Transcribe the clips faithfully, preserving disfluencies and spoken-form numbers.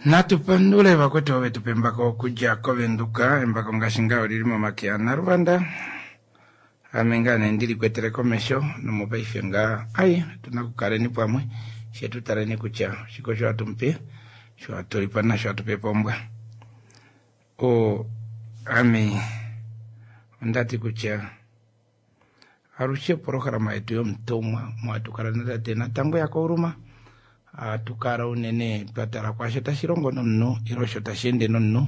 Natu pandule vakwetu ove tupa embako okudja koVenduka. Embako ngaashi ngaa olili momake aNaluvanda. Ame ngaa nee ndili kwetele komesho nomopaife ngaa ai otuna okukaleni pamwe she tu taleni kutya oshike osho hatu mupe sho hatu lipa nasho hatu pe pombwa. O ame ondati kutya alushe opolohalama yetu yomutumwa omo hatu kala natate Natangwe yaKauluma ohatu kala unene twa tala kwaasho tashi longo nomunhu ile osho tashi ende nomunhu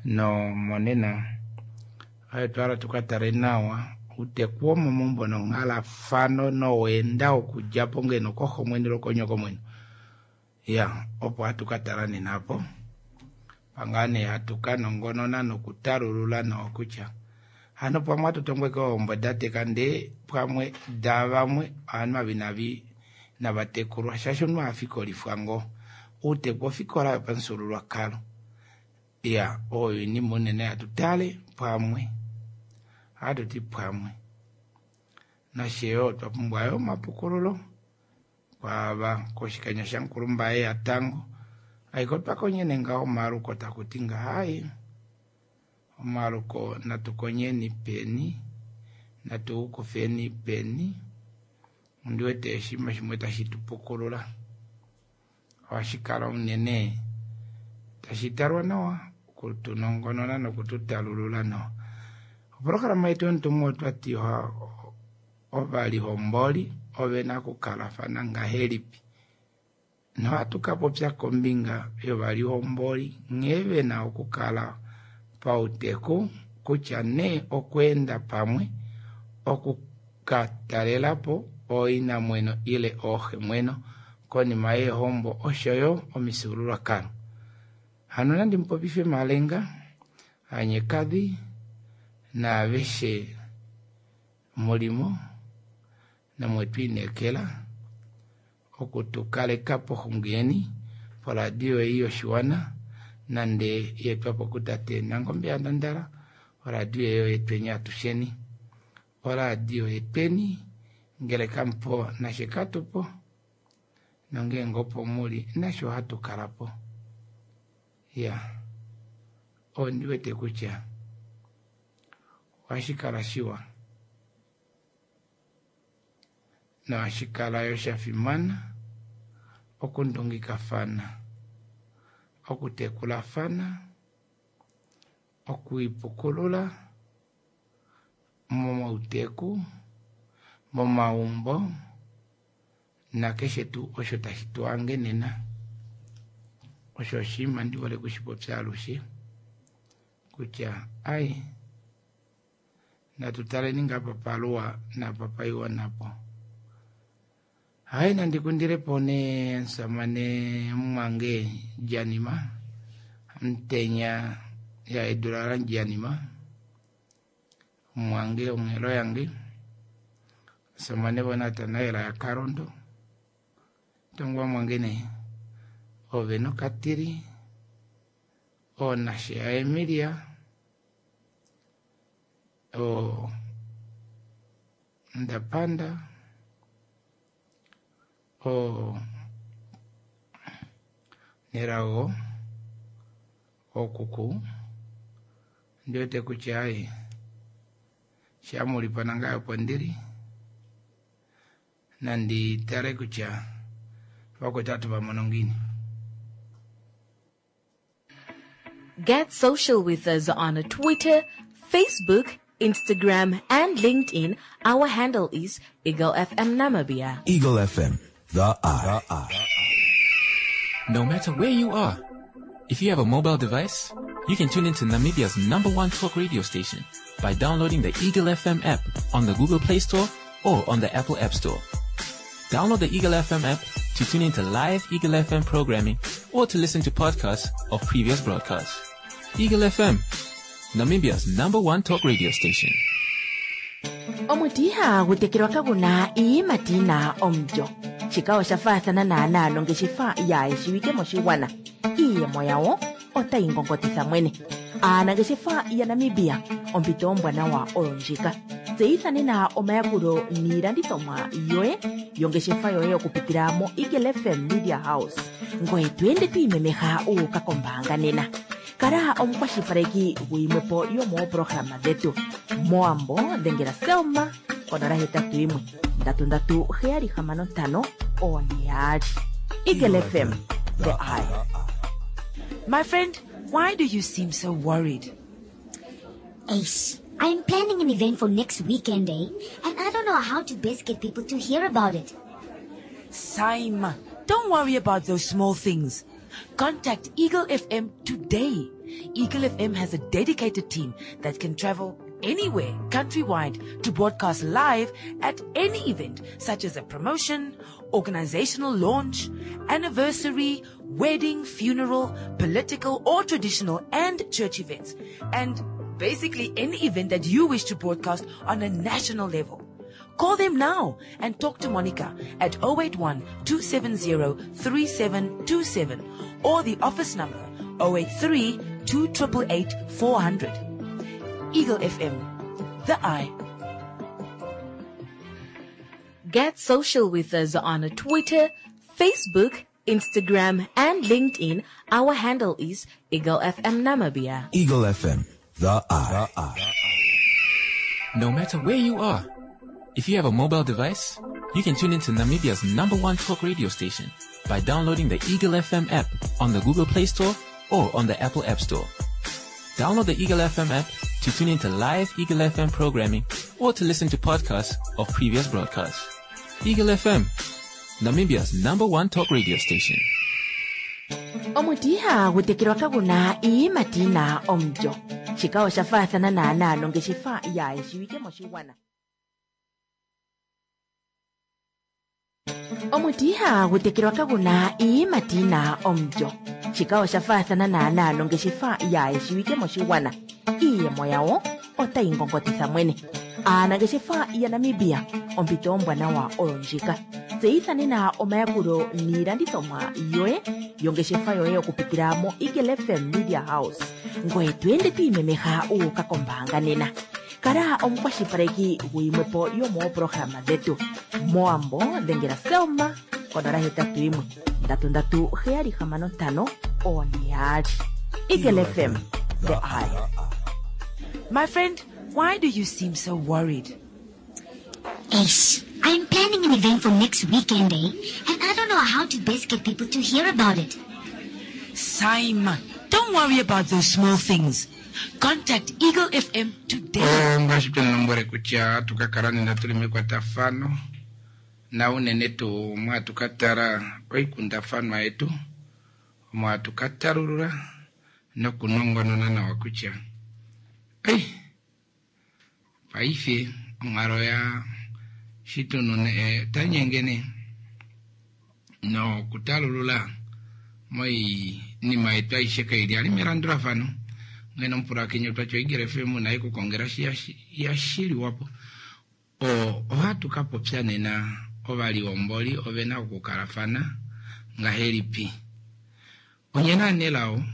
nomonena otwa hala tuka tale nawa outeku womomaumbo nonghalafano noweenda wokudjapo ngeno koxomwene ile konyokomwene ya opo hatu ka tala nena apo pangaa nee hatu ka nongonona nokutalulula nawa kutya hano pamwe hatu tongweke ohombo dateka ndee pamwe davamwe ovanhu ava inavi navatekulwa shaashi omunhu ohafikolifwa ngoo outeku ofikola yopamufyuululwakalo ya oyo oinima unene hatu tale pamwe ohatuti pamwe nasheyo otwa pumbwa yo omapukululo kwaava koshikanya shamukulumbaye yatango aike otwakonyene ngaho omaluko takuti ngaha omaluko natu konyeni peni natu kufeni peni ondiwete oshinima shimwe tashi tupukulula ohashi kala unene tashi talwa nawa okutunongonona nokututalulula nawa. Opolohalama yetu yomutumwa otwati ovalihomboli ovena okukalafana ngahelipi nohatu kapopya kombinga yovalihomboli nghee vena okukala pauteku kutya nee okweenda pamwe okukatalelapo ooinamweno ile ooxemweno konima yeehombo oshoyo omifyuululwakalo. Hano nandi mupopife Malenga Anyekadhi naaveshe mulimo nomwetwiinekela okutukaleka poxungi yeni poradio ei yoshiwana nande yeetwapo kutate Nangombe yaNandala oradio ei oyetweni atusheni oradio yetweni ngele kamupo nashe katupo nongeenge opo muli nashe ohatu kalapo ya ondiwete kutya ohashi kala shiwa nohashi kala yo shafimana okundungikafana okutekulafana okwiipukulula momauteku momaumbo nakeshe tuu osho tashi tuhange nena osho oshinima ndihole okushipopya alushe kutya ai natu taleni ngaa papaluwa napapaiwa napo. Hai nandi kundilepo nee omusamane mumwange Janima Amutenya ya edula laJanima mumwange onghelo yange omusamane voNatanael yaKalondo tongwa mwange nee ove nokatili oonashe yaEmilia o Ndapanda o Nelago okuku ndiwete kutya ai shamulipa nangaye opo ndili nandi tale kutya vakwetu ohatu vamono ngiini. Get social with us on Twitter, Facebook, Instagram, and LinkedIn. Our handle is Eagle F M Namibia. Eagle F M, the eye. The eye. No matter where you are, if you have a mobile device, you can tune into Namibia's number one talk radio station by downloading the Eagle F M app on the Google Play Store or on the Apple App Store. Download the Eagle F M app to tune into live Eagle F M programming or to listen to podcasts of previous broadcasts. Eagle F M, Namibia's number one talk radio station. Omuti ihagu tekelwa kagu na iiyimati yi na omulyo. Shika osha faathana naanaa nongeshefa yaa shiwike moshigwana. Iiyemo yawo otayi ngongotitha mwene. Aanangeshefa yaNamibia, ompito ombwanawa oyo ndjika. Tseyitha nena omayakulo niilandithomwa yoye yongeshefa yoye okupitila mo Eagle F M Media House. Ngoye to ende to imemeha u uka kombaanga nena. Kala omukwashilipaleki guyimwepo yomoopolohalama dhetu. Mowambo dhengela Selma konola hetatu yimwe ndatu ndatu heyali hamano ntano one yaali. Eagle F M, the eye. My friend, why do you seem so worried? Ace, I'm planning an event for next weekend, eh? And I don't know how to best get people to hear about it. Saima, don't worry about those small things. Contact Eagle F M today. Eagle F M has a dedicated team that can travel anywhere countrywide to broadcast live at any event, such as a promotion, organizational launch, anniversary, wedding, funeral, political or traditional and church events, and basically any event that you wish to broadcast on a national level. Call them now and talk to Monica at oh eight one, two seven zero, three seven two seven or the office number oh eight three, two triple eight, four hundred. Eagle F M, the eye. Get social with us on Twitter, Facebook, Instagram, and LinkedIn. Our handle is Eagle F M Namibia. Eagle F M, the eye. The eye. No matter where you are, if you have a mobile device, you can tune into Namibia's number one talk radio station by downloading the Eagle F M app on the Google Play Store or on the Apple App Store. Download the Eagle F M app to tune into live Eagle F M programming or to listen to podcasts of previous broadcasts. Eagle F M, Namibia's number one talk radio station. Omuti ihagu tekelwa kaguna iiyimati yina omulyo. Shika osha faathana naanaa nongeshefa yaayeshiwike moshigwana. Omuti ihagu tekelwa kaguna iiyimati yina omulyo. Shika osha faathana naanaa nongeshefa yaayeshiwike moshigwana. Iiyemo yawo otayi ngongotitha mwene. Aanangeshefa yaNamibia, ompito ombwanawa oyo ndjika. Tseyitha nena omayakulo niilandithomwa yoye yongeshefa yoye okupitila mo Eagle F M Media House. Ngoye to ende to imemeha u uka kombaanga nena. Kala omukwashilipaleki guyimwepo yomoopolohalama dhetu. Mowambo dhengela Selma konola hetatu yimwe ndatu ndatu heyali hamano ntano one yaali. Eagle F M, the eye. My friend, why do you seem so worried? Ace, I'm planning an event for next weekend, eh? And I don't know how to best get people to hear about it. Saima, don't worry about those small things. Contact Eagle F M today. Oh, ngaashi twe lombwele kutya tukakala nena tuli mekwatafano na unene tuu mwatukatala oikundafanwa yetu mwatukatalulula nokunongonona nawa kutya ei paife onghalo ya shitunune eh, tanyengene nokutalulula moinima yetu aishe kaili ali melandulafano. Ngeno omupulakeni otwatya Eagle F M naye kukongela shi yashiliwapo. O, ohatu ka popya nena ovaliomboli ovena okukalafana ngahelipi. Onyena nelao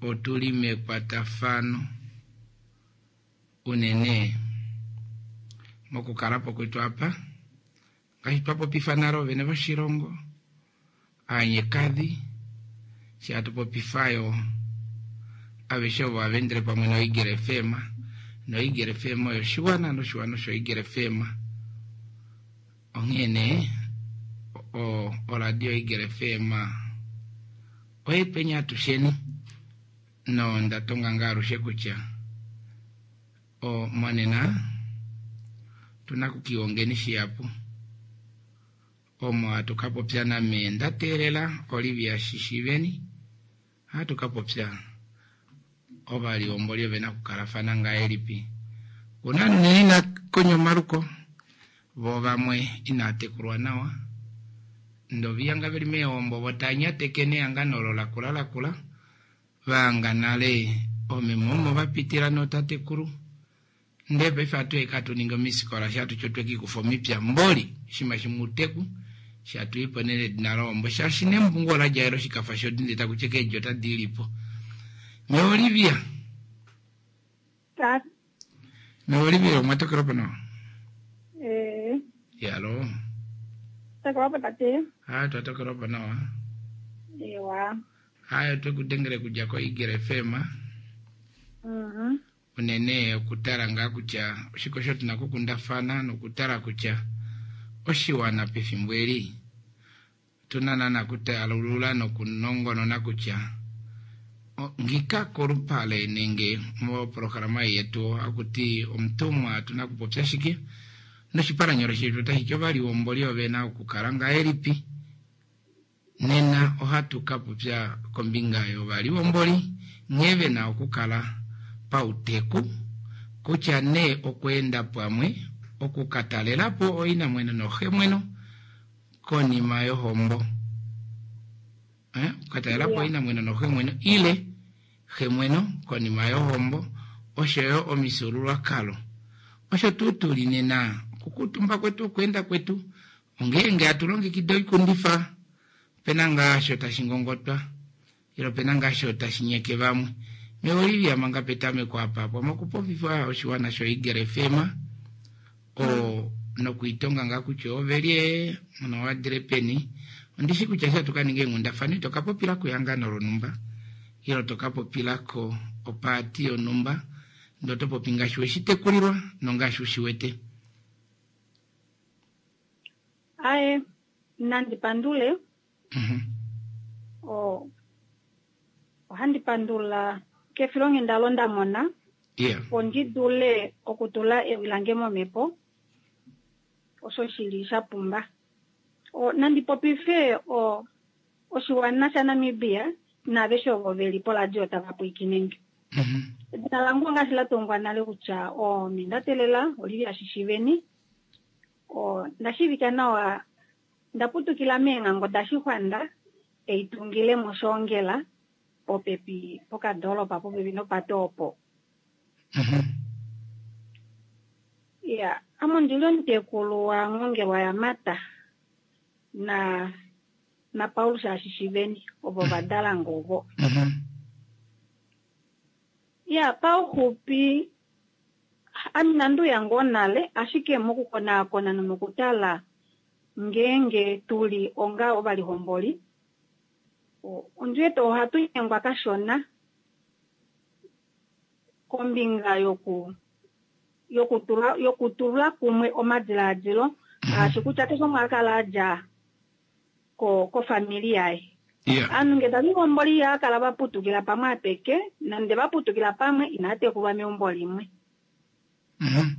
otuli mekwatafano unene mokukalapo kwetu apa ngaashi twapopifa nale ovene voshilongo aanyekadhi shi hatupopifayo aveshe ovo avendele pamwe no Eagle F M no Eagle F M oyo oshiwana noshiwana osho Eagle F M. Onghene o oradio Eagle F M oye penya atusheni no ndatonga nga alushe kutya o monena tuna kukiongeni shihapu omo hatukapopya name ndateelela Olivia Shishiveni hatukapopya ovaliomboli ovena okukalafana ngahelipi. Kuna nene ina konya omaluko vo vamwe inatekulwa nawa ndoviyanga veli meombo votanyateke nehangano olo lakula lakula vanga nale omemo omo vapitila notatekulu nde paife atu eka tuninga omisikola shatu chotwekikufa omipya mboli shima shimuteku shatuipo neledina lombo shaashi nembungu ola djaelo shikafa shodinde takucheka eedjo tadi lipo. Me Olivia. Tata. Meolivia omwatokela po nawa? Eh, Yalo. tokelwa po tate. Haya twatokela po nawa. Ewa. Haya twekudengele kudja ko Eagle F M. Mhm. Unene okutala ngaa kutya oshike osho tuna okukundafana nokutala kutya oshiwana pefimbo eli tuna nana kutalulula nokunongonona kutya ngika kolupale nenge moprograma yetu akuti omutumwa tuna kupopya shike noshipalanyolo shetu otashi ti ovaliwomboli ovena okukala ngahelipi. Nena ohatu ka popya kombinga yovaliwomboli nghee vena okukala pauteku kutya nee okweenda pamwe okukatalelapo oinamweno noxemweno konima yohombo. Eh, okukatalelapo oinamweno noxemweno ile xemweno konima yohombo oshoyo omifyuululwakalo. Osho tuu tuli nena okukuutumba kwetu okweenda kwetu ongeenge hatu longekida oikundifa pena ngaasho tashi ngongotwa ile pena ngaasho tashi nyeke vamwe. Meolivia manga petameko apa pamwe okupopifa oshiwana sho-Eagle F M o nokuitonga ngaa kutya ovelie nowadile peni. Ondishi kutya sha tuka ninga eenghundafana ito ka popila kehangano lonhumba ile to ka popilako opaati yonhumba ndee oto popi ngaashi weshitekulilwa nongaashi ushiwete. Aye, nandi pandule. Mhm. O, ohandi pandula kefilonghenda olo nda mona. Yeah. Opo ndi dule okutula ewi lange momhepo, osho shili sha pumba. O, nandi popife o, oshiwana shaNamibia naaveshe ovo veli poradio tava pwiikine nge. Mhm. Edina lange ongaashi la tongwa nale kutya o, Mindatelela Olivia Shishiveni. O, nda shiivika nawa, nda putukila meenghango daShixwanda, eitungile mOshoongela, popepi pokadoolopa popepi nopate opo. Mhm. Ya, ame ondili omutekulu wa Ngongelwa yaMata na, na Paulus Ashishiveni, ovo va dala ngovo. Mhm. Ya, pauxupi ame inandi uya ngoo nale, ashike mokukonaakona nomokutala ngeenge tuli onga ovalihomboli, o-, ondi wete ohatu nyengwa kashona kombinga yoku, yokutula, yokutula kumwe omadilaadilo, ngaashi kutya keshe umwe a kala a dja ko-, kofamili yaye. Yeah. Aanhu nge tava lihomboli ihava kala va putukila pamwe apeke, nande va putukila pamwe inava tekulwa meumbo limwe. Mhm.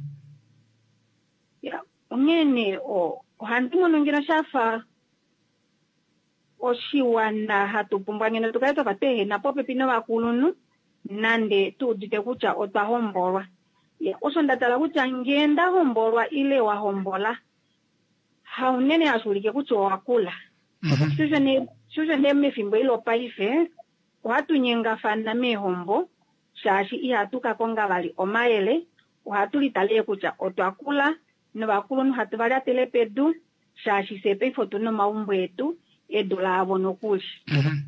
Ya, onghee nee, o-, ohandi mono ngeno shafa oshiwana hatu pumbwa ngeno tu kale twafa twa ehena popepi novakulunhu, nande tu udite kutya otwa hombolwa. Ya, osho nda tala kutya ngee nda hombolwa ile wa hombola, haunene hashi ulike kutya owa kula. Mhm. Shosho nee, shosho nee mefimbo eli lopaife, ohatu nyengafana meehombo, shaashi ihatu ka konga vali omayele, ohatu litalele kutya otwa kula, novakulunhu hatu va lyatele pedu, shaashi fye paife otu na omaumbo etu, edu laavo nokuli. Mhm.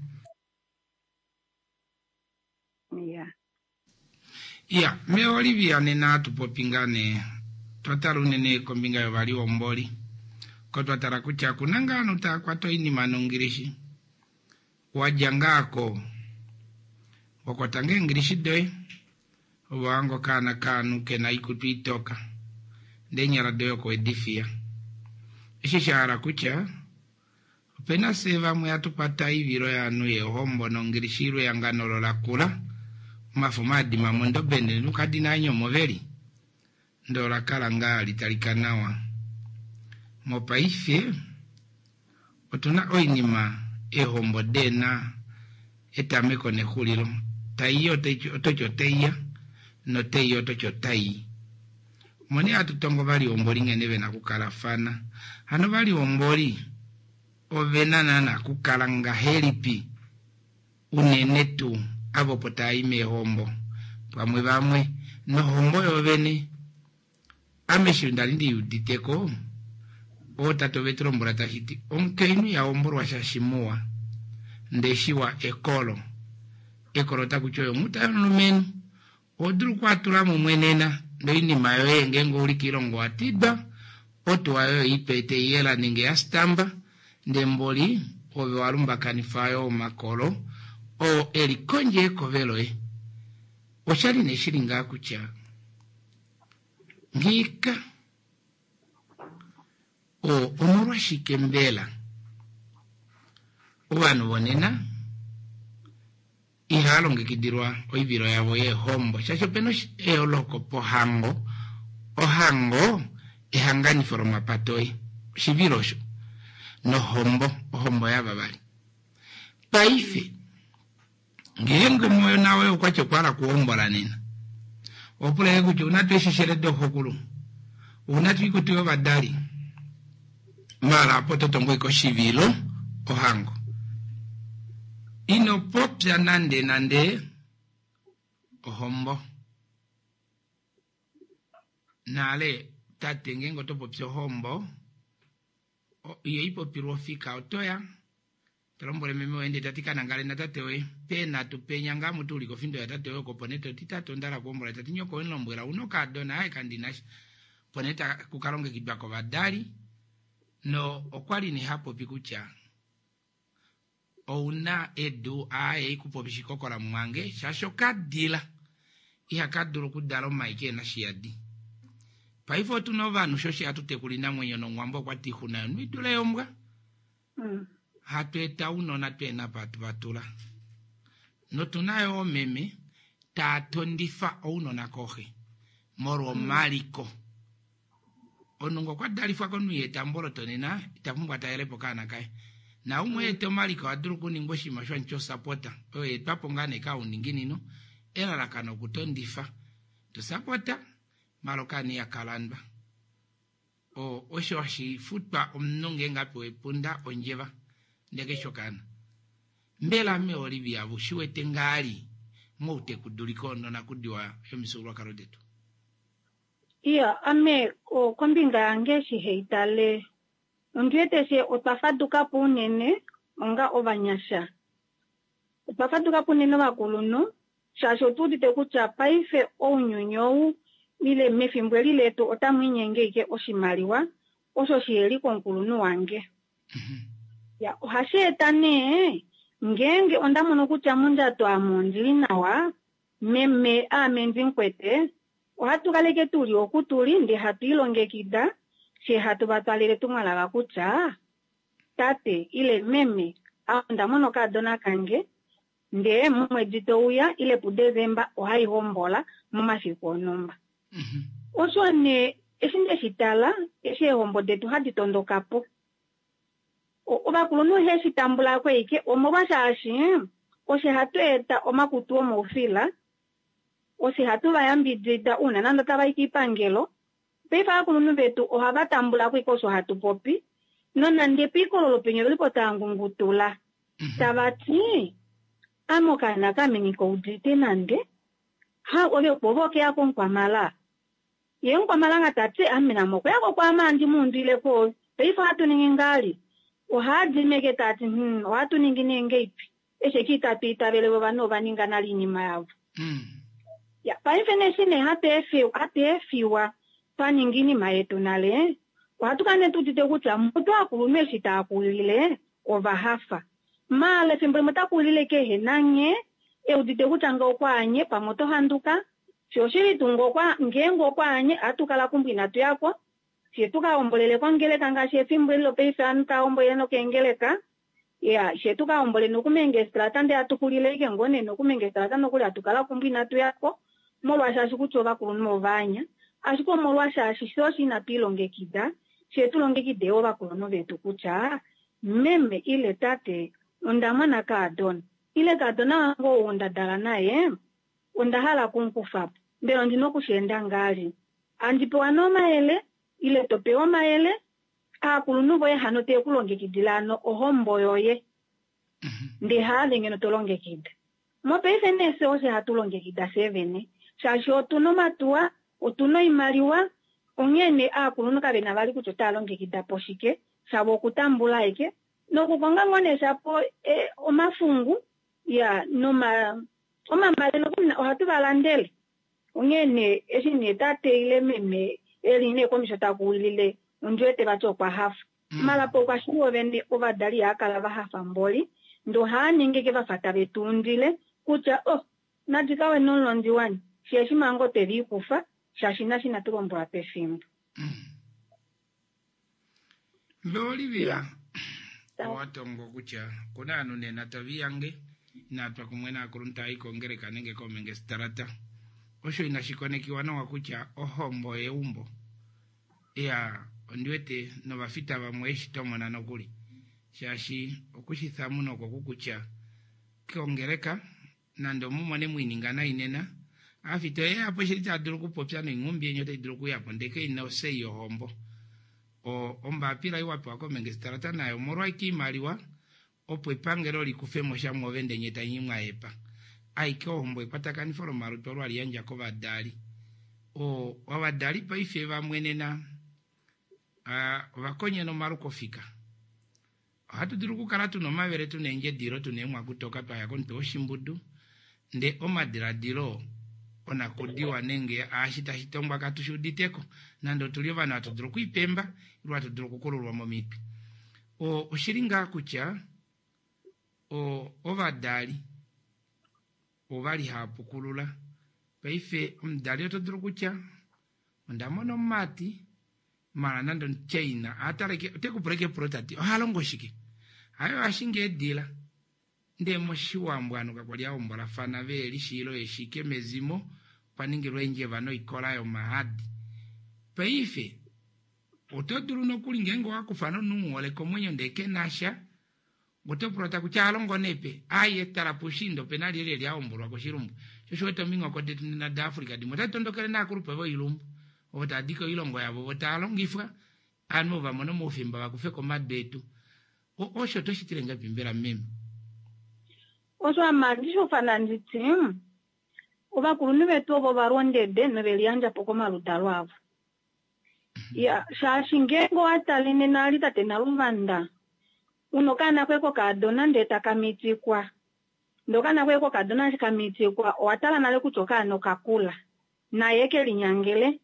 Ya. Ya, me Olivia nena atu popi ngaa nee, twa tala unene kombinga yovaliwomboli. Ko twa tala kutya kuna ngaa ovanhu tava kwata oinima nongilishi. Wa dja ngaa ko, wa kwata ngaa eengilishi doye, ove wa hanga okaana kaanhu ke na oikutu itoka, ndee eenyala doye oko wedi fiya. Eshi sha hala kutya, opena fye vamwe hatu kwata oivilo yaanhu yeehombo nongilishi ilwe ehangano olo la kula, omafo maadima mondobe ndele nukadi naa nyomo veli, ndee ola kala ngaa litalika nawa. Mopaife otuna oinima eehombo deena etameko nexulilo, taiya ototi otaiya notaiya ototi otai. Omoni hatu tongo ovalihomboli nghene vena okukalafana. Hano ovalihomboli ovena naana okukala ngahelipi unene tuu avo opo tava i meehombo pamwe vamwe nohombo yovene. Ame eshi ndali ndi uditeko, ootate ove tu lombwela tashi ti omukainhu iha hombolwa shaashi muwa, ndee shiwa ekolo. Ekolo otaku ti oyo omuta yomulumenhu, oho dulu okuatula mumwe nena Noinima yoye ngeenge ouli kiilongo wa tidwa, otuwa yoye ipe teiyela nenge ya stamba, ndee mboli ove wa lumbakanifa yo omakolo oo eli kondje yekove loye. Oshali nee shili ngaa kutya ngiika o omolwashike mbela ovanhu vonena ihaya longekidilwa oivilo yavo yeehombo shaashi opena eyooloko pohango. Ohango ehanganifo lomapato oye, oshivilo osho, nohombo ohombo yavavali. Paife ngeenge omona woye okwati okwa hala okuhombola nena, opula kutya ouna tuu eesheshele doxokulu, ouna tuu oikutu yovadali, maala apo oto tongo ashike oshivilo ohango. Ino popya nande nande ohombo. Nale tate ngeenge oto popi ohombo, ihai popilwa ofika otoya talombwele meme woye ndee tati kanangale natate woye peenhatu penya ngaa mutuulika ofindo yatate woye oko opo nee toti tate onda hala okuhombola, tati nyoko wemulombwela ouna okaadona aye kandinasha, opo nee taku kalongekidwa kovadali. No okwali nee hapopi kutya ouna edu aaye ikupopi shikokola mumwange shaashi okadila ihaka dulu okudala omai keena shiyadi. Paife otuna ovanhu shoshi hatu tekula oinamwenyo nomuwambo okwati oixuna yomunhu idule yombwa. Hatu eta ounona tweena apa hatu vatula. Notuna yo oomeme taa tondifa ounona kooxe molwa omaliko. Omunhu ngoo okwa dalifwa komunhu iha eta omboloto nena ita pumbwa talelepo okaana kaye. Naumwe eta omaliko oha dulu okuningwa oshinima osho hashi osapota oyo yaetwapo ngaa nee kouninginino elalakano okutondifa. Tosapota maala okaana ihakalandwa. Osho hashi futwa omunhu ngeenge apewa epunda ondjeva ndee kaifi okaana. Mbela mee Olivia ushiwete ngaali moutekuduliko nonakudiwa yomifyuululwakalo detu? Iya, ame kombinga yange eshi haitale ondiwete fye otwa fadukapo unene onga ovanyasha. Otwa fadukapo unene ovakulunhu shaashi otu udite kutya paife ounyuni ou ile mefimbo eli letu otamu inyenge ashike oshimaliwa osho shiheli komukulunhu wange. Ya, ohashi eta nee ngeenge onda mono kutya mondjato ame ondili nawa, meme aame ndimukwete, ohatu kaleke tuli oku tuli ndee hatu ilongekida fye hatu vatwalele etumwalaka kutya tate ile meme onda mona okaadona kange ndee momwedi touya ile puDesemba ohaihombola momafiku onhumba. Osho nee eshi ndeshi tala eshi eehombo detu hadi tondokapo. Ovakulunhu iheshi tambulako ashike omolwashaashi osho hatu eta omakutu omoufila, osho hatu vayambidida uuna nande otavai kiipangelo. Paife ovakulunhu vetu ohava tambulako ashike osho hatu popi nonande piikololo penya ovelipo tava ngungutula tava ti ame okaana kame ngikaudite nande ha ove opo ove okeya komukwamala ye mukwamala tati ame name okweyako kwaame handi muundwileko. Paife ohatu ningi ngaali ohaadimeke tati hmm, ohatu ningi nee ngeipi eshi eke itatu itavele ovanhu ova ninga nale oinima yavo. Ya, paife neshi nee hatu efiwa twa ninga oinima yetu nale, ohatu kala nee tuudite kutya mutu aakulunhu eshi taa kulile ova hafa. Maala efimbo limwe ota kulile kehe nanghee eudite kutya ngee okwaanye pamwe oto handuka, fye oshili tuu ngeenge okwaanye ohatu kala kumbo inatu yako, fye tukahombolele kongeleka ngaashi efimbo eli lopaife ovanhu tava hombolele nokeengeleka. Ya, fye tukahombole nokumengestrata ndee hatu xulile ashike ngoo nee nokumengestrata nokuli hatu kala kumbo inatu yako molwashaashi kutya ovakulunhu ovaanya, ashike omolwashaashi fye osho inatu ilongekida, fye tulongekide ovakulunhu vetu kutya meme ile tate onda mona kaadona ile kaadona wange ou nda dala naye onda hala okumukufapo, mbela ondina okusheenda ngaali? Handi pewa nee omayele ile to pewa omayele aakulunhu voye hano teye kulongekidila hano ohombo yoye ndee haave ngeno to longekida. Mopaife nee fye osho hatu longekida fye vene shaashi otuna omatuwa, otuna oimaliwa, onghee nee aakulunhu kavena vali kutya otava longekida po shike, shavo okutambula ashike nokukonga ngoo nee shapo omafungu ya noma omambale nokuli ohatu valandele. Onghee nee eshi nee tate ile meme eli nee komesho takuwilile ondiwete vati okwa hafa. Malapo okwa shiwo vene ovadali ihakala va hafa mboli ndoo haaningi ke vafa tave tuundile kutya oh nadikawe nomulondi wani sheeshi manga otwe liikufa shaashi nashi inatu lombwelwa pefimbo. Mbe Olivia, owa tongo kutya kuna ovanhu nena tave iyange inatwa kumwe naakulunhu tava i kongeleka nenge komengestalata. Osho inashi konekiwa nawa kutya ohombo yeumbo. Iya, ondi wete novafita vamwe eshi tomona nokuli. Shaashi okushi thamuna oko kukutya kongeleka nande omumone mwiininga nai nena, aafita oyeya po shili tava dulu okupopya noinghumbi yeni otai dulu okuyapo ndele kaina osei yohombo. O ombapila ei wapewa komengestalata nayo omolwa ike oimaliwa opo epangelo likufemo sha mwoove ndee nye tanyi mwahepa. Aike ohombo ekwatakanifo lomalutu olo hali yandja kovadali. O ovadali paife vamwe nena ovakonyena omalukofika. Ohatu dulu okukala tuna omavele tuna eendjedilo tuna eemwakutoka twaya komutwe woshimbudu ndee omadiladilo onakudiwa nenge aashi tashi tongwa katu shi uditeko nande otuli ovanhu hatu dulu okwiipemba ile hatu dulu okukululwa momitwe. O oshili ngaa kutya o ovadali ovali hava pukulula. Paife omudali oto dulu kutya onda mona omumati mala nande omuChina ataleke ote ku pula epulo tati oha longo shike? Hayo ashinge eedila. Ndee moshiwambo ovanhu kakwali ahombolafana ve shiilo yeshike mezimo kwa ningilwa eendjeva noikola yomahadi. Paife oto dulu nokuli ngeenge owakufa nomunhu umuhole komwenyo ndee kenasha oto pula takutya alongo nepe aye tala puushiinda opena lyelye lyahombolwa koshilumbu. Sho osho wete ominghoko detu nena daAfrica dimwe otadi tondokele naakulupe voilumbu ovo tava di koilongo yavo vo tava longifwa ovanhu ovo vamona omaufimba vakufeko omadu etu. Osho oto shitile ngahelipi mbela meme? Osho ame ndishofana nditi ovakulunhu vetu ovo valondede noveliyandja po komaludalo avo. Ya, shaashi ngeenge owatale nena ali tate Naluvanda una okaana koye kokadona ndee taka mitikwa ndee okaana koye kokadona eshi kamitikwa owatala nale kutya okaana okakula naye kelinyangele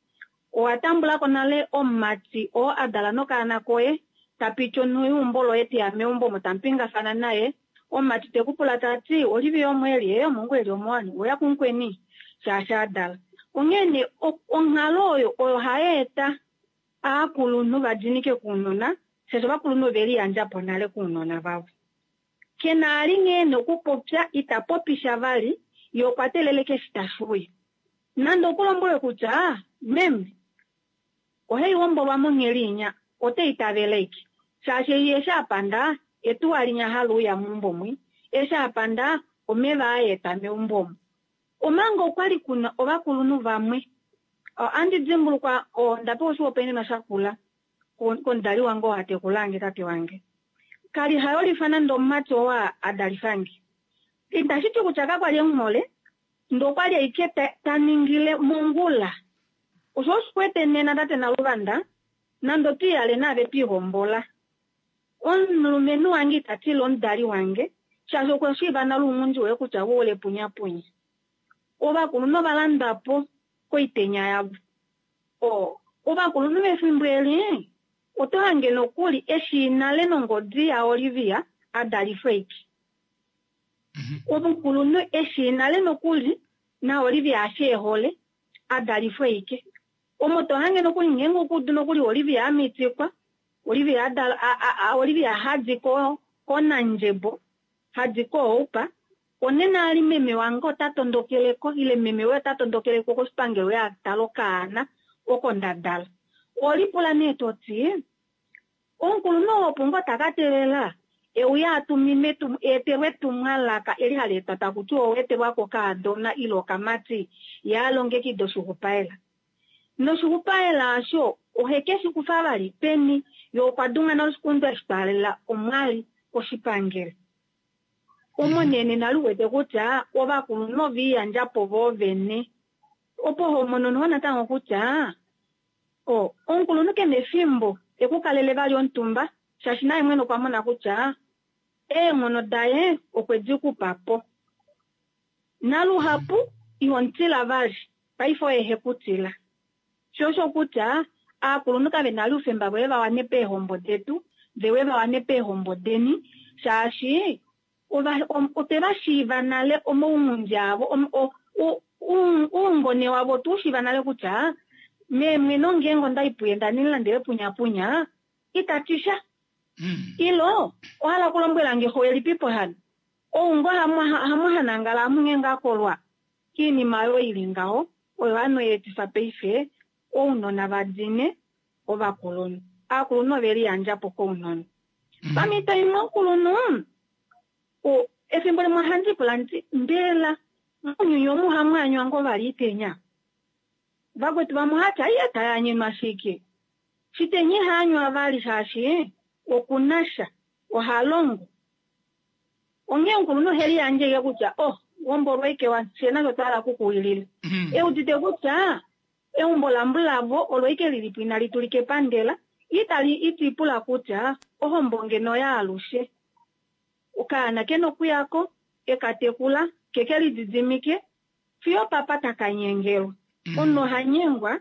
owa tambulako nale omumati oo adala nokaana koye tapiti onhu yeumbo loye teya meumbo omo tamupingafana naye omumati tekupula tati Olivia omweeli ee omongu eli omowani oya kumukweni shaashi adala. Onghee nee onghalo oyo oyo hayeeta aakulunhu vadinike kuunona shaashi ovakulunhu oveliyandja po nale kuunona vavo. Kena ali nghee nokupopya ita popisha vali ye okwa teleleke eshi tashi uya. Nande okulombwele kutya meme ohai hombolwa monghedi inya ote itavele ike shaashi ye eshi apanda etuwa linya hali uya meumbo mwi eshi apanda omeva ayeeta meumbo omu. Omanga okwali kuna ovakulunhu vamwe andi dimbulukwa onda pewa oshihopaenenwa shakula komudali wange oo atekulange tate wange. Kali hayolifa nande omumati oo adalifange. Itashiti kutya kakwali emuhole ndee okwali ashike taningile mongula. Osho oshikwete nena tate Naluvanda nande otwiihale naave twihombola. Omulumenhu wange ita tila omudali wange shaashi okwa shiiva nale ounghundi woye kutya woule punyapunya. Ovakulunhu ovalandwa po koitenya yavo. O ovakulunhu vefimbo eli oto hange nokuli eshi nale nongodi yaOlivia adalifwa ike. Omukulunhu eshi nale nokuli naOlivia ashi ehole adalifwa ike. Omo to hange nokuli ngeenge okuudu nokuli Olivia amitikwa Olivia adala Olivia hadi ko kOnandjembo hadi koOupa onena ali meme wange ota tondokeleko ile meme woye ota tondokeleko koshipangelo ye atale okaana oko ndadala. Olipula nee toti omukulunhu oo opo ngoo taka teelela euya atumine eetelwe etumwalaka eli hali etwa taku tiwa oweetelwa kokaadona ile okamati ye alongekida oshixupaela. Noshixupaela osho ohe shi kufa vali peni ye okwa dunga nale oshikundu eshi twaalela omwali koshipangelo. Omo nee nena liwete kutya ovakulunhu oviiyandja po voovene. Opo homono noho natango kutya o omukulunhu kena efimbo ekukalele vali omutumba shaashi naye mwene okwa mona kutya eenghono daye okwe di kupa po. Naluhapu ihomutila vali. Paife oye hekutila. Sho osho kutya aakulunhu kave na oufemba voye va wane peehombo detu, vewe va wane peehombo deni, shaashi otwe va shiiva nale omaunghundi avo, oungone wavo otwe u shiiva nale kutya meemweno ngeenge onda i puye nda nilandele punyapunya itati sha. Ilo ohala okulombwela nge xo elipipo hano oungo hamu hanangala hamunge akolwa kiinima oyo ili ngaho oyo hano yeetifa paife ounona vadine ovakulunhu. Aakulunhu ove liyandja po kounona. Pamhito imwe omukulunhu efimbo limwe ohandi pula nditi mbela mounyuni omu hamu anywa ngoo vali itenya? Vakwetu vamwe ohati aiye tayanyenwa shike? Shitenya ihaanywa vali shaashi okunasha oha longo. Onghee omukulunhu ohe liyandje kutya oh hombolwa ike fye nasho twa hala okukuwilila. Eudite kutya eumbo lambulavo olo ike lilipo inali tulika epandela itali itipula kutya ohombo ngeno yaalushe. Okaana kena okuyako ekatekula keke lididimike fiyo papa takanyengelwa. Omunhu oha nyengwa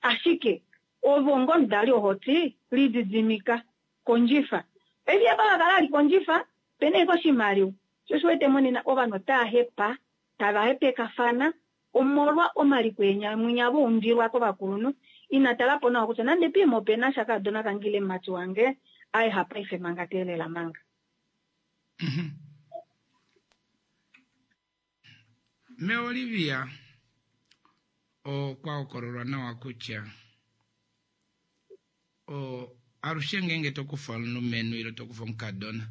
ashike ovo ngomudali ohoti lididimika kondjifa. Paife apa kakala ali kondjifa pena eke oshimaliwa. Sho osho wete monena ovanhu otava hepa tava hepekafana omolwa omaliko eenyamwinya voundilwa kovakulunhu. Ina talapo nawa kutya nande piimo opena sha kaadona kange ile mumati wange aye hapaife manga teelela manga. Me Olivia okwa hokololwa nawa kutya o alushe ngeenge tokufa omulumenhu ile tokufa omukadona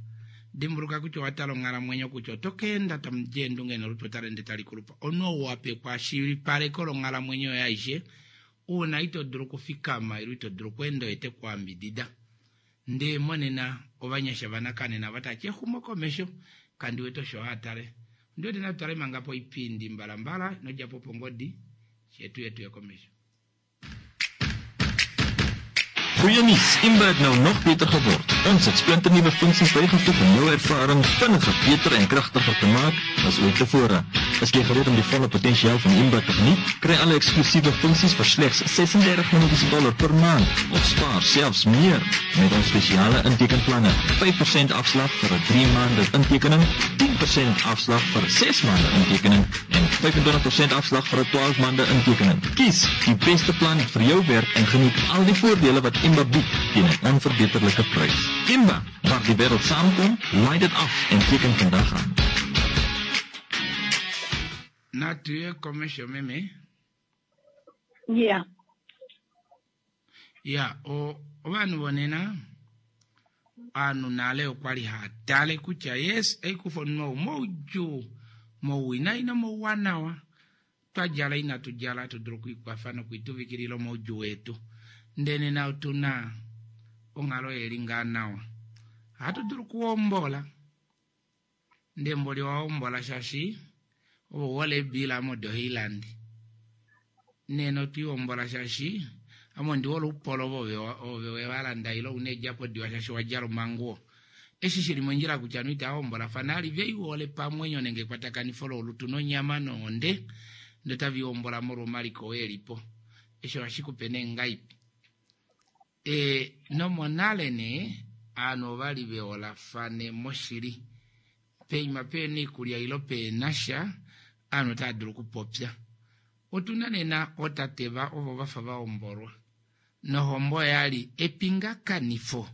dimbuluka kutya owa tala onghalamwenyo kutya oto keenda tamu di eendunge nolutu otali ende tali kulupa. Omunhu ou wa pekwa shilipaleko longhalamwenyo yoye aishe uuna ito dulu okufikama ile ito dulu okweenda oye te ku ambidida. Ndee monena ovanyasha vanakanena vatati exumo komesho kandi wete osho haatale. Ndi wete natutale manga poipindi mbalambala nodjapo pongodi shetu yetu yekomesho. Goeie nuus, Imba het nou nog beter geword. Ons het splinternuwe funksies bygevoeg om jou ervaring vinniger, beter en kragtiger te maak as ooit tevore. Is jy gereed om die volle potensiaal van Imba te geniet? Kry alle eksklusiewe funksies vir slegs ses-en-dertig Namibiese dollar per maand of spaar selfs meer met ons spesiale intekenplanne. vyf persent afslag vir 'n drie maande intekening, tien persent afslag vir ses maande intekening en vyf-en-twintig persent afslag vir 'n twaalf maande intekening. Kies die beste plan vir jou werk en geniet al die voordele wat Imba bied teen 'n onverbeterlike prys. Imba, waar die wêreld saamkom, laai dit af en teken vandag aan. Natuye komesho meme. Yeah. Ya, o ovanhu vonena ovanhu nale okwali haatale kutya yes eikufa omunhu ou moudjuu mouwinayi nomouwanawa twadjala inatu djala hatu dulu okwiikwafa nokuituvikilila omaudjuu wetu. Ndele nena otuna onghalo yeli ngaa nawa. Ohatu dulu okuhombola. Ndee mboli wahombola shaashi ovo hole ebiila modoheiland. Nena otwiihombola shaashi ame ondi hole oupolo ove wevalanda ile una eedjapo diwa shaashi wadjala omanguwo. Eshi shili mondjila kutya ovanhu itava hombolafana ali veihole pamwenyo nenge ekwatakanifo lolutu nonyama nohonde ndee otavihombola molwa omaliko oo elipo. Eshi ohashi kupe nee ngaipi. E, nomonale nee ovanhu ovali veholafane moshili. Peima pena iikulya ilo pena sha ovanhu otava dulu okupopya. Otuna nena ootate ovo vafa vahombolwa. Nohombo oyali epingakanifo.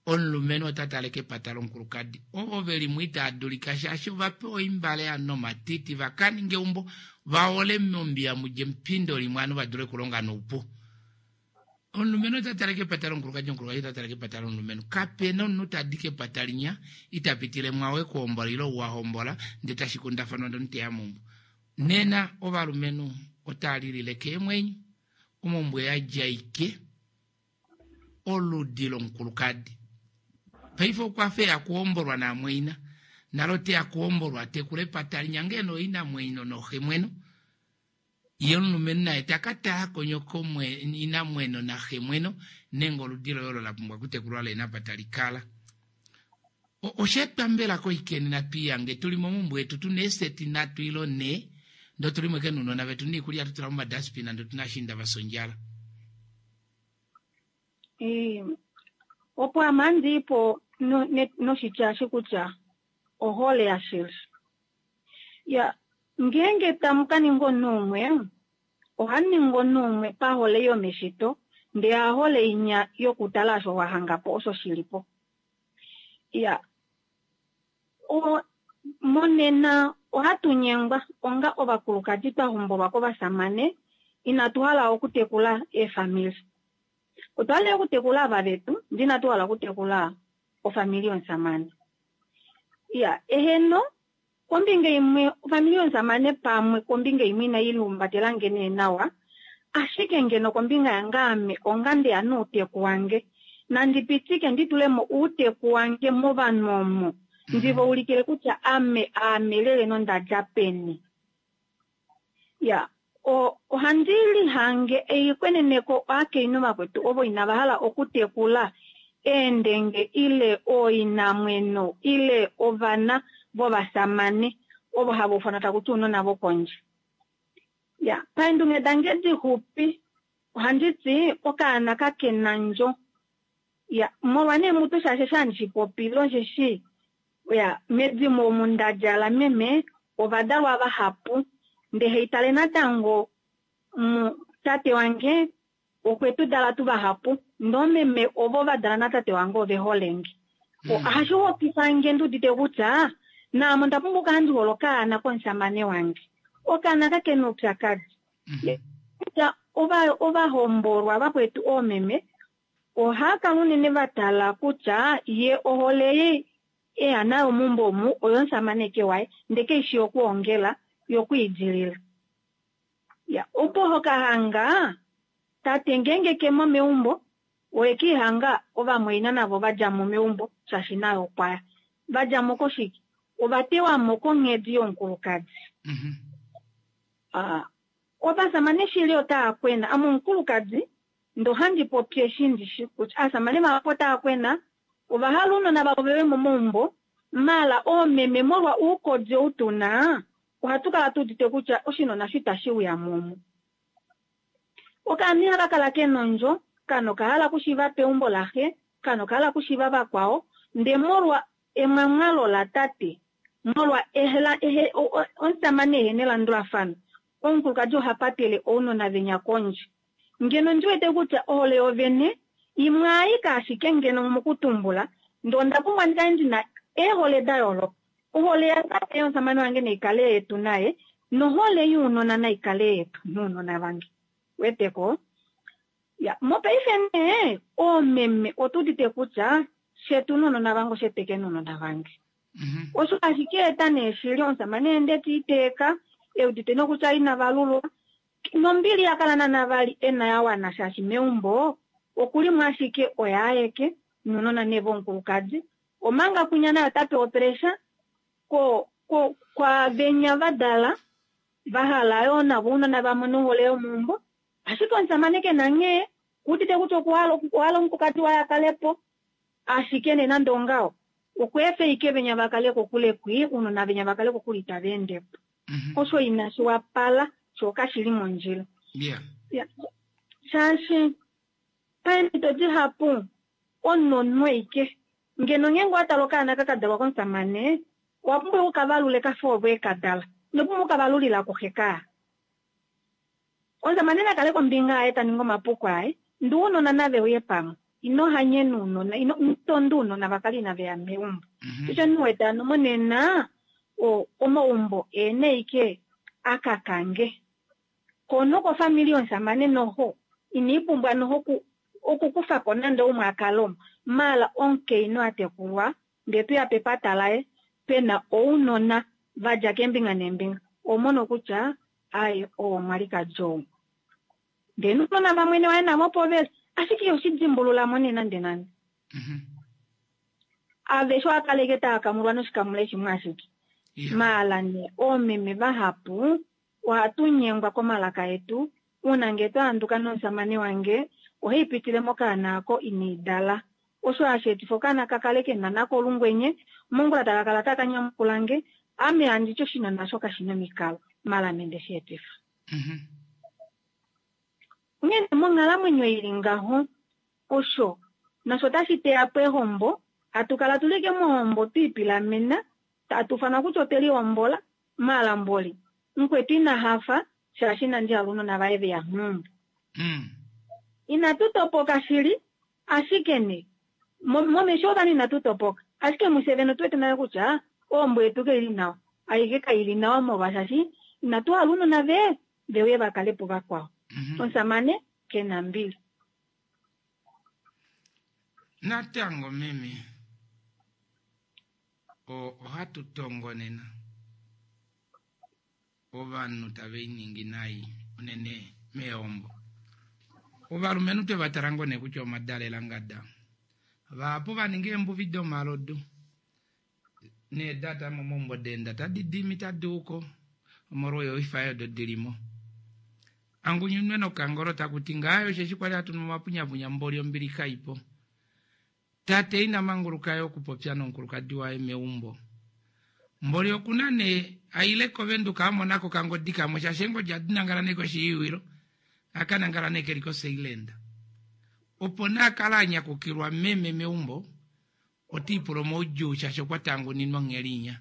Omulumenhu ota tale kepata lomukulukadi. Ovo veli mo itava dulika shaashi ovapewa oimbale nomatiti vakaninge eumbo vahole mombiya mudje mupindo limwe ovanhu vadule okulonga noupu. Omulumenhu ota tale kepata lomukulukadi, omukulukadi ota tale kepata lomulumenhu. Kapena omunhu tadi kepata linya ita pitile mwawe kuhombola ile ou wahombola ndee tashi kundafanwa ndee omunhu teya meumbo. Nena ovalumenhu otava lilile keemwenyo omaumbo yadjaike oludi lomukulukadi. Paife okwa fa eya kuhombolwa namweina nalo teya kuhombolwa tekula epata linya ngeno inamwenyo noxemweno. Ye omulumenhu naye taka tala konyoko inamweno naxemweno nenge oludi loye olo la pumbwa okutekulwa lena apa tali kala. Osheetwa mbela koikeni natwiiyange tuli momumbwe yetu tuna eeseti nhatu ilo nhee Ndee otu li mo ike nuunona vetu niikulya atu tula momadaspina ndee otu na ashiinda va fya ondjala. Ee, opo ame handiipo no- ne- noshitya eshi kutya ohole yashili. Ya, ngeenge tamu ka ninga omunhu umwe, ohamu ningi omunhu umwe pahole yomeshito, ndee hahole inya yokutala osho wa hanga po osho shili po. Ya, o, monena ohatu nyengwa onga ovakulukadi twa hombolwa kovasamane, inatu hala okutekula eefamili. Otwa hala okutekula ava vetu, ndee inatu hala okutekula ofamili yomusamane. Ya, eheno, kombinga imwe ofamili yomusamane pamwe kombinga imwe inayi lumbatela nge nee nawa, ashike ngeno kombinga yange ame onga ndeya nouteku wange, nandi pitike ndi tule mo uuteku wange movanhu omo, ndi va ulikile kutya ame aame lele nonda dja peni. Ya, o, ohandi lihange eikweneneko ovakainhu vakwetu ovo inava hala okutekula eendenge ile ooinamweno ile ovana vovasamane ovo hava ufanwa taku ti ounona vokondje. Ya, paendunge dange dixupi ohandi ti okaana kakena ndjo. Ya, molwa nee mutu shaashi eshi handi shipopile osheshi ya medimo omu nda djala meme ovadalwa vahapu, ndee haitale natango mu tate wange okwe tu dala tu vahapu, ndee oomeme ovo va dala natate wange ove hole nge. Ohashi hokifa nge ndi udite kutya naame onda pumbwa okukala ndi hole okaana komusamane wange. Okaana kakena oupyakadi. Kutya ova ovahombolwa vakwetu oomeme ohava kala unene va tala kutya ye ohole ei eya nayo meumbo omu oyomusamane ke waye, ndee keishi yokuongela yokwiidilila. Ya, opo hokahanga tate ngeenge kemo meumbo oye kiihanga ovamwaina navo va dja mo meumbo shaashi naye okwaya. Va dja mo koshike? Ova tewa mo konghedi yomukulukadi. Ah, ovasamane shili otava kwena. Ame omukulukadi ndee ohandi popi eshi ndishi kutya aasamane vahapu otava kwena, ova hala ounona vavo veve momaumbo, maala oomeme molwa oukodi ou tuna, ohatu kala tu udite kutya oshinona osho itashi uya mo. Okaana ihaka kala kena ondjo, kaana okahala okushiiva peumbo laxe, kaana okahala okushiiva vakwao, ndee molwa emwamwalo latate, molwa ehela ehe omusamane ehena elandulafano, omukulukadi oha patele ounona venya kondje. Ngeno ndi wete kutya ohole yovene imwe aika ashike ngeno mokutumbula, ndee onda pumbwa ndi kale ndina eehole da yooloka. Ohole yatate yomusamane wange naikale yetu naye, nohole younona naikale yetu nounona vange. Weteko? Ya, mopaife nee oomeme otu udite kutya shetu nounona vange osheteke nounona vange. Osho ashike eta nee shili omusamane ende tiiteeka, eudite nokutya ina valulwa, nombili ya kala naana vali ena ya wana shaashi meumbo okulimo ashike oye aeke nounona nee vomukulukadi, omanga kwinya naye ota pewa opressure ko ko kwavenya va dala va hala yoo navo ounona va mone ohole yomeumbo, ashike omusamane kena nghee kuudite kutya okuhala okuhala omukulukadi waye akale po, ashike nee nande ongaho okweefa ike venya va kale kokule kwi, ounona venya va kale kokule itava ende po. Osho inashi wapala, sho kashili mondjila. Yeah. Ya, shaashi paemhito dihapu omunhu ike ngeno ngeenge owa tala okaana ka kadalwa komusamane, owa pumbwa okukavalule kafa ovo ekadala, ino pumbwa okukavalulila kuxe kaa. Omusamane na kale kombinga yaye ta ningi omapuko aye, ndee ounona nave uye pamwe. Ino hanyena ounona, ino tonda ounona va kale inave ya meumbo. Osho omunhu wete hano monena o omaumbo eene ike akakange. Ko nokofamili yomusamane noho iniipumbwa noho okukufa ko nande umwe akale omo, maala omukainhu a tekulwa ndee tuya pepata laye pena ounona va dja keembinga neembinga, omono kutya ai oo omwalikadi ou. Ndee nounona vamwene waye navo opo veli, ashike iho shi dimbulula mo nee nande nande. Aveshe ohava kala ike tava kamulwa noshikamule shimwe ashike. Maala nee oomeme vahapu ohatu nyengwa komalaka etu, uuna ngee twa handuka nomusamane wange ohai pitile mokaana ako ina dala. Osho hashi etifa okaana ka kale kena nako olungwenye, mongula taka kala taka nyamukula nge, Ame handiti oshinona osho kashina omikalo, maala ame ndeshi etifa. Onghee monghalamwenyo ili ngaho, osho nasho otashi teya po ehombo, hatu kala tuli ke mohombo twiipilamena, tatu fanwa kutya otwe lihombola, maala mboli mukwetu ina hafa shaashi inandi hala ounona vaye veya meumbo. Inatu topoka shili, ashike ne momesho ovanhu inatu topoka, ashike mufye vene otu wete nale kutya ohombo yetu kaili nawa, aishe kaili nawa molwashashi inatu hala ounona ve veuye vakale po vakwao. Omusamane kena mbili. Natango meme ohatu tongo nena ovanhu tava iningi nai unene meombo. Ovalumenhu twe va tala ngoo nee kutya omadalela ngada. Vahapu va ninga eembuvi domalodu needata momaumbo deenda tadi dimi tadi uko omolwa oifa odo dilimo. Angunyunwe nokangolo taku ti ngaayo osheshi kwali hatu nu omapunyapunya mboli ombili kaipo. Tate ina manguluka yo okupopya nomukulukadi waye meumbo. Mboli okuna nee aile kovenduka amona ko kangodi kamwe shaashi eengodi adi nangala nee koshiiwilo aka nangala nee keli koSeiland. Opo nee akala anyakukilwa meme meumbo otiipula omaudjuu shaashi okwa tanguninwa onghelinya.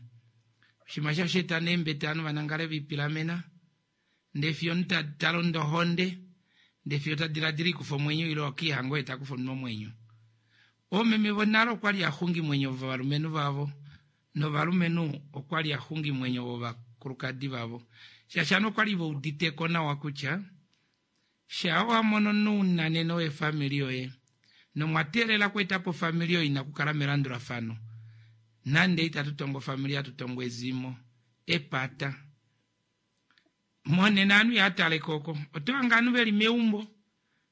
Oshinima shasho eta neembete ovanhu vanangale viipilamena ndee fiyo omunhu ta londo ohonde ndee fiyo ta diladila ikufa omwenyo ile okiihanga oye takufa omunhu omwenyo. Oomeme vonale okwali axungimwenyo vovalumenhu vavo novalumenhu okwali axungimwenyo vovakulukadi vavo. Shaashi ovanhu okwali veuditeko nawa kutya shaa wamono nounanene wefamili yoye nomwa teelela okweeta po ofamili oyo ina kukala melandulafano nande itatu tongo ofamili hatu tongo ezimo epata. Monena ovanhu ihataleko oko oto hange ovanhu veli meumbo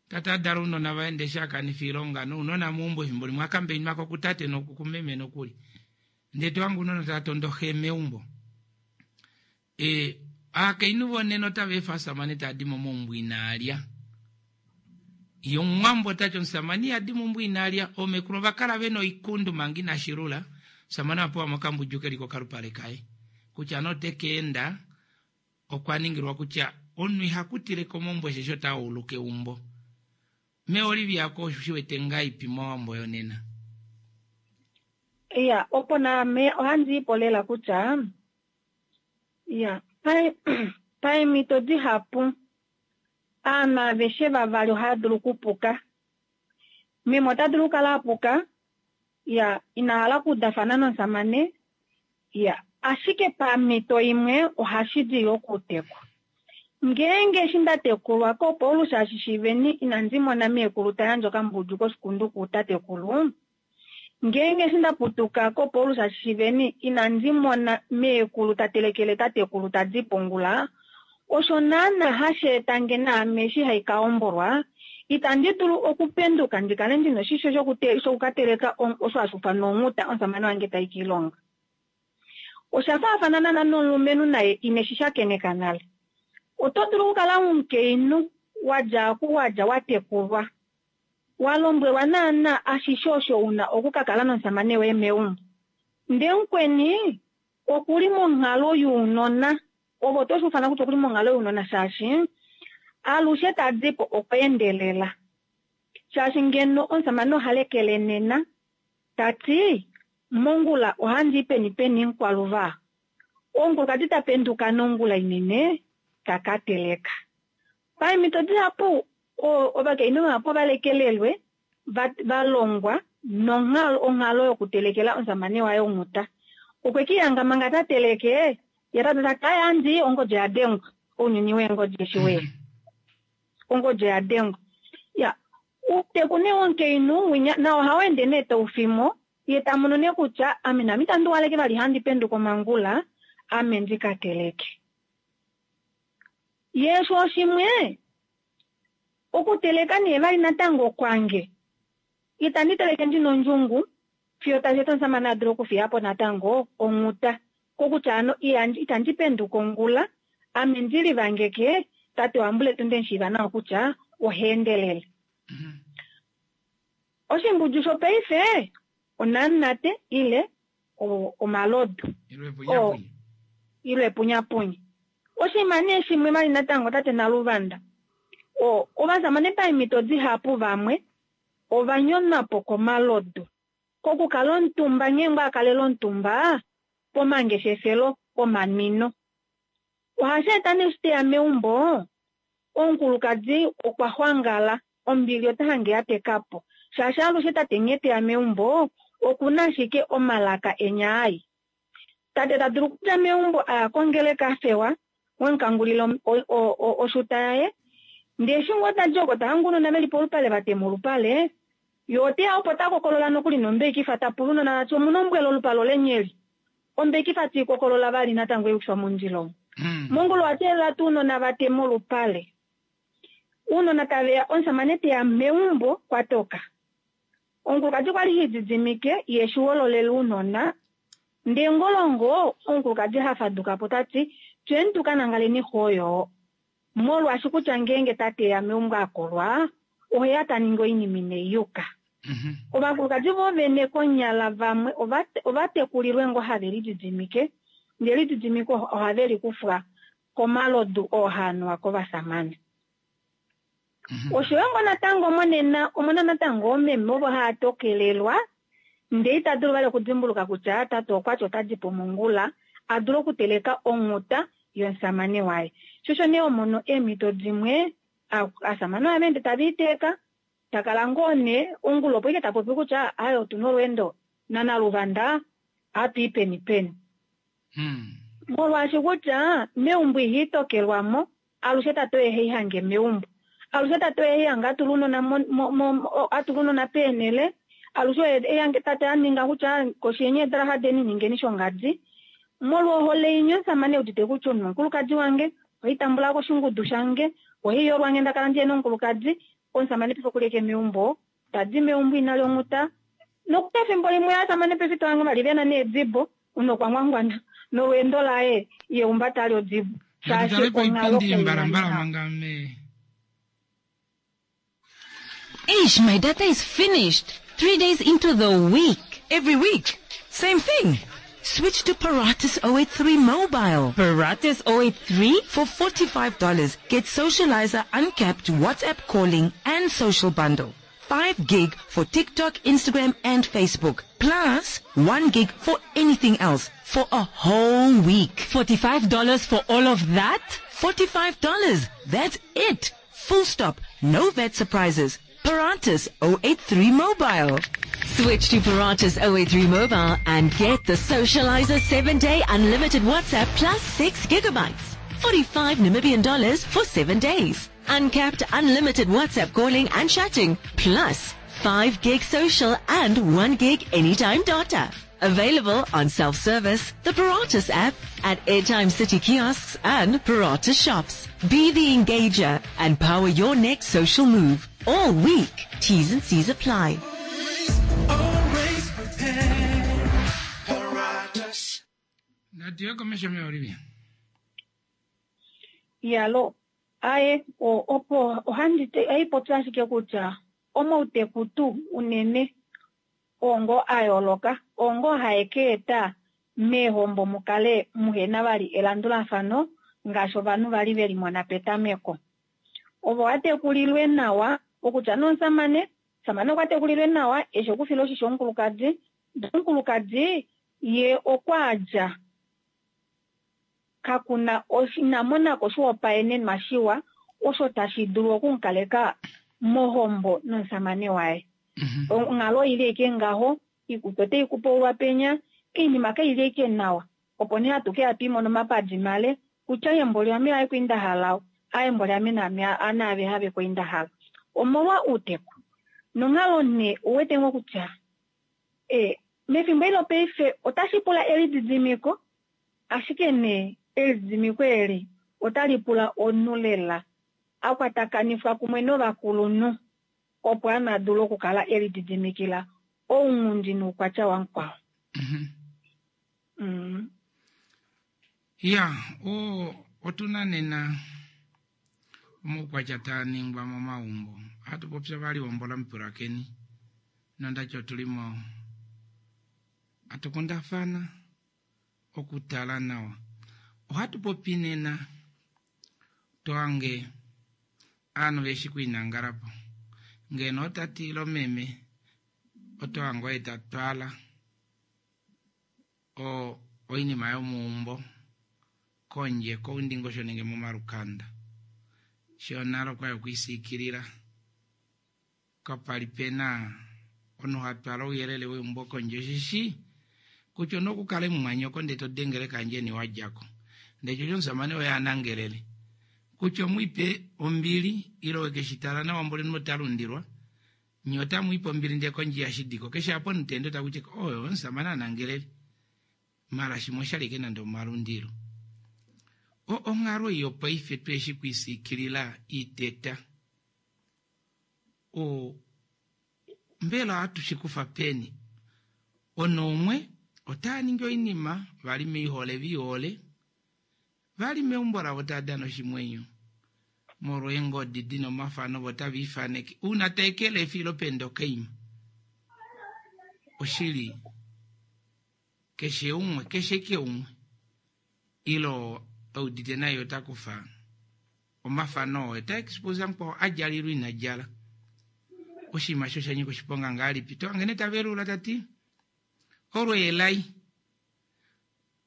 tata adala ounona vaye ndee eshi akanifa oilonga nounona meumbo efimbo limwe akambeinwako kutate nokumeme nokuli ndee tohange ounona tava tondo xe meumbo. E aakainhu vonena otava efa omusamane tadi momaumbo inaalya. Ye omuwambo otati omusamane ihadi meumbo inaalya. Oomekulu ovakala vena oikundu manga inashilula omusamane apewa mokambudju keli kokalupale kaye kutya nee oteka enda okwa ningilwa kutya omunhu ihakutileko meumbo osheshi otauluka eumbo. Me Olivia ko osho shiwete ngaipi mowambo yonena? Iya, opo naame ohandi ipo lela kutya iya, paemhito dihapu aanhu aveshe vavali ohava dulu okupuka. Meme ota dulu okukala apuka, iya, ina hala okuudafana nomusamane, iya, ashike pamhito imwe ohashi di yo okutekwa. Ngeenge eshi nda tekulwa koPaulus Shiveni inandi mona meekulu ta yandje okambudju koshikundu kutatekulu. Ngeenge eshi nda putuka koPaulus Shiveni inandi mona meekulu ta telekele tatekulu tadi pongula, osho naana hashi eta nge naame eshi hai ka hombolwa, itandi dulu okupenduka ndi kale ndina oshisho shokukateleka osho hashi ufanwa onghuta omusamane wange tai kiilonga. Osha faafana naana nomulumenhu naye ineshi shakeneka nale. Oto dulu okukala omukainhu wadja oku wadja watekulwa, walombwelwa naana ashishe osho una okukakala nomusamane woye meumbo. Ndee mukweni okuli monghalo younona, ovo toshi ufana kutya okuli monghalo younona shaashi alushe tadipo okweendelela. Shaashi ngeno omusamane oha lekele nena tati mongula ohandi peni peni nkwaluva. Omukulukadi ta penduka nongula inene taka teleka. Paemhito dihapu ovakainhu vahapu ovalekelelwe valongwa nonghalo onghalo yokutelekela omusamane waye onghuta. Okwe kiihanga manga ta teleke ye tati kayandi ongodi ya dengwa ounyuni weengodi eshi weya ongodi ya dengwa. Ya uuteku nee womukainhu winya nao ohau ende nee taufimo ye tamono nee kutya ame nami itandi waleke vali handi penduka omangula ame ndika teleke. Ye sho shimwe okuteleka nee vali natango kwange itandi teleke ndina ondjungu fiyo tashi eta omusamane a dule okufiyapo natango onghuta kokutya ano itandi penduka ongula ame ndili vangeke tate wambuletu nde nawa kutya oha endelele. Oshimbudju shopaife onamunate ile omalodu. Ile epunyapunya. Oshinima nee shimwe vali natango tate Naluvanda, o ovasamane paemhito dihapu vamwe ova nyonwa po komalodu. Kokukala omutumba nghee ngoo a kalela omutumba pomangeshefelo omanwino. Ohashi eta nee eshi teya meumbo, omukulukadi okwa xwangala, ombili ota hange ya teka po. Shaashi alushe tate nghee teya meumbo, okuna ashike omalaka enyaai. Tate ta dulu okudja meumbo aya kongeleka a fewa, wemukangulila oshuta yaye, ndee eshi ngoo tadi oko ta hange ounona veli polupale va tema olupale, ye oteya opo ta kokolola nokuli nombeikifa ta pula ounona tati omuna ombwela olupale olenyeli. Ombeikifa tii kokolola vali natango eyukifwa mondjila omo. Mongula owa teelela tuu ounona va tema olupale. Ounona taveya, omusamane teya meumbo kwa toka. Omukulukadi kwali ha lididimike ye shi hololela ounona, ndee ngolongo omukulukadi ha faduka po tati fyeni tu ka nangaleni xooyo. Molwaashi kutya ngeenge tate eya meumbo a kolwa, oheya ta ningi oinima inai yuka. Ovakulukadi vo vene konyala vamwe ova tekulilwe ngoo have lididimike, ndee elididimiko ohave li kufwa komalodu oo haa nuwa kovasamane. Oshoyo ngoo natango monena omuna natango oomeme ovo haa tokelelwa ndee ita dulu vali okudimbuluka kutya tate okwati ota di po mongula a dule okuteleka onghuta yomusamane waye. Shosho nee omono eemhito dimwe asamane ohava ende tave iteeka takala ngoo nee ongula opo ike ta popi kutya aye otuna olweendo naNaluvanda ohatu i peni peni. Molwaashi kutya meumbo iha itokelwamo alushe tate oye haihange meumbo. Alushe tate oye haihange atula ounona atula ounona peenhele, alushe oye haihange tate a ninga kutya koshi yeni eedalaha deni ningeni shongadi. Molwa ohole inya omusamane eudite kutya omunhu omukulukadi wange, ohaitambula koshingudu shange, ohaiyolwa nge ndakala ndihena omukulukadi, omusamane paife okuli ashike meumbo, tadi meumbo ina lyonghuta. Nokuli efimbo limwe ovasamane paife ito hange vali vena needibo, omunhu okwa ngwangwana nolweendo laye ye umba tali odibo. Shaashi Natutale onghalo paipindi kai na mbalambala nawa. manga me Eish, my data is finished. Three days into the week. Every week. Same thing. Switch to Paratus oh eight three mobile. Paratus oh eight three? For forty-five dollars, get Socializer uncapped WhatsApp calling and social bundle. five gig for TikTok, Instagram and Facebook. Plus one gig for anything else for a whole week. forty-five dollars for all of that? forty-five dollars. That's it. Full stop. No V A T surprises. Paratus oh eight three mobile. Switch to Paratus oh eight three mobile and get the Socializer seven-day unlimited WhatsApp plus six gigabytes. forty-five Namibian dollars for seven days. Uncapped unlimited WhatsApp calling and chatting. Plus five gig social and one gig anytime data. Available on self-service, the Paratus app, at Airtime City kiosks and Paratus shops. Be the engager and power your next social move. All week. T's and C's apply. Always prepared. Paratus. Natiyo komesho me Olivia. Yalo, aye, o, opo ohandi te, ohaipopya ashike kutya omauteku tuu unene ongo a yooloka, ongo hae ka eta meehombo mukale muhena vali elandulafano ngaashi ovanhu vali veli mona petameko. Ovo watekulilwe nawa, okutya nomusamane, omusamane okwa tekulilwe nawa, eshi okufila oshisho omukulukadi, omukulukadi ye okwa dja kakuna ina monako oshihopaenenwa shiwa osho tashi dulu okumukaleka mohombo nomusamane waye. Onghalo oili ashike ngaho, iikutu otai kupaulwa penya, oinima kaili ashike nawa. Opo nee hatu keya twimona omapadi male, kutya embo liame aye kwinda hala, aye embo liame naame naave have kwinda hala. Omolwa outeku. Nonghalo nee ouwete ngoo kutya, e, mefimbo eli lopaife otashi pula elididimiko, ashike nee elididimiko eli otali pula omunhu lela a kwatakanifwa kumwe novakulunhu opo ana dule okukala elididimikila ounghundi noukwatya wamukwao. Mm. Ya, o, otuna nena omaukwatya taa ningwa momaumbo. Ohatu popya vali hombola mupulakeni. Nondati otulimo hatukundafana okutala nawa. Ohatu popi nena toange aanhu veshi kwiinangalapo ngeno otatile omeme otohange oye tatwala o oinima yomuumbo kondje koundingosho nenge momalukanda shonale okwali okwiisikilila kapali pena omunhu hatwala ouyelele weumbo kondje osheshi kutya ona okukala mumwanyoko ndee todengele kandjeni wadjako ndee shosho omusamane oye anangelele kutya omwiipe ombili ile wekeshitala nawa mboli notalundilwa nye otamwiipe ombili ndee kondje yashidiko keshe apa omutende otakutya oyo omusamane anangelele mala shimwe oshalike nande omalundilo onghalo ei yopaife tweshi kwiisikilila iteta o mbela ohatu shikufa peni onoumwe otaa ningi oinima vali meihole viihole vali meumbo lavo tava dana oshimwenyo molwa eengodi dina omafano vo tava ifaneke uuna taekele efilo penda okaima oshili keshe umwe keshe ke umwe ilo eudite naye ota kufa omafano oo ta expose mukwao adjala ilo ina djala oshinima sho shanyika oshiponga ngahelipi tohangene tavelula tati olweelai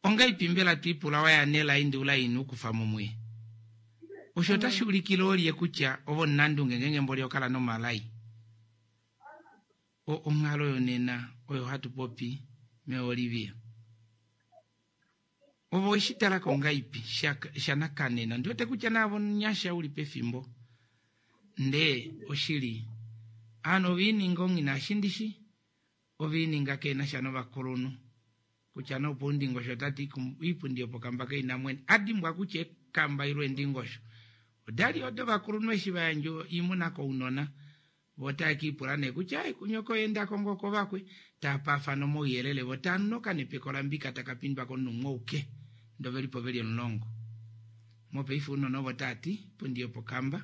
ongaipi mbela twiipula waya nelai ndi ula ina ukufa mumwe osho otashi ulikile olye kutya ovo nandunge ngenge mboli okala nomalai o onghalo yonena oyo hatu popi meolivia ovo weshi talako ngaipi shanakanena ndiwete kutya naavo nyasha uli pefimbo ndee oshili aanhu oviininga ongina shindishi oviininga keenasha novakulunhu kutya nopo undingosho tati iipundi yopokamba kaina mwene adimbwa kutya ekamba ilo endingosho odali odo vakulunhu eshi vayandja oimuna kounona vo taakiipula nee kutya ai kunyoko endako ngoo kovakwe taapafana omauyelele vo taanoka nepeko lambika takapindwa komunhu umwe ouke ndoo velipo veli omulongo mopaife ounona ovo taati ipundi yopokamba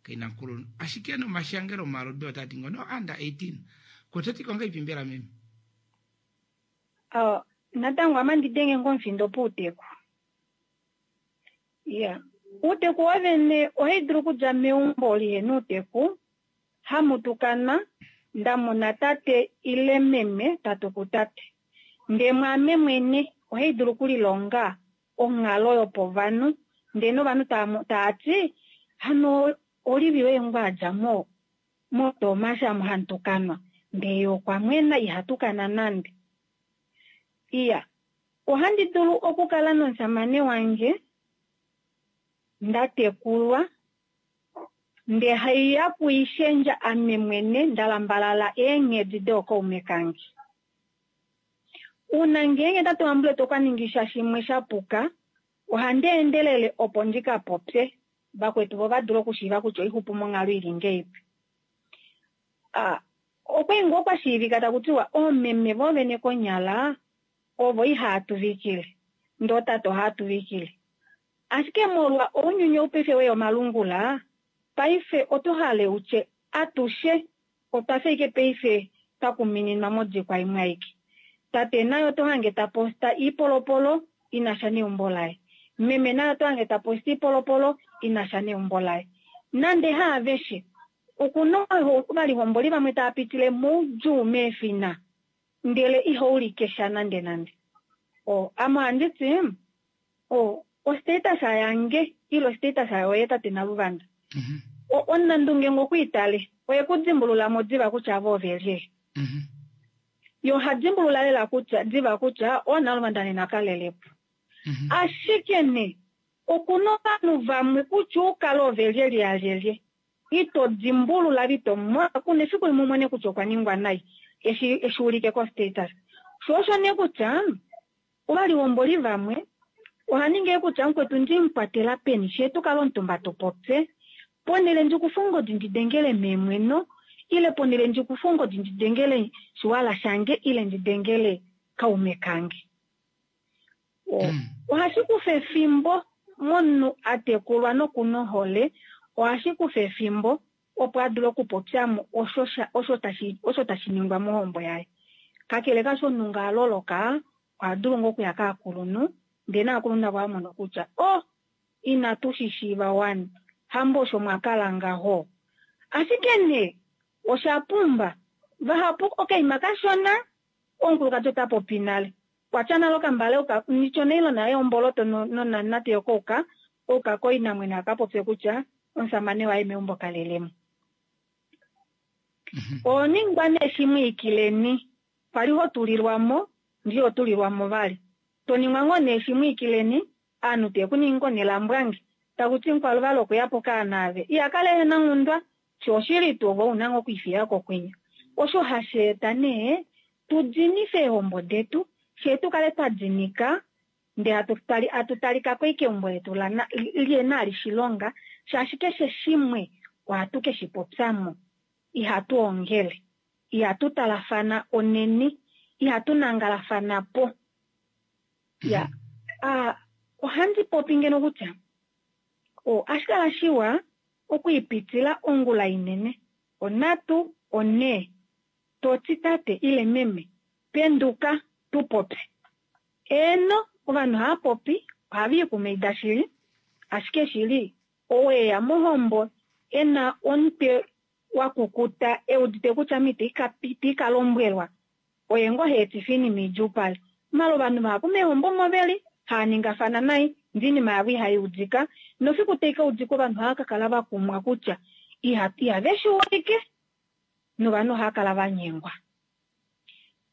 kaina mukulunhu ashike nomashangelo omaludi otaati ngono under eighteen kototi kongaipi mbela meme Uh, natango ame ndidenge ngomufindo pouteku iya uuteku wovene ohai dulu okudja meumbo lihena uuteku hamutukana ndamona tate ile meme tatuku tate ndee mwaame mwene ohai dulu okulilonga onghalo yopovanhu ndee novanhu taati hano Olivia oye ngoo adja mo motomasha amu hamutukanwa ndee ye okwa mwena ihatukana nande iya ohandi dulu okukala nomusamane wange ndatekulwa ndee haiya kuishendja ame mwene ndalambalala eenghedi dookaume kange uuna ngeenge tate wambule tokaningisha shimwe shapuka ohandi endelele opo ndika popye vakwetu vo vadule okushiiva kutya oixupu monghalo ili ngeipi ah okwali ngoo kwashiivika takutiwa oomeme voovene konyala ovo ihaatuvikile ndee otate ohaatuvikile ashike molwa ounyuni oupaife weya omalungula paife oto hale utye atushe otwafa ike paife twakumininwa modikwa imwe aike tate naye oto hange taposta iipolopolo inasha neumbo laye meme naye oto hange taposta iipolopolo inasha neumbo laye nande haaveshe okuna ovalihomboli vamwe tava pitile moudjuu meefina ndele ihaulike sha nande nande o ame ohanditi o ostatus yange ile ostatus yoye tate Naluvanda omunandunge ngokwiitale oye kudimbulula mo diva kutya avo ovelye ye oha dimbulula lela kutya diva kutya oNaluvanda nena kalelepo ashike ne okuna ovanhu vamwe kutya ukale ovelye lyalyelye ito dimbulula ito mona kuna efiku limwe umone kutya okwa ningwa nai eshi eshi ulike ko status sho osho nee kutya ovalihomboli vamwe ohaningi kutya mukwetu ndimukwatela peni shee tukale omutumba tupopye ponele ndikufa ongodi ndidengele meemweno ile ponele ndikufa ongodi ndidengele shiwala shange ile ndidengele kaume kange ohashi kufa efimbo momunhu atekulwa nokuna ohole ohashi kufa efimbo opo adule okupopyamo osho osho tashi osho tashi ningwa mohombo yaye kakele kasho omunhu nga aloloka oha dulu ngoo okuya kaakulunhu Ndee naakulunhu navo amono kutya oh inatu shi shiiva wani hambo osho mwakala ngaho. Ashike nee osha pumba vahapu okaima kashona omukulukadi ota popi nale kwatya nale okambale nityo neilona yomboloto nonanate yokouka ouka koinamwenyo akapopye kutya omusamane waye meumbo kalelemo. Oningwa nee shimwiikileni kwali ho tulilwamo ndi ho tulilwamo vali toningwa ngoo nee shimwiikileni aanhu tekuningi ngoo nelambwange takuti mukwaluvalo okuyapo kaanaave ihakala ehena nghundwa sho oshili tuu ove ouna ngoo okwiifiyako kwinya. Osho hashi eta nee tudinife eehombo detu fyee tukale twa dinika ndee hatu talikako ashike eumbo letu lihena ali shilonga shaashi keshe shimwe ohatu keshi popyamo. Ihatu ongele, ihatu talafana oneni, ihatu nangalafana po. Ya, a ohandi popi ngeno kutya ohashi kala shiwa okwiipitila ongula inene onhatu onhee toti tate ile meme penduka tupopye. Eeno ovanhu ohava popi ohava ikumaida shili ashike shili ou eya mohombo ena omutwe wakukuta eudite kutya ame ita ikalombwelwa oye ngoo haetifa oinima idjuupale. Maala ovanhu vahapu meehombo omo veli haaningafana nai ndee oinima yavo ihaiudika nofiku taikaudika ovanhu ohava kakala vakumwa kutya ihave shiulike novanhu ohava kala vanyengwa.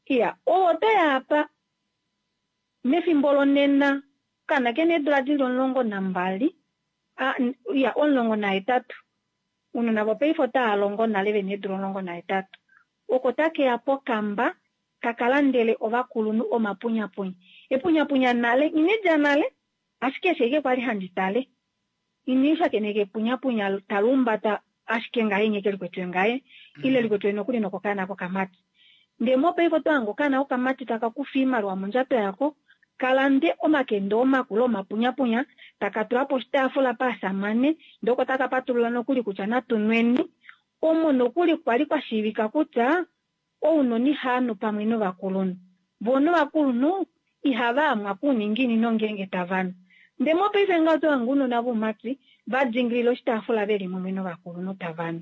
Iya, oyo otoyaapa mefimbo lonena okaana kena eedula dili omulongo nambali iya omulongo nahetatu ounona vopaife otava longo nale vena eedula omulongo nahetatu oko takeya pokamba takalandele ovakulunhu omapunyapunya. Epunyapunya nale inelya nale ashike eshi ashike kwali handi tale ini shakeneka epunyapunya taluumbata ashike ngahenya eke likwetwe ngaye ile likwetwe nokuli nokokaana kokamati. Ndee mopaife otohange okaana kokamati taka kufa oimaliwa mondjato yako kalande omakende omakulu omapunyapunya taka tula poshitaafula paasamane ndee oko taka patulula nokuli kutya natunweni omo nokuli kwali kwashiivika kutya ounona ihaanu pamwe novakulunhu voo novakulunhu ihava amwa kuuninginino ngeenge tavanu. Ndee mopaife ngaho otohange ounona voumati vadingilila oshitaafula veli mumwe novakulunhu tavanu.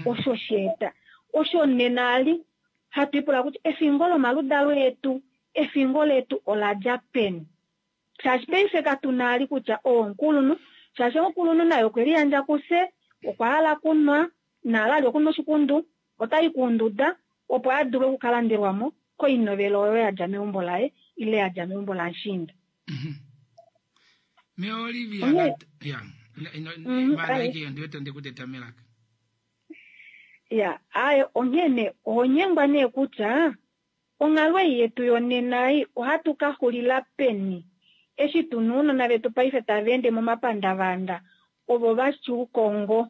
Osho sheeta osho nena ali hatu ipula kutya efingo lomaludalo etu efingo letu oladja peni. Shaashi paife katuna ali kutya oo omukulunhu shaashi omukulunhu naye okwe liyandja kufye okwa hala kunwa naala ali okunwa oshikundu otai kuunduda opo adule okukalandelwamo koinovelo oyo yadja meumbo laye ile yadja meumbo lamushiinda. Me Olivia ya malaike ndiwete ndikuteta melaka. Ya, aye onghene ohonyengwa nee kutya onghalo ei yetu yonena ei ohatu ka xulila peni eshi tuna ounona vetu paife tava ende momapandavanda ovo vashuukongo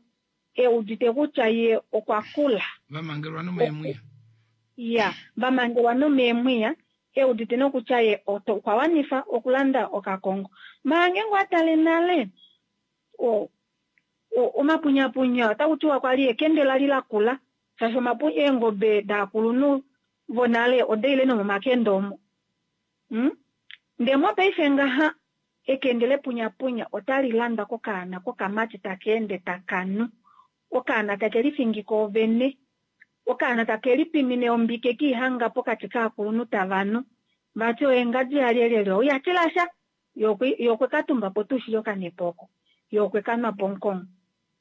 eudite kutya ye okwa kula. Vamangelwa nomeemwiya. Ya, vamangelwa nomeemwiya eudite nokutya ye okwa wanifa okulanda okakongo. Maange ngoo atale nale omapunyapunya otaku tiwa kwali ekende lali lakula shaashi eengobe daakulunhu vonale odaile nomomakende omo. Ndee mopaife ngaha ekende lepunyapunya otali landwa kokaana kokamati taka ende takanu. Okaana take lifingi koovene. Okaana take lipimine ombike kiihanga pokati kaakulunhu tavanu. Vati oye ngadi yalyelyelye oyatilasha ye okwe katumbapo tuu shili okanepo oko. Ye okwe kanwapo omukongo.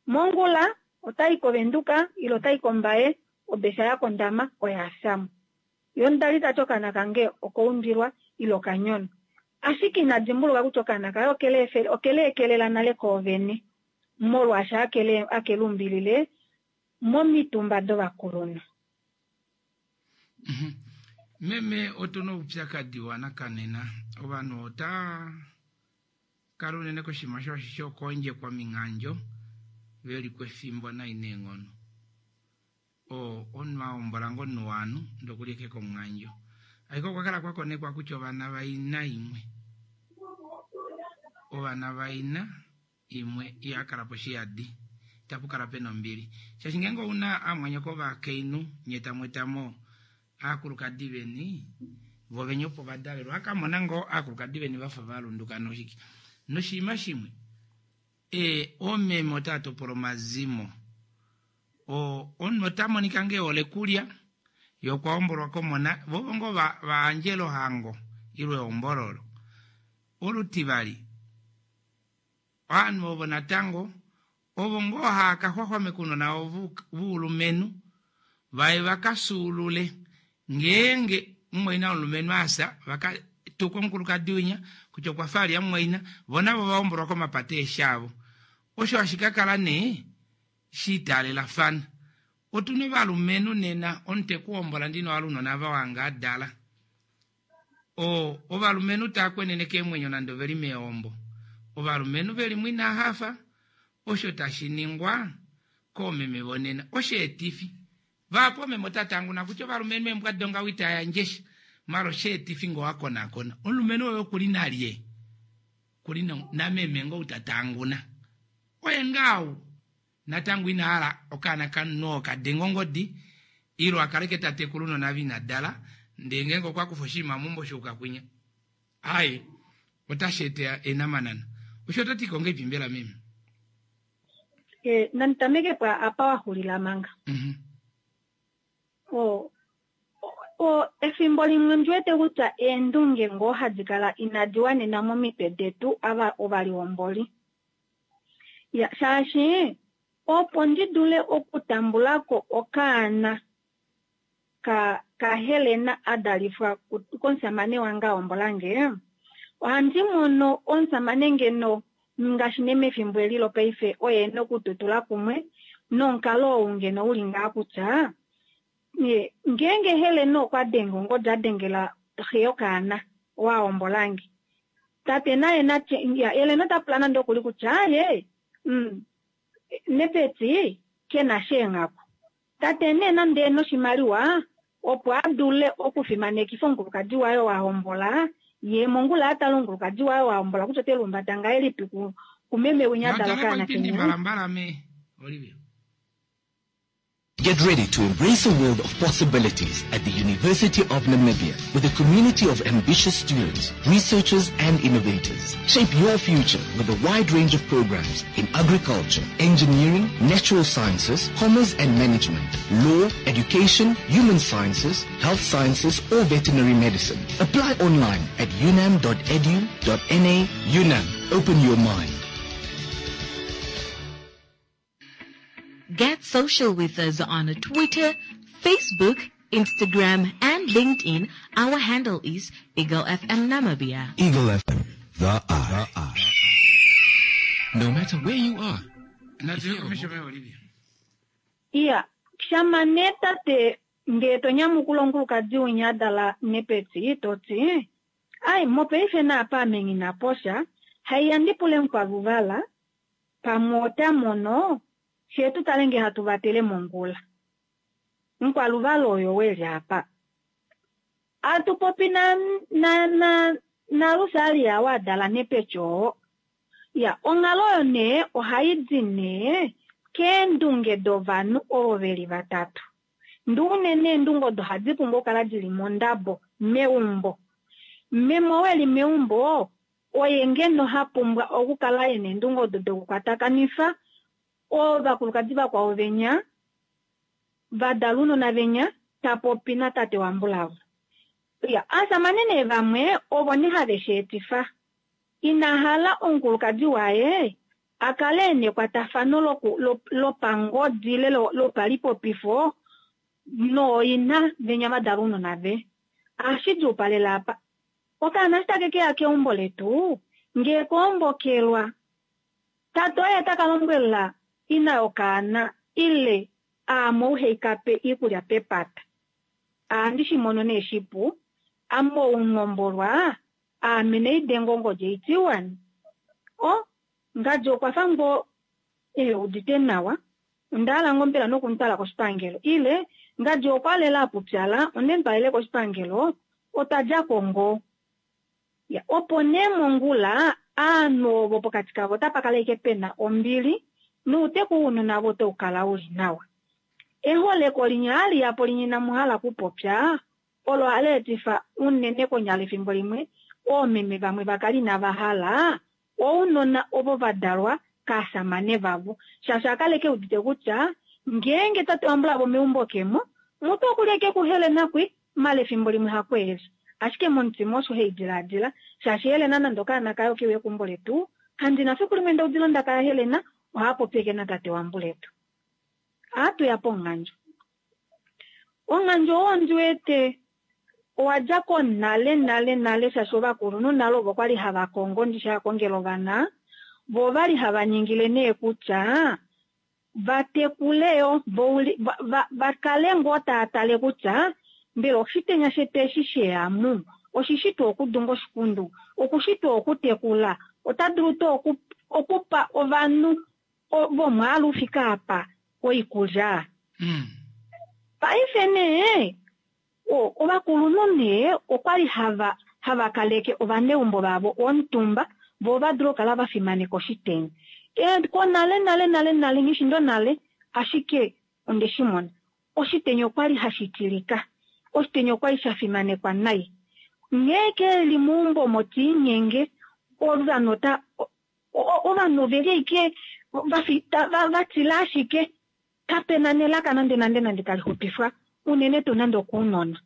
Mongula otai kovenduka ile otai kombaye obesha yakondama oya fyamo. Ye omudali tati okaana kange okaumbilwa ile okanyonwa. Ashike ina dimbuluka kutya okaana kaye okeleekelela nale koovene molwaashi akeluumbilile momitumba dovakulunhu. Meme otuna oupyakadi wanakanena ovanhu ota kala unene koshinima shokondjekwa minghandjo veli kwefimbo nai neenghono. Omunhu ahombola ngoo omunhu waanhu ndee okuli ashike komunghandjo. Ashike okwa kala kwakonekwa kutya ovana vaina imwe ovana vaina imwe ihakala po shiyadi itapu kala pena ombili. Shaashi ngeenge ouna amwanyoko ovakainhu nye tamweetamo aakulukadi veni Vo venya opo va dalelwa akamona ngoo aakulukadi veni vafa valunduka noshike. Noshinima shimwe e oomeme otava topola omazimo. O omunhu ota monika ngee ehole kulya ye okwa hombolwa komona vovo ngoo va vaandjela ohango ile ehombololo. Olutivali ovanhu ovo natango ovo ngoo hava ka xwaxwameka ounona vavo voulumenhu vaye vakasuulule ngeenge mumwaina womulumenhu asa vaka tuka omukulukadi winya kutya okwa fa alya mumwaina vo navo vahombolwa komapata eeshi avo. Osho hashi kakala nee shiitaalelafana. Otuna ovalumenhu nena omunhu tekuhombola ndino ohala ounona ava wanga adala. O ovalumenhu tava kwenene keemwenyo nande oveli meehombo. Ovalumenhu velimo inahafa osho tashi ningwa koomeme vonena osheetifi. Vahapu oomeme otava tanguna kutya ovalumenhu eembwa dongaho itava yandje sha maala osheetifi ngee owakonakona omulumenhu oye okuli nalye okuli nameme ngoo ou tatanguna oye ngaa ou natango ina hala okaana kamunhu oo kadenga ongodi ile akaleke tatekula ounona ava ina dala ndee ngeenge okwa kufa oshinima meumbo shuuka kwinya aaye otashi eta eenamanana. Osho ototi ko ngahelipi mbela meme? E, nandi po apa wa xulila manga. O, o, efimbo limwe ndi wete kutya eendunge ngoo hadi kala inadi wanena momitwe detu ava ovalihomboli. Ya, shaashi opo ndi dule okutambulako okaana ka kaHelena a dalifwa komusamane wange a hombolange, ohandi mono omusamane ngeno ngaashi nee mefimbo eli lopaife oye ena okututula kumwe nomukalo ou ngeno uli ngaa kutya ngeenge Helena okwa denga ongodi a dengela xe yokaana wa hombolange, tate naye natye Helena ota pula nande okuli kutya aye mm, Nepeti kena sheenghaku. Tate nee nande ena oshimaliwa opo a dule okufimanekifa omukulukadi waye wa hombola ye mongula a tale omukulukadi waye wa hombola kutya ote lumbata ngahelipi kumeme winya adala okaana kenya. Mbalambala me Olivia. Get ready to embrace a world of possibilities at the University of Namibia with a community of ambitious students, researchers and innovators. Shape your future with a wide range of programs in agriculture, engineering, natural sciences, commerce and management, law, education, human sciences, health sciences or veterinary medicine. Apply online at unam.edu.na. UNAM, open your mind. Get social with us on Twitter, Facebook, Instagram, and LinkedIn. Our handle is Eagle F M Namibia. Eagle F M, the eye. No matter where you are. Iya, shama nee tate ngee to nyamukula omukulukadi winya adala nepeti toti ai mopaife naapa ame nghi posha haiya ndipule mukwaluvala pamwe ota mono fye tu tale nge hatu vatele mongula. Mukwaluvala oyo weli apa. Atupopi na na na na Lusalia wadala nepeti oo. Ya, onghalo oyo nee ohai di nee keendunge dovanhu ovo veli vatatu. Ndi unene eendunge odo ohadi pumbwa okukala dili mondabo meumbo. Meme oo eli meumbo oye ngeno ha pumbwa okukala ena eendunge odo dokukwatakanifa ovakulukadi vakwao venya vadala ounona venya tapopi natate wambulavo. Ya, aasamane nee vamwe ovo nee have shi etifa. Ina hala omukulukadi waye a kale ena ekwatafano lopangodi ile lopalipopifo nooina venya vadala ounona ve. Ohashi djuupalela apa. Okaana eshi take keya keumbo letu ngee koombokelwa tate oye taka lombwela ina yokaana ile aame ou haikape iikulya pepata. Ohandi shi mono nee shipu ame oungombolwa aame neidenga ongodi eitiwani. O ngadi okwa fa ngoo ehe udite nawa onda hala ngoo mbela nokumutwala koshipangelo ile ngadi okwa lela apupyala onde mutwalele koshipangelo otwa djako ngoo. Ya, opo nee mongula aanhu ovo pokati kavo otapa kala ashike pena ombili nouteku wounona avo otau kala uli nawa. Eholeko linya hali yapo linya inamu hala okupopya Olo hali etifa unene konyala efimbo limwe oomeme vamwe vakale inava hala ounona ovo va dalwa kaasamane vavo, shaashi akale ke udite kutya ngeenge tate wambulavo meumbo kemo mutu okulya ke kuHelena kwi mala efimbo limwe hakweeli, ashike momutima osho haidilaadila shaashi Helena nande okaana kayo keuye keumbo letu kandina fiku limwe ndaudile ondaka yaHelena ohapopi eke natate wambuletu. Ohatuya ponghandjo. Onghandjo oo ndiwete owa dja ko nale nale nale shaashi ovakulunhu nale ovo kwali hava kongo ndishi hakongela ovana, vo ovali hava ningile nee kutya vatekuleyo vakale ngoo tava tale kutya mbela oshitenya shetu eshi sheyamu oshishi tuu okudunga oshikundu, okushi tuu okutekula, ota dulu tuu okupa ovanhu vomwaalu ufike apa oikulya. Paife nee ovakulunhu nee okwali hava hava kaleke ovaneumbo vavo omutumba vo va dulu okukala va fimaneka oshitenya. Konale nale nale nale nghishindo nale ashike onde shi mona oshitenya okwali hashi tilika, oshitenya okwali sha fimanekwa nai. Nghee keli meumbo omo tiinyenge ovanhu ota ovanhu oveli ashike vatila ashike kapena nelaka nande nande nande tali xupifwa unene tuu nande okounona.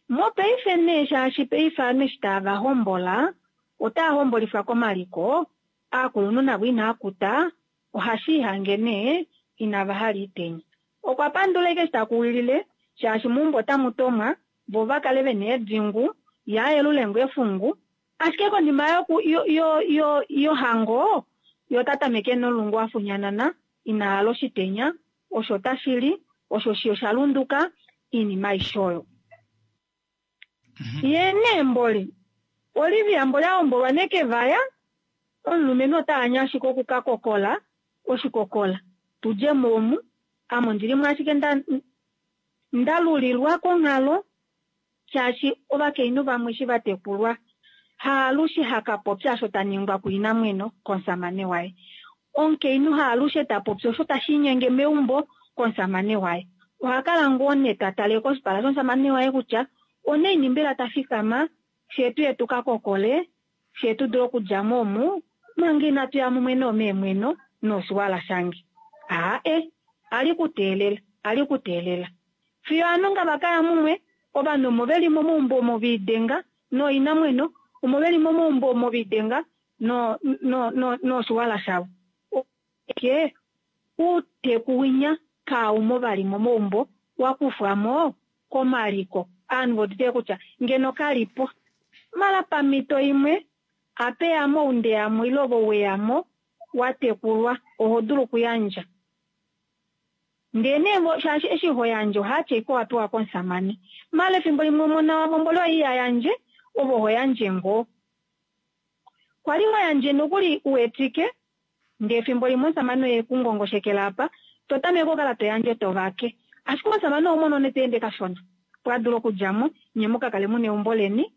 Mopaife nee shaashi paife ovanhu eshi tava hombola otava hombolifwa komaliko, aakulunhu navo inaa kuta ohashi ihange nee inava hala iitenya. Okwa pandula ashike eshi takuwilile shaashi meumbo otamu tomwa vo vakale vena eedingu yaayelule ngoo efungu, ashike konima yoku yo yo yohango yo ota tameke nolungu afunyanana ina hala oshitenya osho tashili osho shi osha lunduka iinima aishe oyo. Ye nee mboli Olivia mboli ahombolwa nekevaya omulumenhu ota anye ashike okukakokola oshikokola tudje mo omu ame ondilimo ashike ndalulilwa konghalo shaashi ovakainhu vamwe eshi vatekulwa haalushe hakapopya osho taningwa kuinamweno komusamane waye. Omukainhu haalushe tapopi osho tashiinyenge meumbo komusamane waye. Ohakala ngoo nee tatale koshipala shomusamane waye kutya onaini mbela tafikama fyee tuye tukakokole fyee tudule okudjamo omu manga inatu ya mumwe noomeemweno noshiwala shange. Aae ali kuteelela ali kuteelela fiyo ovanhu nga vakaya mumwe ovanhu omo veli momaumbo omo viidenga nooinamweno omo veli momaumbo omo viidenga no no no noshiwala shavo. Ke uuteku winya kaumo vali momaumbo wakufwamo komaliko ovanhu vodite kutya ngeno kalipo mala pamhito imwe apeyamo oundeyamo ile ove weyamo watekulwa oho dulu okuyandja. Ndee nee shaashi eshi ho yandje ohaatya ashike owapewa komusamane mala efimbo limwe omona wavo mboli oye iha yandje ove oho yandje ngoo. Kwali ho yandje nokuli uwetike ndee efimbo limwe omusamane oye ekungongoshekela apa totameke okukala toyandje tovake, ashike omusamane oho mono nee teende kashona opo adule okudjamo nye mukakale muna eumbo leni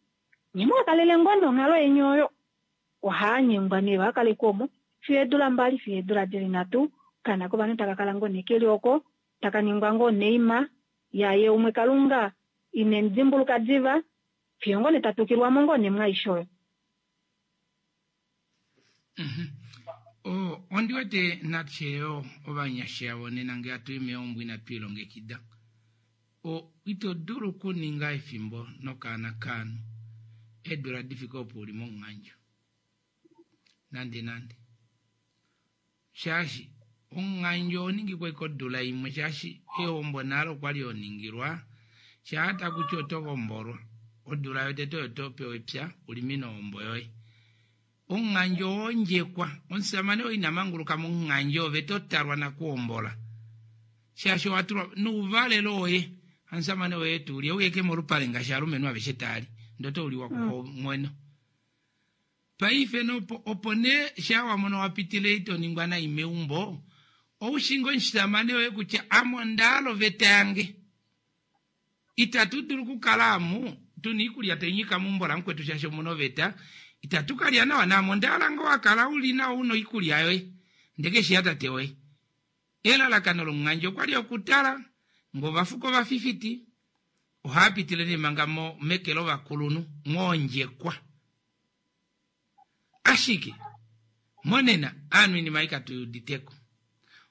nye mukakalele ngoo nonghalo yeni oyo. Ohaanyengwa nee vakaleke omo fiyo eedula mbali fiyo eedula dili nhatu okaana kovanhu taka kala ngoo nee keli oko taka ningwa ngoo neima yaye umwe Kalunga ine mudimbuluka diva fiyo ngoo nee tatukilwamo ngoo nee mwaaishe oyo. Ondi wete natye yo ovanyasha vonena ngee hatu i meumbo inatu ilongekida ito dulu okuninga efimbo nokaana kaanhu eedula difike opo uli momunghandjo nande nande shaashi omunghandjo oho ashike odula imwe shaashi ehombo nale okwali honingilwa shaa takuti oto hombolwa odula yotete oyo topewa epya ulimine ohombo yoye. Omunghandjo owondjekwa omusamane oo ina manguluka momunghandjo ove totalwa nakuhombola shaashi owatulwa nouvalelo woye omusamane woye tuuli euye ke molupale ngaashi alumenhu aveshe taali ndee otauliwa kuxomweno. Paife nopo opo nee shaa wamono wapitile ito ningwa nai meumbo oushinga omusamane woye kutya ame ondahala oveta yange itatu dulu okukala amu tuna oikulya tainyika meumbo lamukwetu shaashi omuna oveta itatu kalya nawa naame ondahala ngoo wakala uli nawa una oikulya yoye ndee keshi yatate woye. Elalakano lomunghandjo okwali okutala ngee ovafuko ovafifiti Ohaa pitile nee manga mo meke lovakulunhu mwoondjekwa. Ashike monena aanhu iinima ei katu uditeko.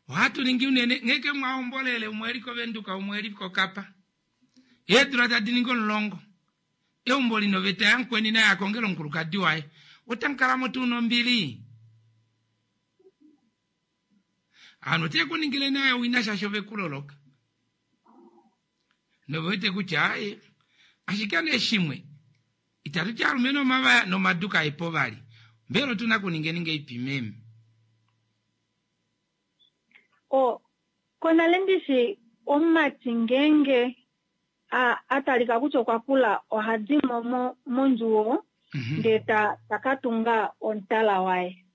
Ohatu ningi unene nghee mwahombolele umwe eli koVenduka umwe eli koKapa. Eedula tadi ningi omulongo. Eumbo lina oveta yamukweni naye akongele omukulukadi waye. Otamu kala mo tuu nombili? Aanhu ote ku ningile naye owina shaashi ove ku loloka. Nove wete kutya aye ashike nee shimwe itatu ti alumenhu omavaya nomadu kaepo vali. Mbela otu na kuningeni ngeipi meme? O konale ndishi omumati ngeenge a, a talika kutya okwa kula oha di mo mo- mondjuwo ndee ta, ta ka tunga omutala waye.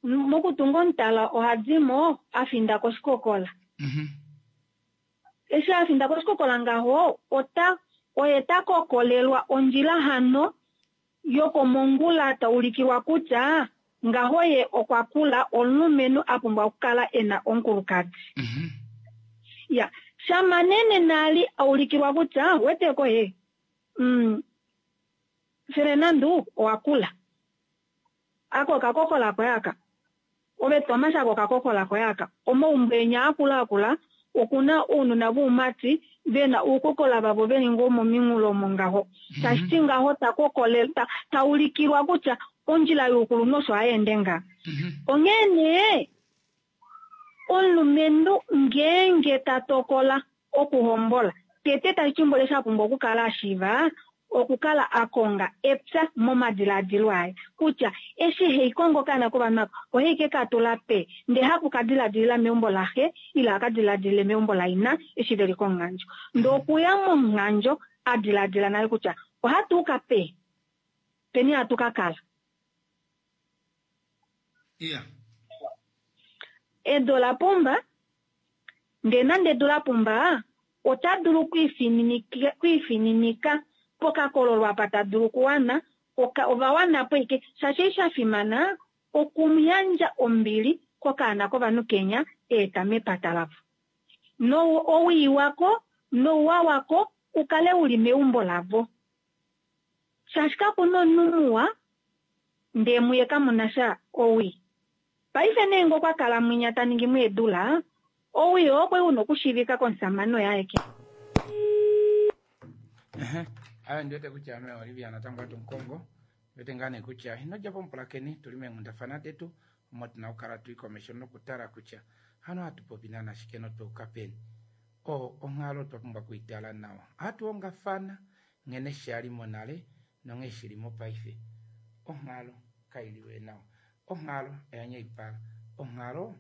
M- Mokutunga omutala oha di mo a finda koshikokola. Eshi a finda koshikokola ngaho ota oye ta kokolelwa ondjila hano yokomongula ta ulikilwa kutya ngaho ye okwa kula omulumenhu a pumbwa okukala e na omukulukadi. Ya, shama nene nali a ulikilwa kutya weteko ye mm, Fernando owa kula. Ako okakokola koye aka. Ove Thomas ako okakokola koye aka. Omaumbo enya akula akula okuna ounona voumati vena uukokola vavo veli ngoo mominghulo omo ngaho. Tashiti ngaho ta kokole ta, ta ulikilwa kutya ondjila youkulunhu osho hayeende nga. Onghee nee omulumenhu ngeenge ta tokola okuhombola tete tashi mbole sha pumbwa okukala a shiiva okukala a konga epya momadiladilo aye kutya eshi hei kongo okaana kovanhu ava ohei ke ka tula pe ndee haku ka diladilila meumbo laxe ile aka diladilile meumbo laina eshi veli komunghandjo. Ndee okuya momunghandjo a diladila nale kutya ohatu uka pe peni hatu ka kala. Iya. Edu ola pumba, ndee nande edu la pumba ota dulu okwiifininika okwiifininika pokakololo apa ta dulu okuwana oka, ova po ike shaashi eshi sha fimana okumuyandja ombili kokaana kovanhu kenya eeta mepata lavo. No owii wako nouwa wako ukale uli meumbo lavo. Shaashi kakuna omunhu muwa ndee muye kamuna sha owii. Paife nee ngee okwa kala mwinya ta ningi mweedula owii oo okwe una okushiivika komusamane oye aeke. Ayo ndiwete kutya ame Olivia natango atu mukongo ndiwete ngaa nee kutya ino dja pomupulakeni tuli meenghundafana detu omo tuna okukala tui komesho nokutala kutya hano hatu popi naana shike notweuka peni. O onghalo twa pumbwa okuitala nawa. Ohatu hongafana nghene shali monale nonghee shili mopaife. Onghalo kailiwe nawa. Onghalo oya nyaipala. Onghalo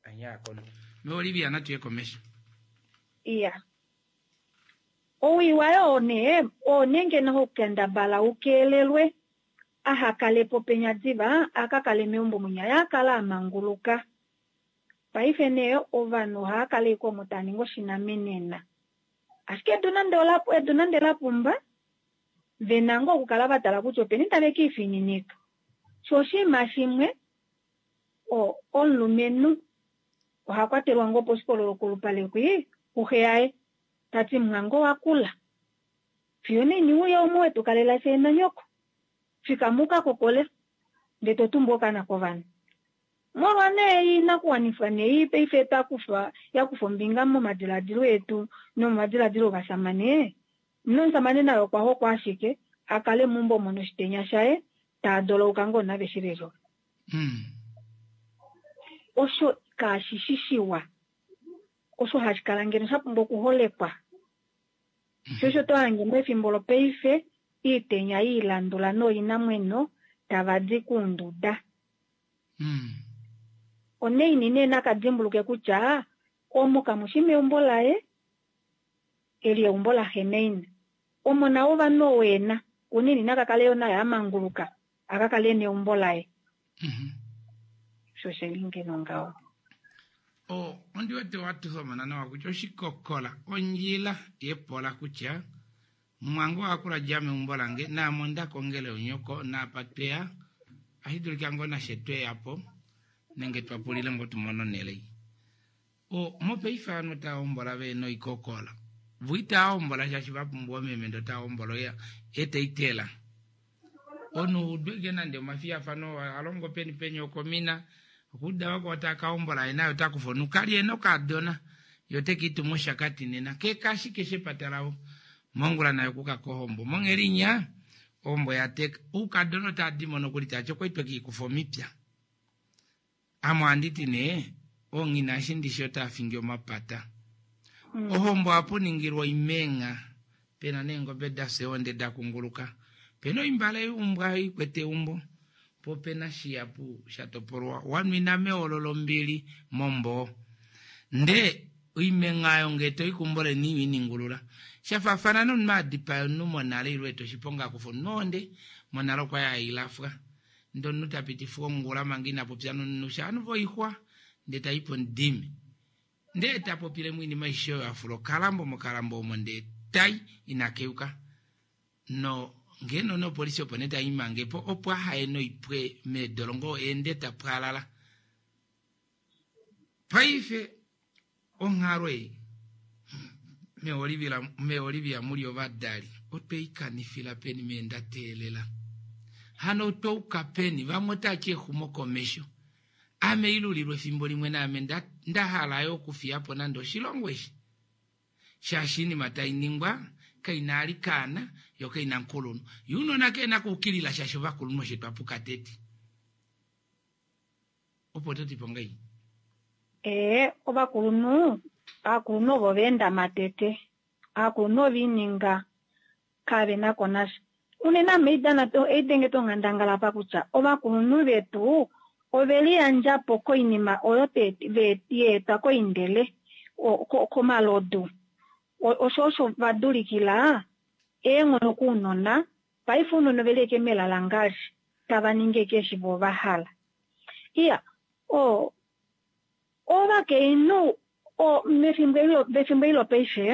oya nyayakono. Me Olivia natuye komesho. Iya. Owii waye oo nee oo nee ngeno hokukendabala ukeelelwe aha kale po penya diva aka kale meumbo mwinya ye akale a manguluka. Paife nee ovanhu ohava kala ashike omo tava ningi oshinamenena. Ashike edu nande ola edu nande la pumba vena ngoo okukala va tala kutya openi tave kiifininika. Sho oshinima shimwe o omulumenhu oha kwatelwa ngoo poshikololo kolupale kwi kuxe yaye tati mwango wa kula. Fiyo neni uya umwe wetu kalela fye nanyoko. Fika muka kokole ndee to tumbu okaana kovanhu. Molwa nee inakuwanifwa nee paife takufa yakufa ombinga momadiladilo etu nomomadiladilo ovasamane nomusamane naye okwa hokwa ashike a kale meumbo omo noshitenya shaye taa dolouka ngoo nave shi lelo. Osho kashi shi shiwa. Osho hashi kala ngeno sha pumbwa okuholekwa. Sho osho to hange mefimbo lopaife iitenya iilandula nooinamwenyo tava di kuunduda. Oneini nee nakadimbuluke kutya omo kamushi meumbo laye eli eumbo laxe naina. Omona wovanhu owena unene nakakale yo naye a manguluka aka kale neumbo laye. Sho sheli ngeno ngaho. O ondi wete watuthomona nawa kutya oshikokola ondjila yepola kutya mwangu wakula dja meumbo lange naame onda kongele onyoko naapa tweya ashi dulika ngoo nashe tweyapo nenge twa pulile ngoo tumone onhele ei. O mopaife ovanhu otava hombola vena oikokola. Vo itaa hombola shaashi va pumbwa omeme ndee otaa hombola oya eteitela. Omunhu udweke nande omafiyafano alongo peni peni okomina okuda wako otaka hombola ye naye otakufa omunhu kali ena okadona ye otekiituma oshakati nena kekashike shepata lavo mongula naye okuka kohombo monghedi inya ohombo yateka oukadona otadimo nokuli tati okwali twekiikufa omipya ame ohanditi nee onghina eshi ndishi otaafingi omapata ohombo ohapuningilwa oimengha pena neengobe dafya eonde dakunguluka pena oimbale yuumbwa ikwete eumbo po pena shihapu shatopolwa wanwina meolo lombili momboo ndee oimengha oyo ngee toikumbo leni iwiningulula shafaafana nomunhu adipaya omunhu monale ile eta oshiponga akufa omunhu ohonde monale okwali hailafwa ndee omunhu tapitifwa ongula manga ina popya nomunhu shaanhu voixwa ndee taipo omudime ndee tapopile moinima aishe oyo afula okalambo mokalambo omo ndee tai ina keuka no ngeno nopolisi opo nee taimangepo opo ahaye noipwe meedolongo eende tapwalala paife onghalo ei meolivia muli ovadali otweikanifila peni meenda teelela hano otwauka peni vamwe otati exumokomesho ame ilulilwe efimbo limwe naame ndahala yo okufiyapo nande oshilongo eshi shaashi iinima tainingwa kaina alikaana yo kaina nkulunhu ye unona kena kuukilila shaashi ovakulunhu osho twapuka tete opo totipo ngai ee ovakulunhu aakulunhu ovo vaenda matete aakulunhu oviininga kavena ko nasha unene ame idana eidenge tonghandangala pa kutya ovakulunhu vetu oveliyandjapo koinima oyo yeetwa koindele komalodu osho osho vadulikila eenghono kuunona paife ounona oveli eke melalangali tava ningi eke eshi vo vahala iya o ovakainhu mefimbo eli lopaife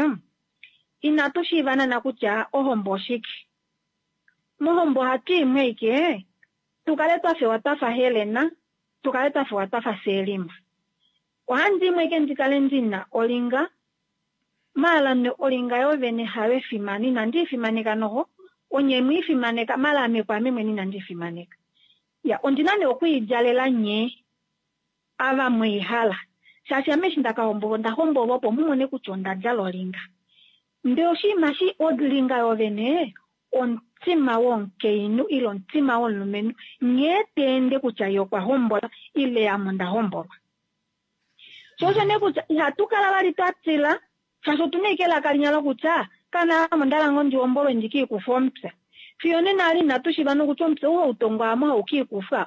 inatu shiiva naana kutya ohombo oshike mohombo ohatu imwe ike tukale twafewa twafa Helena tukale twafewa twafa Selima ohandi imwe ike ndikale ndina olinga maala olinga yovene hayo efimano inandi ifimaneka noho onye mwiifimaneka maala ame kwaame mwene inandi ifimaneka ya ondina nee okwiidjalela nye ava mwiihala shaashi ame eshi ndakahombolwa onda hombolwa opo mumone kutya onda djala olinga ndee oshinima shi olinga yovene omutima womukainhu ile omutima womulumenhu nghee teende kutya ye okwa hombola ile ame onda hombolwa sho osho nee kutya ihatu kala vali twa tila shaashi otuna ike elaka linya lokutya kana ame ondala ngoo ndihombolwe ndikiikufa omupya fiyo nena ali inatu shiiva nokutya omupya ou hautongwa amo haukiikufa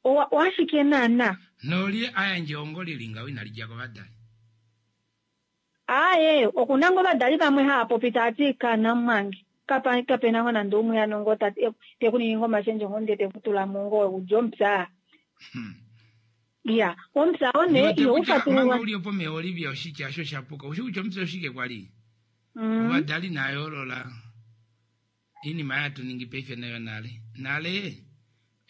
owashike naana nolye ayandje ehongo lili ngaho inali dja kovadali aaye okuna ngoo ovadali vamwe hava popi taati kana mwange kapena ngoo nande umwe ano tekuningi ngoo omashendjo ngoo ndee tekutulamo ngoo udje omupya iya omupya oo nee ihaufatululwa manga uli opo meolivia oshitya osho shapuka ushi kutya omupya oshike kwali ovadali nayoolola iinima yatuningi paife nayo nale nale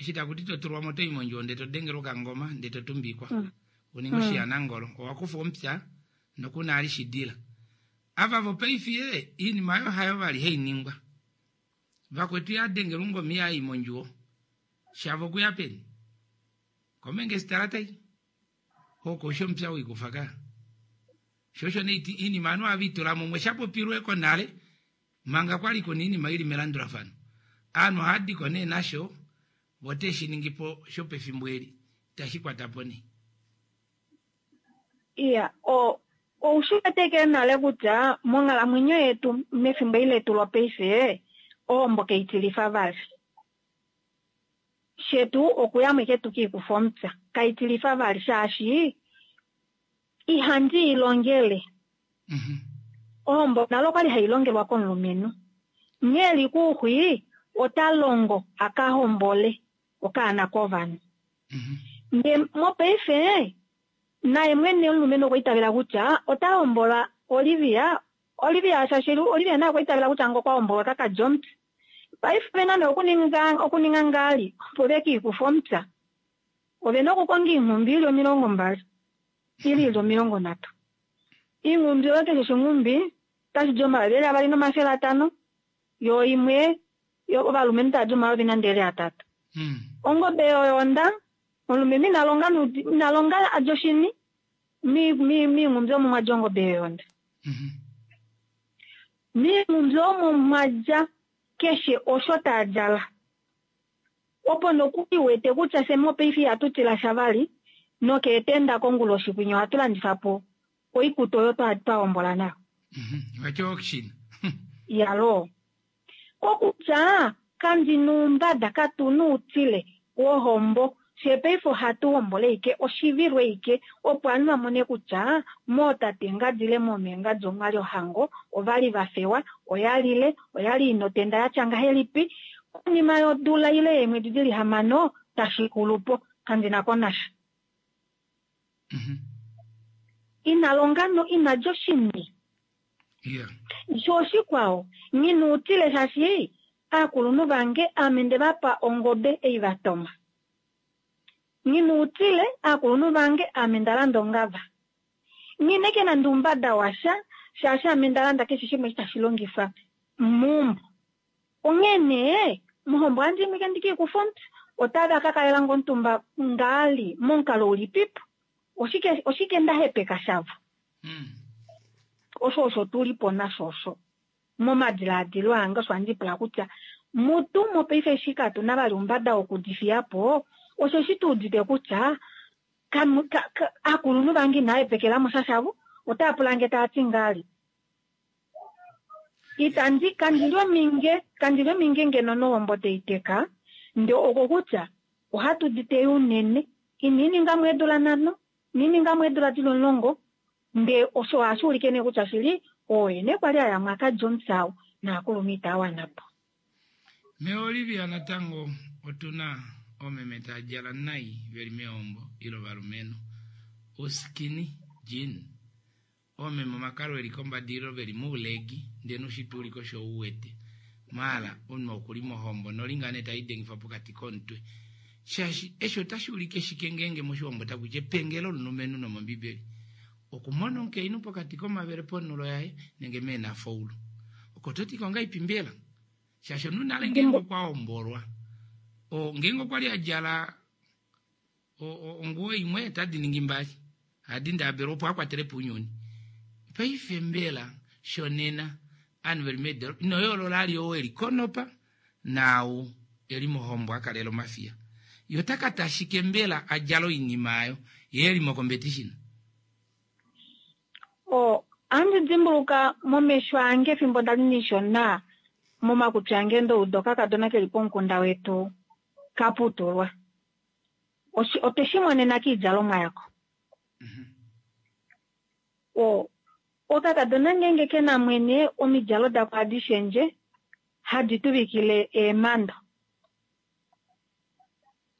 eshi takuti totulwamo toi mondjuwo ndee todengelwa okangoma ndee totumbikwa uninga oshiyanangolo owakufa omupya nokuna ali shidila ava vopaife iinima oyo hayo vali hainingwa vakwetu yadengelwa ongoma iyayi mondjuwo shavo okuya peni komengesitalata oko osho omupya wikufa ka sho osho nee iinima ovanhu ohava mumwe shapopilweko nale manga kwali kuna iinima ili melandulafano ovanhu ohadiko nee nasho vo teshiningipo shopefimbo eli itashi kwatapo nee iya o oushi weteke nale kutya monghalamwenyo yetu mefimbo eli letu lopaife ohombo kaitilifa vali shetu okuyamo ike tukiikufa omupya kaitilifa vali shaashi ihandi ilongele ohombo nale okwali hailongelwa komulumenhu nghee eli kuuxwi ota longo akahombole okaana kovanhu ndee mopaife naye mwene omulumenhu okwa itavela kutya ota hombola Olivia Olivia shaashi Olivia naye okwa itavela kutya ngo okwa hombolwa ota kadja omupya paife ovena nee okuninga okuninga ngali opo vekiikufa omupya ovena okukonga iinghumbi ili omilongo mbali ili ili omilongo nhatu iinghumbi oyo keshe oshinghumbi Otashi di omayovi eli avali nomafele atano, yo imwe yo ovalumenhu tava di omayovi nande eli atatu. Ongobe yoyonda omulumenhu ina longa noudi- ina longa a dja oshini mi- mi- miinghumbi omo mwa dja ongobe yoyonda. Miinghumbi omo mwa dja keshe osho taa djala. Opo nokuli wete kutya fye mopaife ihatu tila sha vali nokeetenda konguloshi kwinya ohatu landifa po oikutu oyo twa twa hombola nayo. Vati auction. Yalo. Kokutya kandi nuumbada katu nuutile wohombo fye paife ohatu hombola ike oshivilo ike opo ovanhu va mone kutya mootate ngadi ile moomengadi omwali ohango ovali va fewa oya lile oyali ina otenda yatya ngahelipi konima yodula ile yeemwedi dili hamano tashi xulupo kandina ko nasha. Ina longa no ina dja oshini. Yeah. Sho oshikwao nghinuutile shaashi aakulunhu vange ame nde vapa ongobe ei va toma. Nghinuutile aakulunhu vange ame nda landa ongava. Nghineke nande oumbada washa shaashi ame nda landa keshe shimwe eshi tashi longifwa meumbo. Onghee nee mohombo ohandi imwike ndike ikufe omutwe otava ka kalela nge omutumba ngaali momukalo ulipipo oshike oshike nda hepeka shavo. Osho osho tulipo nasho osho momadilaadilo ange osho handi pula kutya mutu mopaife eshi katuna vali oumbada wokudifiyapo osheshi tuudite kutya kamu- ka- ka- aakulunhu vange inava hepekelamo sha shavo otava pula nge tava ti ngaali. Itandi kandili ominge kandili ominge ngeno nohombo teiteka nde oko kutya ohatu di teya unene ina iningamu eedula nhano ina iningamu eedula dili omulongo nde osho ohashi ulike nee kutya shili ooyene kwali aya mwaka omupya naakulunhu itava wana po. Me Olivia natango otuna oomeme tava djala nai veli meombo ile ovalumenhu uskinny jean oomeme omakalo eli kombada ile veli moulegi ndee noushitwe uli kosho uwete maala omunhu okuli mohombo nolinga nee taidengifa pokati komutwe shaashi eshi otashi ulike shike ngeenge moshiwambo takuti epengelo lomulumenhu nomombibeli okumona omukainhu pokati komavele ponhulo yaye nenge meenafoulu oko toti kongaipi mbela shaashi omunhu nale ngeenge okwa hombolwa o ngeenge okwali a djala onguwo imwe otadi ningi mbali hadi ndaabelwa opo akwatele po ounyuni paife mbela shonena ovanhu veli meedolopa ino yoolola ali ou eli konopa naau eli mohombo akalela omafiya ye ota ka tashike mbela a djala oinima ayo ye eli mocompetition. O ohandi dimbuluka momesho ange efimbo ndali ndishona momakutsi ange ndouda okakadona keli pomukunda wetu kaputulwa. Otwe shi monena kiidjalomwa yako. O okakadona ngeenge kena mwene omidjalo dako ohadi shendje hadi tuvikile eemando.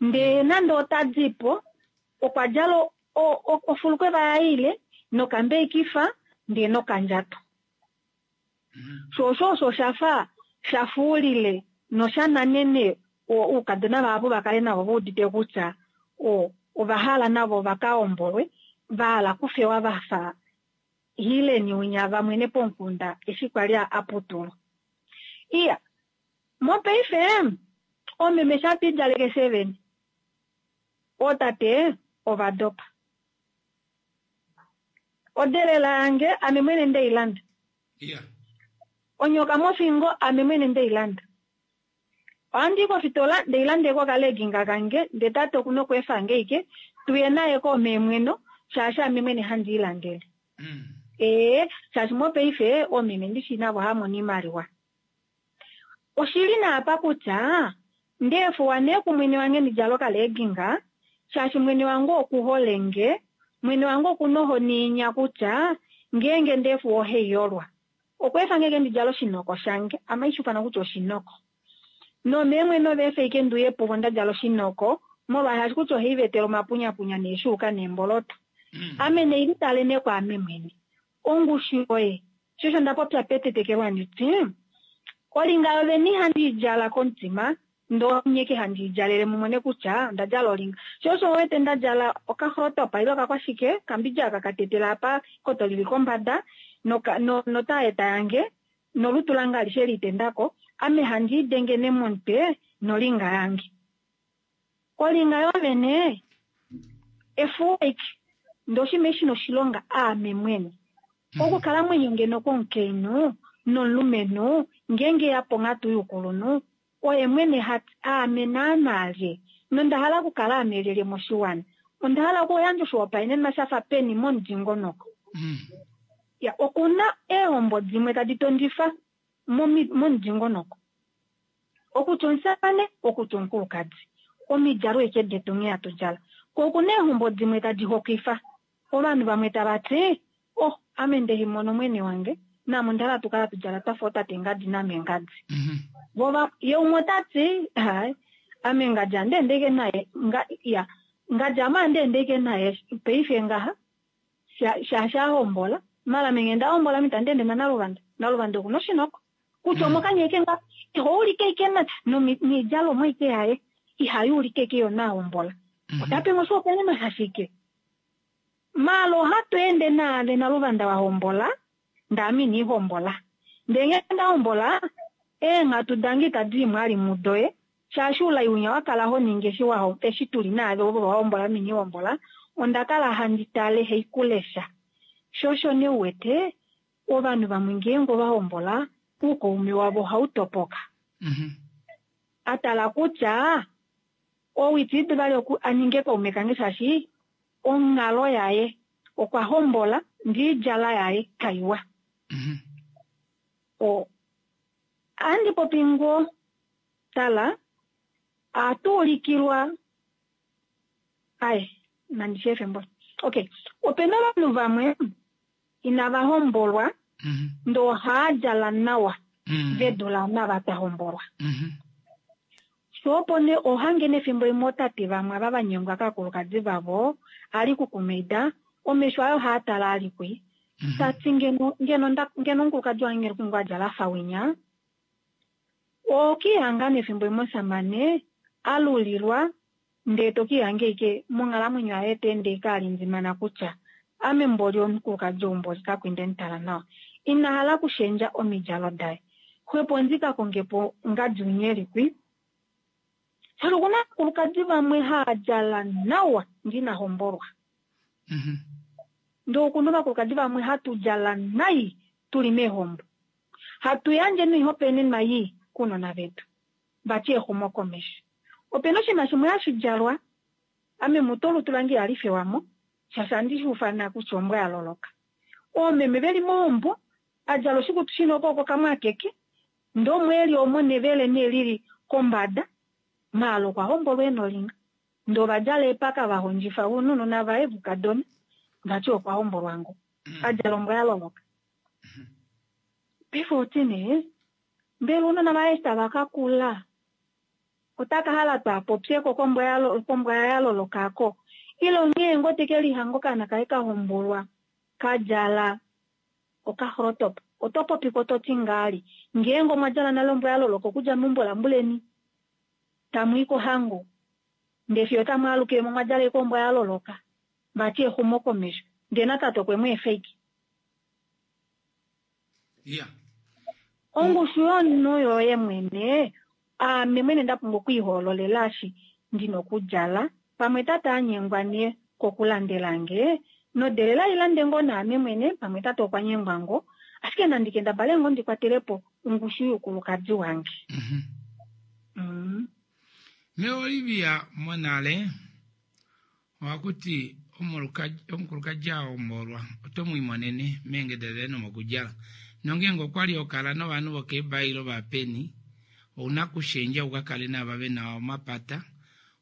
Ndee nande ota dipo okwa djala ofulukweva yaye ile nokambeikifa ndee nokandjato. Sho osho osho shafa shafuulile nosha nanene oukadona vahapu vakale navo veudite kutya o ova hala navo vakahombolwe vahala kufewa vafa hileni winya vamwene pomukunda eshi kwali aputulwa. Iya mopaife oomeme sha twiidjaleke fye vene ootate ova dopa. Odelela yange ame mwene ndeilanda. Yeah. Onyoka mofingo ame mwene ndeilanda. Ohandi kofitola ndeilandeko okaleginga kange ndee tate okuna okweefange ike tuye naye koomeemweno shaashi ame mwene handi ilandele. Ee shaashi mopaife oomeme ndishi navo hamono iimaliwa. Oshili naapa kutya ndeefuwa nee kumwene wange ndidjale okaleginga shaashi mwene wange okuhole nge mwene wange okuna ohoni inya kutya ngeenge ndeefuwa ohaiyolwa. Okweefange ike ndidjale oshinoko shange ame haishufana kutya oshinoko. Nomeemwene ova efa ike ndiuye puvo ndadjala oshinoko molwaashi kutya ohaivetele omapunyapunya neeshuuka neemboloto. Ame neilitale nee kwaame mwene. Ongushu yoye sho osho nda popya petetekelo handiti olinga yovene ihandi idjala komutima ndee onyeke handi idjalele mumone kutya onda djala olinga. Sho osho wete nda djala okaxrotopa ile okakwashike kambidja aka katetela apa ekoto lili kombada noka- no- notaeta yange nolutu lange alishe litendako, ame handi idenge nemomutwe nolinga yange. Olinga yovene efuweki ndoshime shina oshilonga aame mwene. Okukalamwenyo ngeno kwomukainhu nomulumenhu ngeenge ya ponghatu youkulunhu oye mwene hati aame naana lye nonda hala okukala aame lyelye moshiwana. Onda hala okuyandja oshihopaenenwa shafa peni momudingonoko. Ya, okuna eehombo dimwe tadi tondifa momi- momudingonoko. Okutya omushamane, okutya omukulukadi. Omidjalo eke detu nghee hatu djala. Ko okuna eehombo dimwe tadi hokwifa. Ovanhu vamwe tava ti, oh, ame ndehimono mwene wange, naame onda hala tukala hatu djala twafa ootate ngadi naame ngadi. Vova ye umwe ota ti, hai, ame ngadi handeendeke naye, nga, ya, ngadi ame handeendeke naye paife ngaha, sha- shaashi ahombola, mala ame ngee ndahombola ame itandi ende naNaluvanda. Naluvanda okuna oshinoko. Kutya omokanya eke nga, iho ulike ike na, nomi- noidjalomwa ike yaye, ihayi ulike ike yo nahombola. Ota pe oshihopaenenwa shashike? Maala ohatu ende naave Naluvanda wa hombola, ndaame ina ihombola. Ndee ngee nda hombola, eenghatu dange itadi i mwali mudoye, shaashi oulai winya wa kala ho ningi eshi wa ho- eshi tuli naave ovo va hombola ame ina ihombola, onda kala handi tale haikulesha. Sho osho nee uwete, ovanhu vamwe ngeenge ova hombola, oukaume wavo ohau topoka. A tala kutya ou itiidi vali oku a ninge kaume kange shaashi onghalo yaye okwa hombola ndee oidjala yaye kaiwa. O ohandi popi ngoo tala ohatu ulikilwa ai nandi shi efe mboli. Okay, opena ovanhu vamwe inava hombolwa ndee ohaa djala nawa ve dula nava twa hombolwa. Sho opo nee ohange nefimbo limwe ootate vamwe ava va nyengwa kaakulukadi vavo ali kukumaida omesho aye ohaa tala ali kwi. Tati ngeno ngeno nda ngeno omukulukadi wange ngeno okwali a djala afa winya. Okihanga nefimbo limwe omushamane alulilwa ndee tokihanga ike monghalamwenyo yaye teende ike alindimana kutya ame mboli omukulukadi ou mboli kakwi ndemutala nawa. Ina hala okushendja omidjalo daye. Xwepo ndika kongepo ngadi winya eli kwi. Shaashi okuna ovakulukadi vamwe haa djala nawa ndee ina hombolwa. Ndee okuna ovakulukadi vamwe hatu djala nai tuli meehombo. Hatu yandje noihopaenenwa ii kounona vetu. Vati exumokomesho. Opena oshinima shimwe hashi djalwa, ame mutu olutu lange ihali fewamo, shaashi ohandi shi ufana kutya ombwa ya loloka. Oomeme veli mohombo, a djala oshikutu shina okwooko kamwe akeke, ndee omweeli omo nevele nee lili kombada, maala okwa hombolwa ena olinga. Ndee ova djala eepaka va hondjifa ounona vaye vukadona, vati okwa hombolwa ngo. A djala ombwa ya loloka. Paife oti nee, mbela ounona vaye eshi tava ka kula, otaka hala twaapopyeko kombwa ya lo- kombwa ya lolokako. Ile onghee ngoo teke lihanga okaana kaye ka hombolwa, ka djala okahrotop. Oto popiko toti ngaali. Ngeenge omwa djala nale ombwa ya loloka okudja meumbo lambuleni, tamu i kohango. Ndee fiyo tamu alukile mo mwa djala ashike ombwa ya loloka. Vati exumokomesho. Ndee natate okwe mu efa ashike. Ya. Ongushu yomunhu yoye mwene, aame mwene nda pumbwa okwiihoololela eshi ndina okudjala. Pamwe tate a nyengwa nee kokulandela nge, nodelela ilande ngoo naame mwene, pamwe tate okwa nyengwa ngoo. Ashike nandi kendabale ngoo ndi kwatele po ongushu youkulukadi wange. Mm. Me Olivia monale ohakuti omuluka- omukulukadi a hombolwa oto mu imonene meengeda daye nomokudjala. Nongeenge okwali hokala novanhu vokeebailo vapeni, ouna kushendja uka kale nava vena omapata,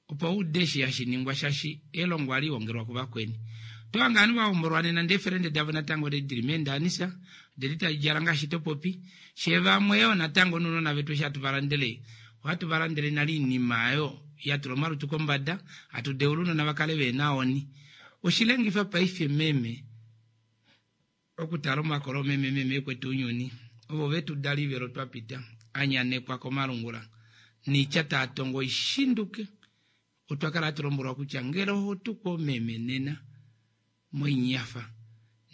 opo ude eshi hashi ningwa shaashi elongo ohali hongelwa kuvakweni. Oto hange ovanhu va hombolwa nena ndee eefelende davo natango dili meendaanisa, deli tadi djala ngaashi to popi. Shee vamwe yoo natango nounona vetu eshi hatu va landele, ohatu va landele nale oinima oyo ya tula omalutu kombada, hatu deula ounona va kale vehena ohoni. Oshilengifa paife meme okutala omakolo meme meme ekwetu ounyuni, ovo vetu dala ivelo twa pita, anyanekwa komalungula, niitya taa tongo oishinduke. Otwa kala hatu lombwelwa kutya ngele oho tukwa omeme nena moinyafa,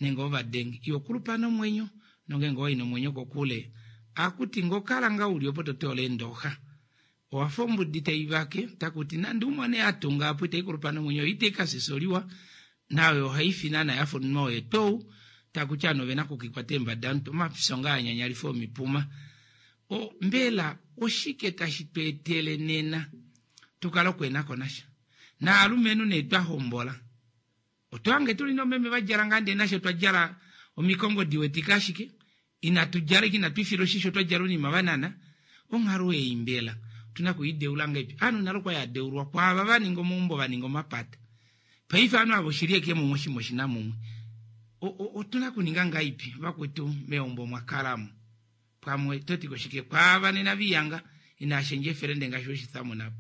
nenge ovadenge ihokulupa nomwenyo nongenge owai nomwenyo kokule akuti ngokala nga uli opo totola eendoxa owafa ombudi taivake takuti nande umone atunga apo itaikulupa nomwenyo itaikasisoliwa nayo ohaifi naana yafa omunhu oye tou takuti ovanhu ovena okukikwata eembada omutu omafisho nga anyanyalifa omipuma o mbela oshike tashi tu etele nena tukale okwenako nasha naalumenhu nee twahombola otwange tuli nomeme vadjala ngaa ndee nashe twadjala omikongo diwetika ashike inatu djala inatu ifila oshisho twadjala ounima vanana onghalo ei mbela otuna kuideula ngaipi ovanhu nale okwa yadeulwa kwaava vaninga omaumbo vaninga omapata paife ovanhu ava oshili eke mumwe oshima oshina mumwe otuna kuninga ngaipi vakwetu meumbo mwakalamo pamwe toti koshike kwaava nena viyanga inashendja efelende ngaashi weshithamunapo.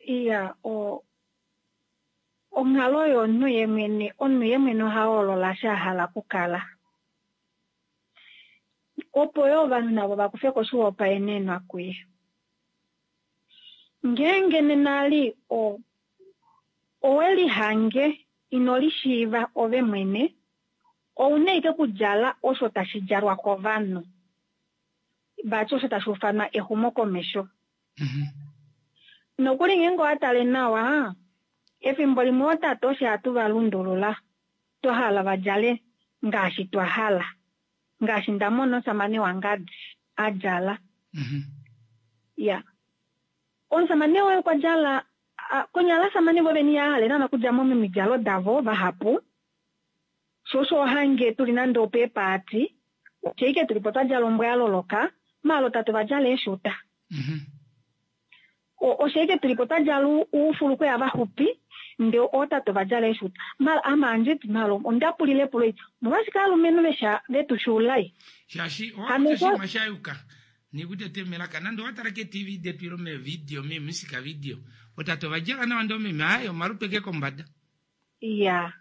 Iya, o onghalo yomunhu ye mwene, omunhu ye mwene oha hoolola sha hala okukala. Opo yo ovanhu navo vakufe ko oshihopaenenwa kuye. Ngeenge nena ali o owe lihange ino lishiiva ove mwene, ouna ike okudjala osho tashi djalwa kovanhu. Vati osho tashi ufanwa exumokomesho. Nokuli ngeenge owa tale nawa, efimbo limwe ootate osho hatu va lundulula, twa hala va djale ngaashi twa hala. Ngaashi nda mona omusamane wangadi a djala. Ya. Omusamane woye okwa djala, konyala ovasamane vo veni ya hale naana okudja mo momidjalo davo vahapu. Sho osho ohange tuli nande opeepaati, osho tuli po twa djala ombwa ya loloka, maala tate va djala eeshuta. Osho tuli po twa djala oufulukweya vaxupi, ndee ootate va djala eeshuta. Maala ame anditi maala onda pulile epulo eli, omolwashike aalumenhu vesha vetushuulai? Shaashi owakuta oshinima sha yuka nikutete melaka nande owatala ke-T V detu ilo meevideo meemusika video otate ova djala nawa ndee omeme aye omalutu eke kombada. Iya.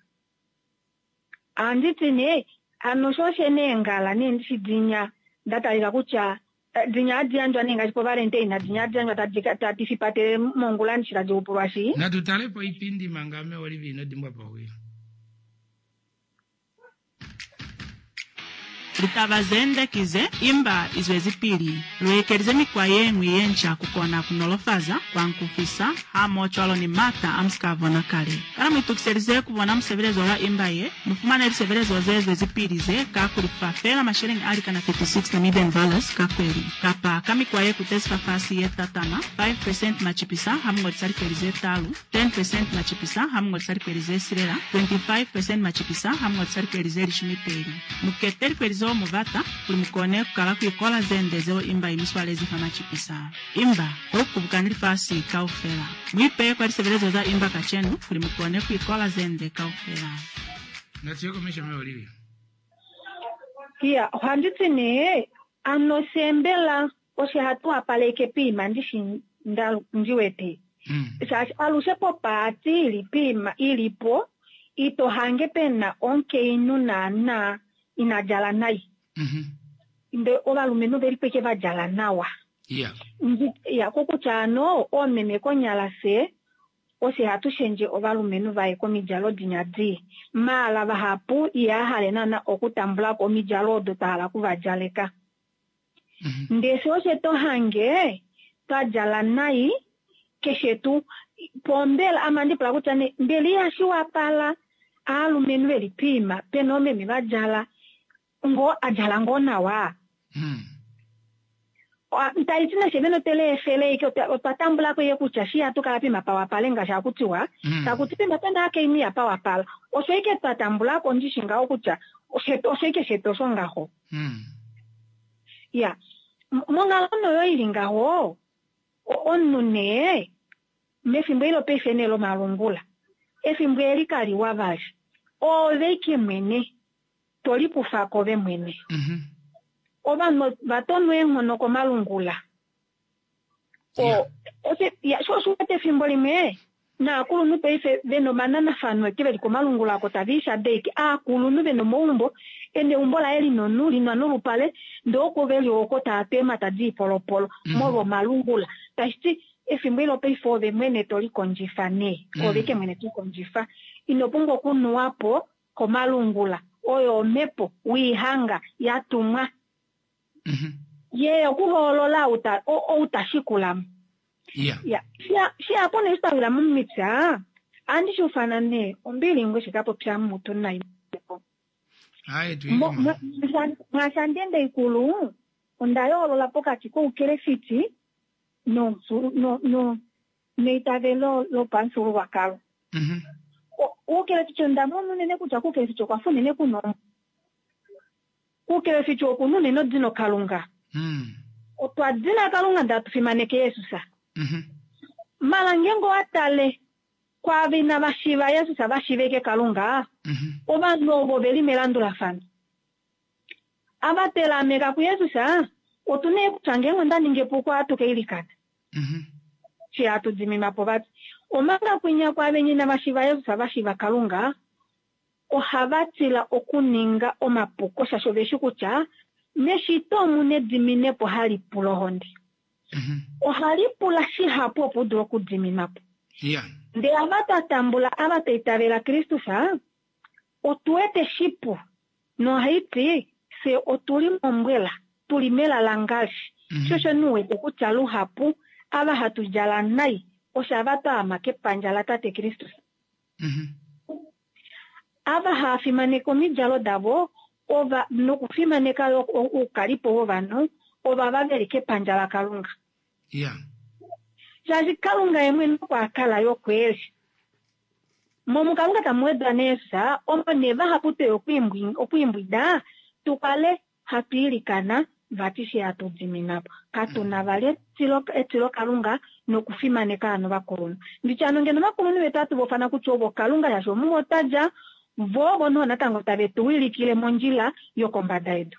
Anditi nee hano sho shene eengala nee ndishi dinya nda talika kutya dinya hadi yandjwa nee ngaashi povalentine dinya hadi yandjwa tadi tadi fipatele mongula ndishi tadi upulwa shi. Natu tale po oipindi manga ame Olivia ino dimbwa powila. Litaba zende kize imba izwezipili luekelize mikwa yeñwi yenca kukona kunolofaza kwankufisa hamoho ni mata a musika bona kale. Kana muitukiselize kubona musebelezo wa imba ye, mufumane lisebelezo ze zwezipili ze ka kulifa fela masheleñi a likana thirty-six Namibian dollars ka kweli. Kapa ka mikwa ye kutezi fafasi ye tatama five percent machipisa hamungolisa likweli ze talu, ten percent machipisa hamungolisa likweli ze silela, twenty-five percent machipisa hamungolisa likweli ze lishumi peli. Mukete likweli zo muvata kuli mukone kukala kuikola zende zeo imba imiswalezi fa machipisa. Imba okubukani lifasi kaufela. Muipe kwa lisebelezo za imba kachenu kuli mukone kuikola zende kaufela. Natiyoko mesha me Olivia. Iya, ohanditi nee ano sembela osho hatu wapaleke pima ndishi nda ndiwete. Shaashi alushe popaati ili pima ilipo ito hange pena onkeinu naana ina djala nai. Nde ovalumenhu veli peke va djala nawa. Yeah. Ya kokutya ano oomeme konyala se oshe hatu shendje ovalumenhu vaye komidjalo dinya di. Maala vahapu iha hale naana okutambula ko omidjalo odo twa hala okuvadjaleka. Ndee sho oshe to hange twa djala nai keshe tu pombela ame andipula kutya nee mbela ihashi wapala aalumenhu veli pima pena oomeme va djala ngo a djala ngoo nawa. Taliti nashe vene otele efele ike otwa tambulako iye kutya shi hatu kala pima pawapale ngaashi hakutiwa takuti pima pena akeinu ya pawapala osho ike twa tambulako ndishi ngaho kutya osho ike shetu osho ngaho. Ya monghalo noyo ili ngaho omunhu nee mefimbo ilo paife nee lomalungula efimbo eli kaliwa vali ove ike mwene tolikufa ove mwene. Ovanhu vatonwa eenghono komalungula. O sho osho wete efimbo limwe naakulunhu paife vena omananafano eke veli komalungula ako tava ishadeke aakulunhu vena omaumbo ena eumbo laye lina onu lina nolupale ndee oko veli oko tava tu eemhata diipolopolo molwa omalungula. Tashiti Efimbo ilo paife ove mwene to likondjifa nee. Mm. Ove ke mwene to kondjifa. Ino pumbwa okunuwa po komalungula. Oyo omhepo wiihanga ya tumwa. Ye okuhoolola outa outashikula mo. Ya. Ya, shia shia pone shitawila mumipya. Andi shufana ne ombili ngwe shikapopya mutu nai. Hayi tu Mo- mwa- mwashandende ikulu onda yoolola pokati koukelefiti nomufulu- no- no- neitavelo lopamufyuululwakalo. O- Oukelefiti onda mona unene kutya kuukelefiti okwa fa unene kuna kuukelefiti okuna unene odino kalunga. Otwa dina kalunga ndele hatu fimaneke Yesus. Mala ngeenge owa tale kwaava inava shiiva Yesus va shiivike kalunga, ovanhu ovo veli melandulafano. Ava telameka kuYesus, otu na kutya ngeenge onda ninga epuko ohatu ka ilikana. Shi hatu diminwa po vati. Omanga kwinya kwaavenya inava shiiva Yesus va shiiva kalunga, ohava tila okuninga omapuko shaashi ove shi kutya meshito omuna ediminepo hali pula ohonde. Ohali pula shihapu opo u dule okudiminwa po. Ya. Ndele ava twa tambula ava twa itavela Kristus, otu wete shipu nohaiti fye otuli mombwela, tuli melalangali. Sho osho nee u wete kutya luhapu ava hatu djala nai osho ava twa ama kepandja latate Kristus. Ava hava fimaneke omidjalo davo ova nokufimaneka yo oukalipo wovanhu ovava veli kepandja laKalunga. Ya. Shaashi Kalunga ye mwene oko a kala yo kweli. Momukalunga tamu wedwa nee Jesus, omo nee vahapu tweya okwiimbwi- okwiimbwida tu kale hatu ilikana vati she hatu dimina po. Katu na vali etilo etilokalunga nokufimaneka hano ovakulunhu. Nditye hano ngeno ovakulunhu vetu ohatu vofana kutya ovo Kalunga shaashi omuvo twa dja, vo ovo noho natango tave tu wilikile mondjila yokombada yedu.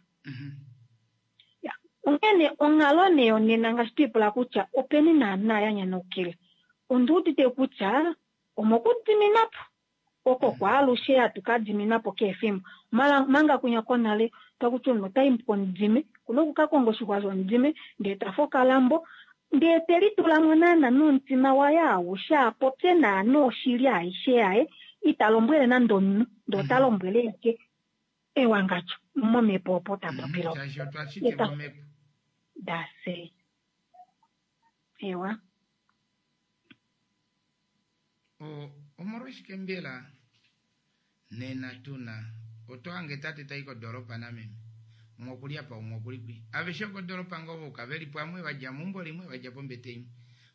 Ya, onghene onghalo nee yonena ngaashi twiipula kutya openi naana ya nyanukile. Ondi udite kutya omokudimina po oko kwaalushe hatu ka dimina po kehe efimbo. Mala manga kwinya konale takuti omunhu otayi komudime, kuna okukakonga oshixwa shomudime ndee tafe okalambo ndee telitula mo naana nomutima waye aushe apopye naana oshili aishe yaye ita lombwele nande omunhu ndee ota lombwele eke ewangadjo momhepo opo ta popile opo. Shaashi otwa shitilwa omhepo. Dase. Ewa. O- omolwashike mbela nena tuna oto hange tate tai kodoropa nameme umwe okuli apa umwe okuli kwi aveshe okodoropa ngoo voka veli pamwe vadja meumbo limwe vadja pombete imwe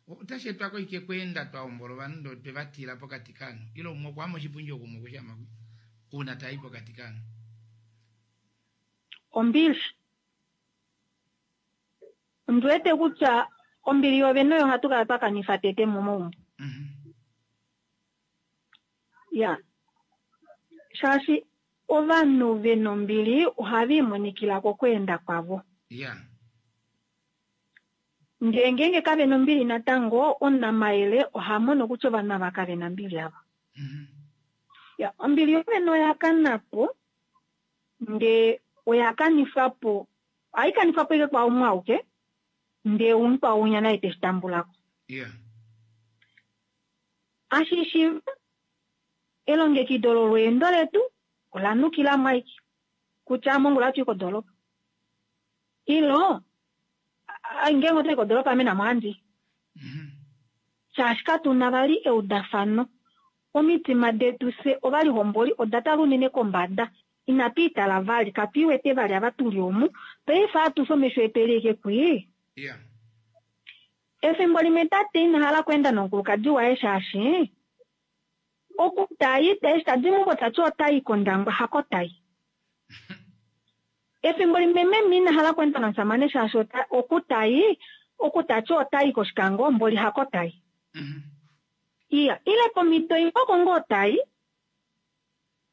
otashi etwa koike kweenda twa hombola ovanhu ndoo twe va tila pokati kaanhu ile umwe okwaama oshipundi oku umwe okushama kwi uuna tayi pokati kaanhu. Ombili. Ondi wete kutya ombili yovene oyo hatu kala twa kanifa tete momaumbo. Ya. Shaashi ovanhu vena ombili ohava imonikila kokweenda kwavo. Ya. Ndee ngeenge kavena ombili natango, omunamayele oha mono kutya ovanhu ava kavena ombili ava. Ya, ombili yovene oya kana po, ndee oya kanifwa po, ohai kanifwa po ashike kwaumwe auke, ndee umukwao winya naye teshi tambula ko. Ya. Ashishiiva elongekido lolweendo letu ola nukila mo ashike kutya mongula ohatu i kodoropa. Ilo ngeenge otwai kodoropa ame namo ohandi. Shaashi katuna vali eudafano. Omitima detu fye ovalihomboli oda tala unene kombada. Inatu itala vali, katu iwete vali ava tuli omu. Paife atushe omesho etu eli ashike kwii. Ya. Efimbo limwe tate ina hala okweenda nomukulukadi waye shaashi oku tayi eshi tadi meumbo tati otayi kOndangwa hako tayi. Efimbo limwe meme ina hala okweenda nomushamane shaashi oku tayi oku tati otayi kOshikango mboli hako tayi. Iya, ile pomhito imwe oko ngoo tayi,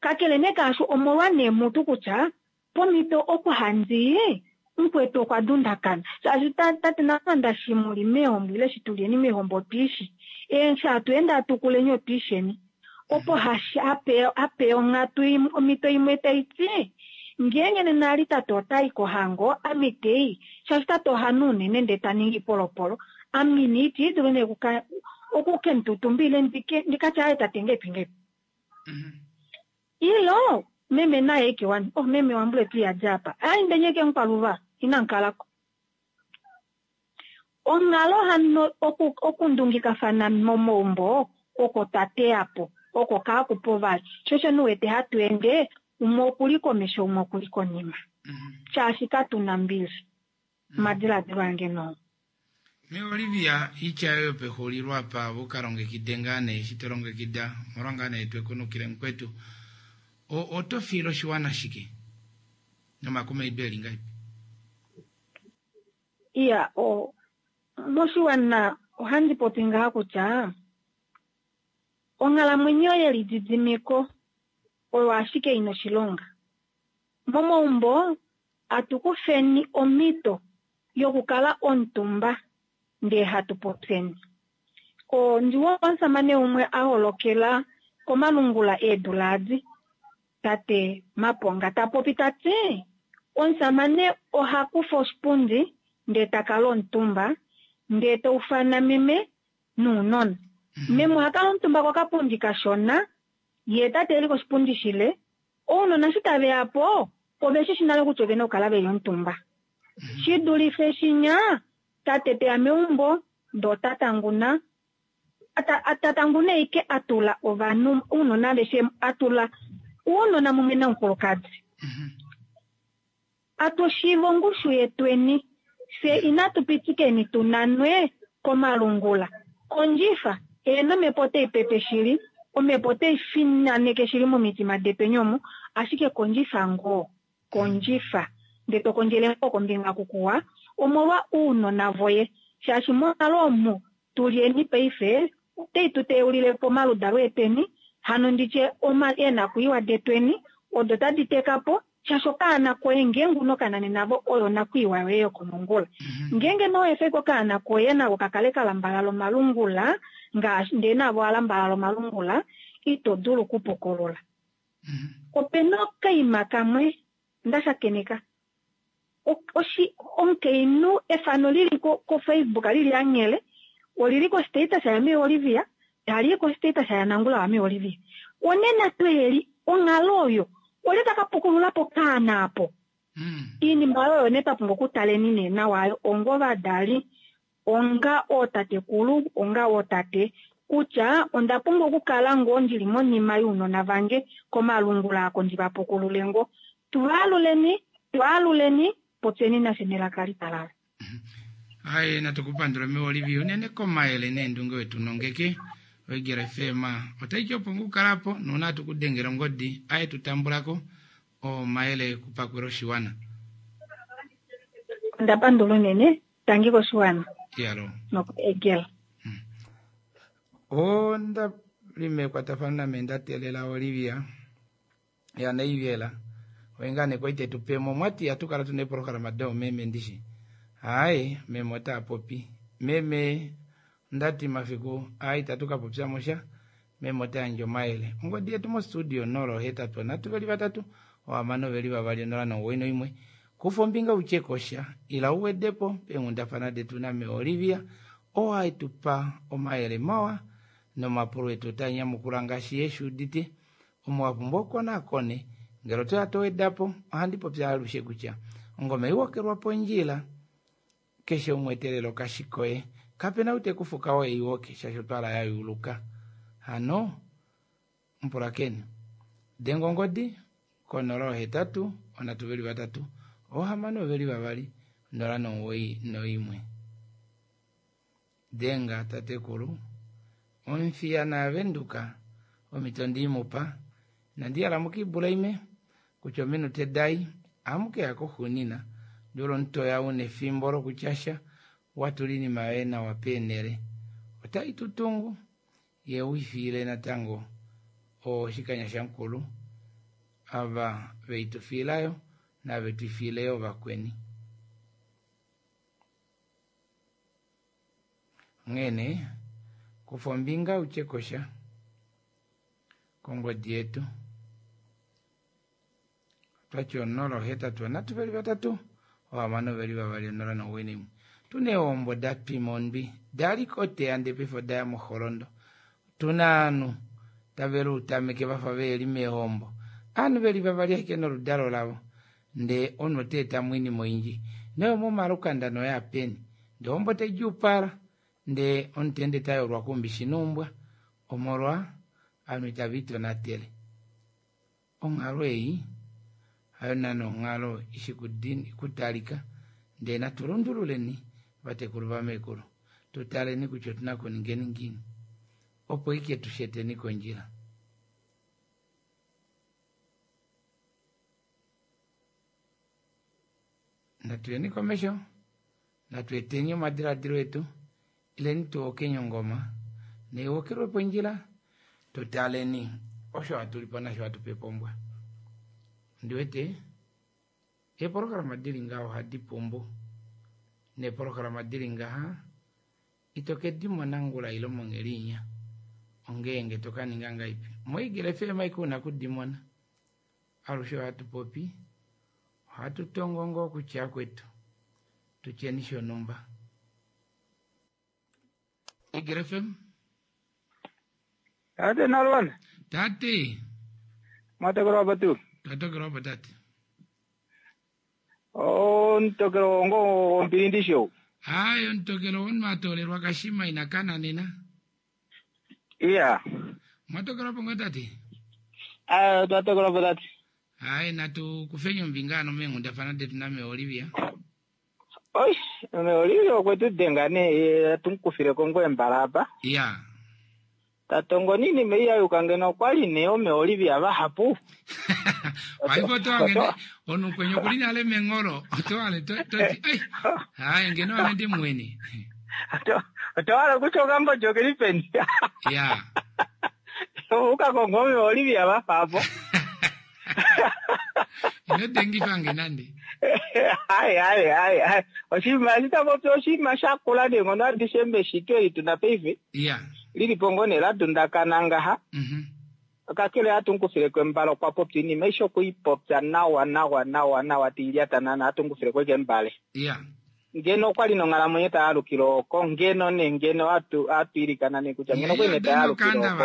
kakele nee kaasho omolwa nee mutu kutya pomhito oku handi mukwetu okwa dundakana. Shaashi tate Namanda shi muli meehombo ile shi tulieni meehombo otwiishi. Eshi hatu ende hatu kuleni otwiisheni. Opo hashi ape ape onghatu omhito imwe taiti ngeenge nena ali tate otayi kohango ame itei shaashi tate ohanu unene ndee ta ningi polopolo Ame ina iti dulu nee okuka okukemututumba ile ndike ndikatya tate ngepi ngepi. Ilo meme naye ike wani oh meme wambule tu yadja apa ai ndenyeke nkwaluva ina nkalako. Onghalo hano oku okundungikafana momaumbo oko twateya po oko kaakupo vali shosho nuwete hatu ende umwe okuli komesho umwe okuli konima shaashi katuna mbili. Omadiladilo ange noo. Me Olivia itya yoyo pexulilo apa vukalongekide ngaa nee eshi to longekida omolwa ngaa nee twekunukile mukwetu oto fiile oshiwana shike nomakumaido eli ngahelipi? Iya, o moshiwana ohandi popi ngaha kutya onghalamwenyo yelididimiko oyo ashike ina oshilonga. Momaumbo atukufeni omhito yokukala omutumba ndee hatu popyeni. Ondiwo omusamane umwe a holokela komalungula eedula adi tate Maponga ta popi tati omusamane oha kufa oshipundi ndee takala omutumba ndee taufana meme nounona. Meme oha kala omutumba kokapundi kashona ye tate eli koshipundi shile ounona shi tave yapo ove shi shi nale kutya ovena okukala veli omutumba. Shi dulife shinya tate teya meumbo ndee ota tanguna atatanguna ike atula ovanhu ounona aveshe atula ounona mumwe nomukulukadi. Atushiiva ongushu yetweni fye inatu pitikeni tunanwe komalungula. Kondjifa eeno omhepo otai pepe shili, omhepo otai finaneke shili momitima detweni omu, ashike kondjifa ngoo, kondjifa ndee to kondjele ngoo kombinga kukuwa omolwa ounona voye shaashi monghalo omu tulyeni paife otai tu teulile po omaludalo etweni hano nditye eenakwiiwa detweni odo tadi teka po shaashi okaana koye ngeenge una okanane navo oyo onakwiiwa yoye yokomongula. Ngeenge nowefe okaana koye nako kakale kalambalala omalungula ngaashi ndee navo alambalala omalungula ito dulu okupukolola. Opena okaima kamwe ndashakeneka oshi omukainhu efano lili ko Facebook lili anghele olili ko status ya me Olivia tali ko status ya Nangula wa me Olivia. Onena tweli onghalo oyo olye taka pukulula po kaana apo. Iinima oyo ne twa pumbwa okutaleni nee nawa onga ovadali onga ootatekulu onga ootate kutya onda pumbwa okukala ngoo ndili monima younona vange komalungula ako ndi va pukulule ngoo. Twaaluleni, twaaluleni, popyeni nashe nelaka litalala. Ai natukupandula me Olivia unene komayele neendunge wetu nongeke Oigera F M otai ti opo ngukalapo nuuna tukudengela ongodi aye tutambulako omayele kupakwela oshiwana. Onda pandula unene tangi koshiwana. Yalo. Nokuegela. Onda li mekwatafano name nda teelela Olivia ya Naivela oingane koite tupemo mwati atukala tuna eprograma do meme ndishi. Ai meme ota popi meme ndati mafiku ai tatuka popya mosha meme ota yandja omayele ongodi yetu mo studio nolo hetatu nhatu veli vatatu ohamano veli vavali nola nomuwoi noimwe kufa ombinga utye kosha ila uwedepo peenghundafana detu name Olivia oo aetupa omayele mawa nomapulo etu ota nyamukula ngaashi yeshi udite omo wapumbwa okonakone ngele otoya towedapo ohandi popya alushe kutya ongoma iwokelwa pondjila keshe umwe etelelo kashikoye kapena ute kufuka oye iwoke shaashi otwala ya yuluka hano mpulakeni denga ongodi konola ohetatu onhatu veli vatatu ohamano veli vavali nola nomuwoi noimwe denga tatekulu omfiya naavenduka omito ndiimupa nandiyala mukibula ime kutya ominute dai amukeya koxunina ndolo ntoya una efimbo lokutyasha watula iinima yoye nawa peenele otai tutungu ye uifiile natango oshikanya shamukulu ava veitufiilayo nave tuifiileyo vakweni. Onghene kufa ombinga utye kosha kongodi yetu twati onola ohetatu nhatu veli vatatu ohamano veli vavali onola nomuwoi naimwe tuna eehombo da twima ondwi Dali koteya ndee paife odaya moholondo. Tuna aanhu tave luutameke vafa veli meehombo. Aanhu veli vavali ashike noludalo lavo. Ndee omunhu ota etamo oinima oyindji. Noyo momalukanda noya peni. Ndee ohombo taidjuupala. Ndee omunhu taende tayolwa kuumbishi noumbwa. Omolwa ovanhu itava itonatele. Onghalo ei hayo naana onghalo ishi kutalika. Ndee natu lundululeni vatekulu vamekulu. Tutaleni kutya otuna kuningeni ngiini. Opo ike tusheteni kondjila. Natuyeni komesho. Natu eteni omadiladilo etu. Ileni tuwokenye ongoma. Neiwokelwe pondjila. Tutaleni osho hatulipo nasho hatupepa ombwa. Ndiwete eepolohalama dili ngaha ohadi pumbu. Neepolohalama dili ngaha ito kedimona ngula ile mongheli inya. Ongeenge tokaninga ngaipi. MoEagle F M aike una kudimona. Alushe ohatu popi. Ohatu tongo ngoo kutya kwetu. Tutyeni shonumba. Eagle F M. Tate Nalwana. Tate. Mwatokelwa hapo tu. Twatokelwa hapo tate. Oh, ntokelo ngo ompilindisho. Hayo ntokelo on matolelwa kashima inakana nena. Iya. Mwatokelwa hapo ngo tate. Ah, twatokelwa hapo tate. Hayi natu kufenya mbingano mengu ndafana detu name Olivia. Oi, me Olivia okwetu dengane tumkufire kongo embalapa. Iya. Tatongo nini meiya yukangena okwali ne ome Olivia vahapu. Waipo to angene onu kwenye kulina ale mengoro to ale to to ai hai ngeno ale ndi mweni. To to ala kuchoka mbo joke peni. Ya. Uka kongo ome Olivia vahapo. Ino dengi fange nande. Ai ai ai ai. Oshima sitapopi oshima shakula ne ngono adishembe shitwe ituna peife. Ya. Lili pongone la dundakana ngaha. Mhm. Kakele atunkufile kwembalo kwa popti ni maisho kuipopya nawa nawa nawa nawa tilyata nana atunkufile kweke mbale. Yeah. Ngeno kwali nonghalamwenyo tayalukile oko ngeno ne ngeno atu atuilikana ne kutya ngeno kwene tayalukile oko.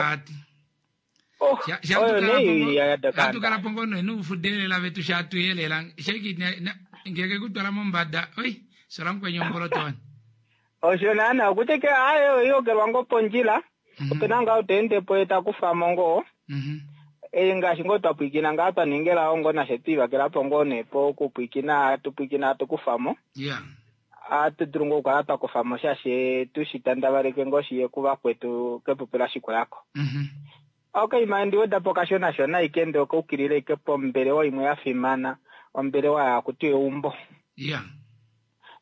Oh, oyo ne ya dakanda. Atukala pongono enu fudelela vetu shatuyelela sheki ngeke kutwala mombada. Oi, sola mkwenye omboloto. Osho nana okuteke ayo yogelwa ngo pondjila. Opena nga utende po etakufa mongo. Mhm. E ngaashi ngo twapwikina nga twaningela ongo nashe twivakela po ngo nepo okupwikina tupwikina tukufamo. Yeah. Atu dulu ngo okukala twakufamo shashe tushitandavaleke ngo shiye kuvakwetu kepupi shikulako. Mhm. Okay, mandi wedapo kashona shona ike okaukilile ike pombelewa imwe ya fimana ombelewa yakuti eumbo. Yeah.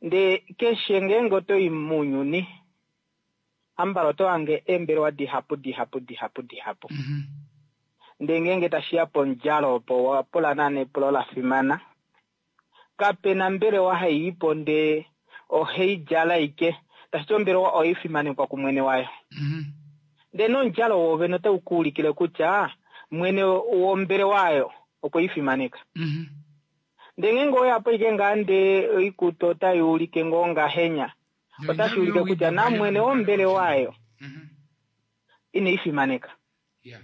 Nde keshe ngeenge otoyi muunyuni ambala oto hange eembelewa dihapu dihapu dihapu dihapu. Mm-hmm. Nde ngeenge tashiya pondjalo opo wapula naana epulo la fimana. Kapena mbelewa haiipo nde oheidjala ike tashiti ombelewa oifimanekwa kumwene wayo. Mm-hmm. Nde nondjalo wovene otaukuulikile kutya mwene wombelewa ayo okweifimaneka. Mm-hmm. Nde ngeenge oyapo ike ngaa nde oikutu otaiulike ngoo ngahenya. Otashi ulike kutya namwene wombelewa ayo ineifimaneka. Yeah.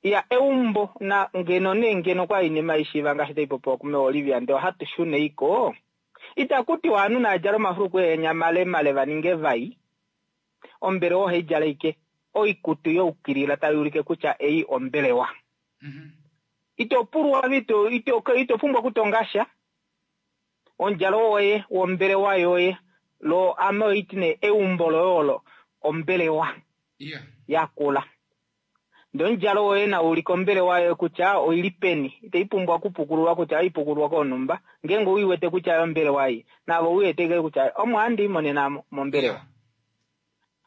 Ya eumbo na ngeno ne ngeno kwa inima ishiva ngaashi taipopiwa kume Olivia nde ohatu shune iko. Itakuti wanu nadjala omafuluku enya male male vaninge vai. Ombelewa ohaidjala ike oikutu youkilila tai ulike kutya ei ombelewa. Mm-hmm. Ito pulwa vito ito ito pumbwa kutongasha. Ondjalo woye wombelewa yoye lo ame oitine eumbo loyolo ombelewa. Yeah. Yakula. Nde ondjalo woye na ulike ombelewa yoye kutya oili peni. Itaipumbwa kupukululwa kutya oipukululwa konumba. Ngeenge uiwete kutya ombelewa ei. Navo uiwete kutya omo handi imonena mombelewa. Yeah.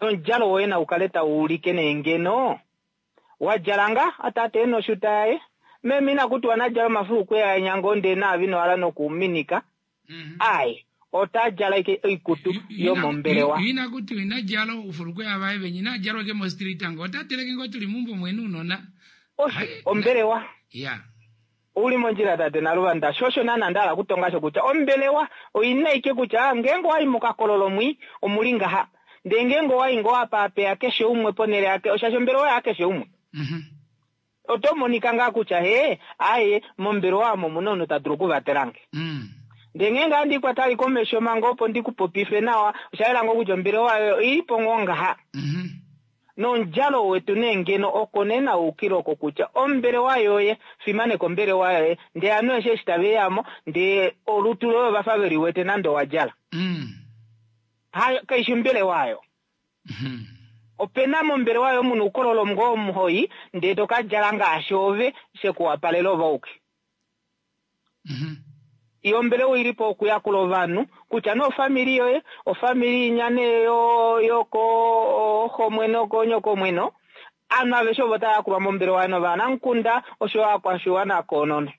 Ondjalo woye na ukale tauulike neengeno. Wadjalanga atate enoshuta yaye. Meme inakutiwa nadjala omafuluku yanyango nde naavino ala nokuminika. Mm-hmm. Ai. Otadjala ike oikutu yomombelewa. Ina kuti inadjala ufuluku yavaye venye inadjala ke mo street ango otateleke ngo tuli mumbo mwenu unona. Ombelewa. Yeah. Uli mondjila tate Naluvanda shosho nana ndala kutongasho kutya ombelewa oina ike kutya ngeenge wayi mokakololo mwi omuli ngaha. Ndee ngeenge owa i ngoo apaapeya keshe umwe ponhele yake, oshashi ombelewa yakeshe umwe. Oto monika ngaa kutya hee, aye, mombelewa omo omuna omunhu ta dulu okuvatela nge. Ndee ngeenge handi ikwata ali komesho manga opo ndikupopife nawa, osha yela ngoo kutya ombelewa yoye oilipo ngoo ngaha. Nomudjalo wetu nee ngeno oko nee naukile oko kutya ombelewa yoye, fimaneka ombelewa yoye, ndee ovanhu aveshe eshi tave yamo, ndee olutu loye ovafa veli wete nande owa djala. Hayo, kaishi ombelewa ayo. Opena mombelewa yoye muna oukololo ngoo omuhoi, ndee tokadjala ngaashi ove shekuwapalela ove auke. Iyo ombelewa oilipo okuyakula ovanhu, kutya nee ofamili yoye, ofamili inya nee yokooxomweno koonyokomweno, ovanhu aveshe ovo tava yakulwa mombelewa novanamukunda osho ovakwashiwana koonono.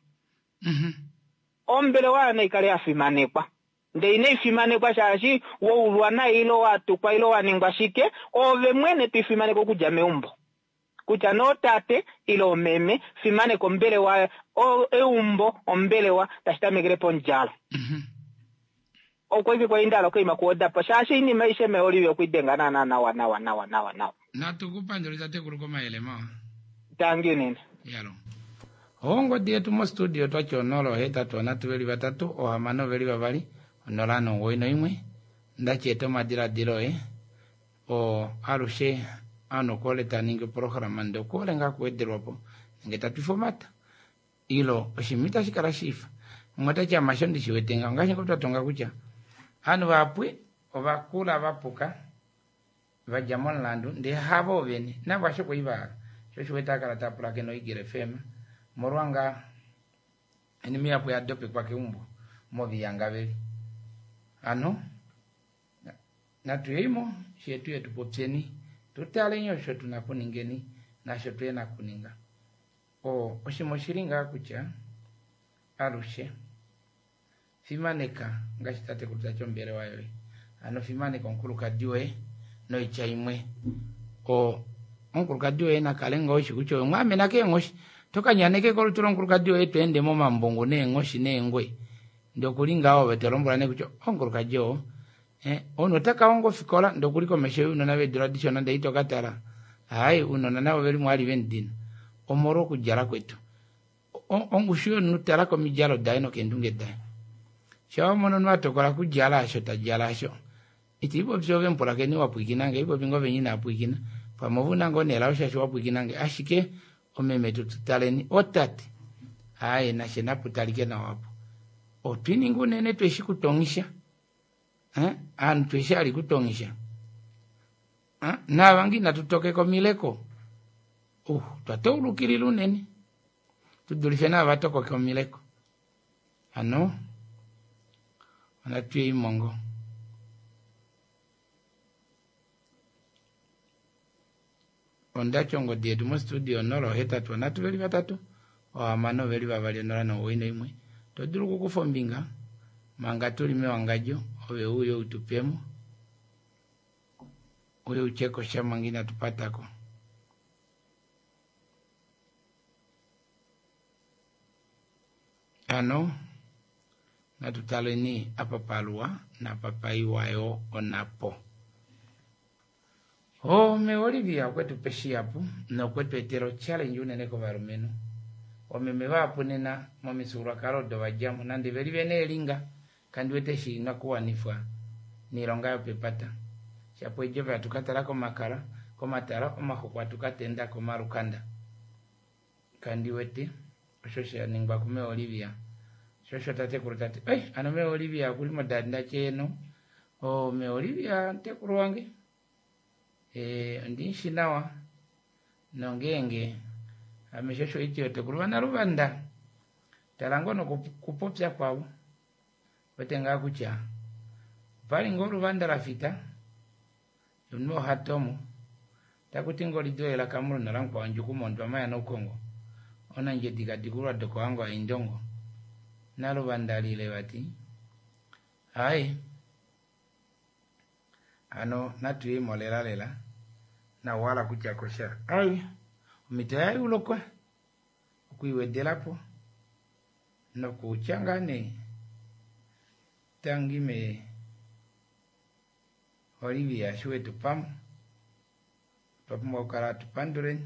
Ombelewa yoye naikale ya fimanekwa. Ndee inai fimanekwa shaashi waulwa nai ile watukwa ile waningwa shike, ove mwene toifimaneke okudja meumbo. Kutya nee otate ile omeme, fimaneka ombelewa, eumbo, ombelewa, tashi tamekele pomudjalo. Okwa ike kwali nda hala okuima kuodapo, shaashi oinima aishe me Olivia okwidenga naana nawa nawa nawa nawa nawa. Natu ku pandule tatekulu komayele mawa. Tangi unene. Yalo. Ongodi yetu mostudio twati onola ohetatu onhatu veli vatatu ohamano veli vavali onola nomugoyi noimwe ndachi eta omadiladilo oye o alushe ovanhu okuhole taningi oprograma ndee okuhole ngaa okuwedelwapo nenge tatwifa omata ilo oshinima itashi kala shiifa umwe otati amasho ndishiwete ngaho ngaashi ngoo twatonga kutya ovanhu vahapu ovakula vapuka vadja momulandu ndee havo vene navo asho kwali vahala sho osho uwete akala tapulakene oEagle F M molwa ngaa oinima ihapu yadopekwa keumbo moviyanga veli hano natuyeimo shetu yetu popyeni tutaleni osho tuna kuningeni nasho tuyena kuninga o oshima oshili ngaa kutya alushe fimaneka ngaashi tatekulu tati ombelewa yoye hano fimaneka omukulukadi woye noitya imwe o omukulukadi woye nakale ngoo eshi kutya oye mwaamena keenghoshi tokanyaneke kolutu lomukulukadi woye tweende momambungu neenghoshi neengwe ndee okuli ngaho ove tolombwela nee kutya omukulukadi oo omunhu otaka honga ofikola ndee okuli komesho younona veedula dishona ndee itokatala hayi ounona navo velimo vali vemudina omolwa okudjala kwetu ongushu yomunhu tala komidjalo daye nokeendunge daye sha wamona omunhu atokola kudjala asho tadjala asho itiipopi ove mupulakeni wapwikinange ipopi ngoo venye inapwikina pamwe ove una ngoo nelao shaashi wapwikinange ashike omeme tututaleni otate aaye nashe naputalike nawa apo otwininga unene tweshi kutongisha ovanhu tweshi hali kutongisha naava ngoo inatu komileko uh twataulukilila unene tudulife naava tokoke omileko hano onatuyeimo ngoo ondati ongodi yetu mostudio onola ohetatu onhatu veli vatatu ohamano veli vavali onola nomugoyi noimwe todulu okukufa ombinga manga tuli mewangadjo ove uye utupemo uye utyeko sha manga inatu patako hano natutaleni apa paluwa napa paiwa yo onapo Ome Olivia okwetupa shihapu nokwetu etela ochallenge unene kovalumenhu omeme vahapu nena momifyuululwakalo odo vadjamo nande veli vena eelinga kandi wete shinakuwanifwa niilonga yopepata shapo eedjove hatu katala komakala komatala omaxuku hatu katenda komalukanda kandi wete osho shaningwa kume Olivia sho osho tatekulu tati ei hano me Olivia okuli modanda cheeno o me Olivia mutekulu wange ondimushi nawa nongeenge ame sho osho haiti otekulu vanaluvanda tala ngoo nokupopya kwavo wete ngaa kutya opali ngoo oluvanda lafita omunhu ohatomo takuti ngoo lidoye lakamuluna lamukwawo ndjuku mondwama yanaukongo onandjedi kadikulwa dokohango haindongo naluvanda lile vati hayi hano natuyeimo lela lela nauhala kutya kosha ai omhito yayulukwa okwiiwedelapo nokutya ngaa nee tangi me Olivia eshi wetu pamo otwa pumbwa okukala hatu panduleni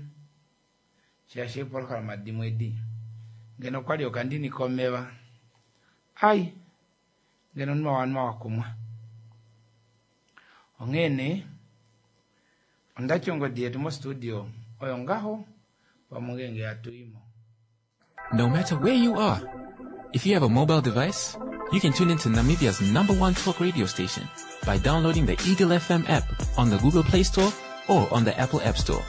shaashi eepolohalama dimwe edi ngeno okwali okandini komeva ai ngeno omunhu wanwa wakumwa onghee nee ondati ongodi yetu mostudio oyo ngaho pamwe ngenge hatuimo. No matter where you are, if you have a mobile device, you can tune into Namibia's number one talk radio station by downloading the Eagle F M app on the Google Play Store or on the Apple App Store.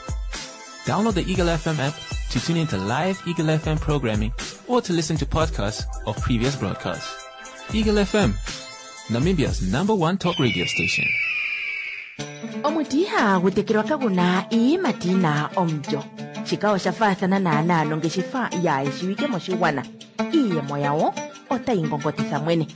Download the Eagle F M app to tune into live Eagle F M programming or to listen to podcasts of previous broadcasts. Eagle F M, Namibia's number one talk radio station. Omuti ihagu tekelwa kaguna iiyimati yina omulyo. Shika osha faathana naanaa nongeshefa yaayeshiwike moshigwana. Iiyemo yawo otayi ngongotitha mwene.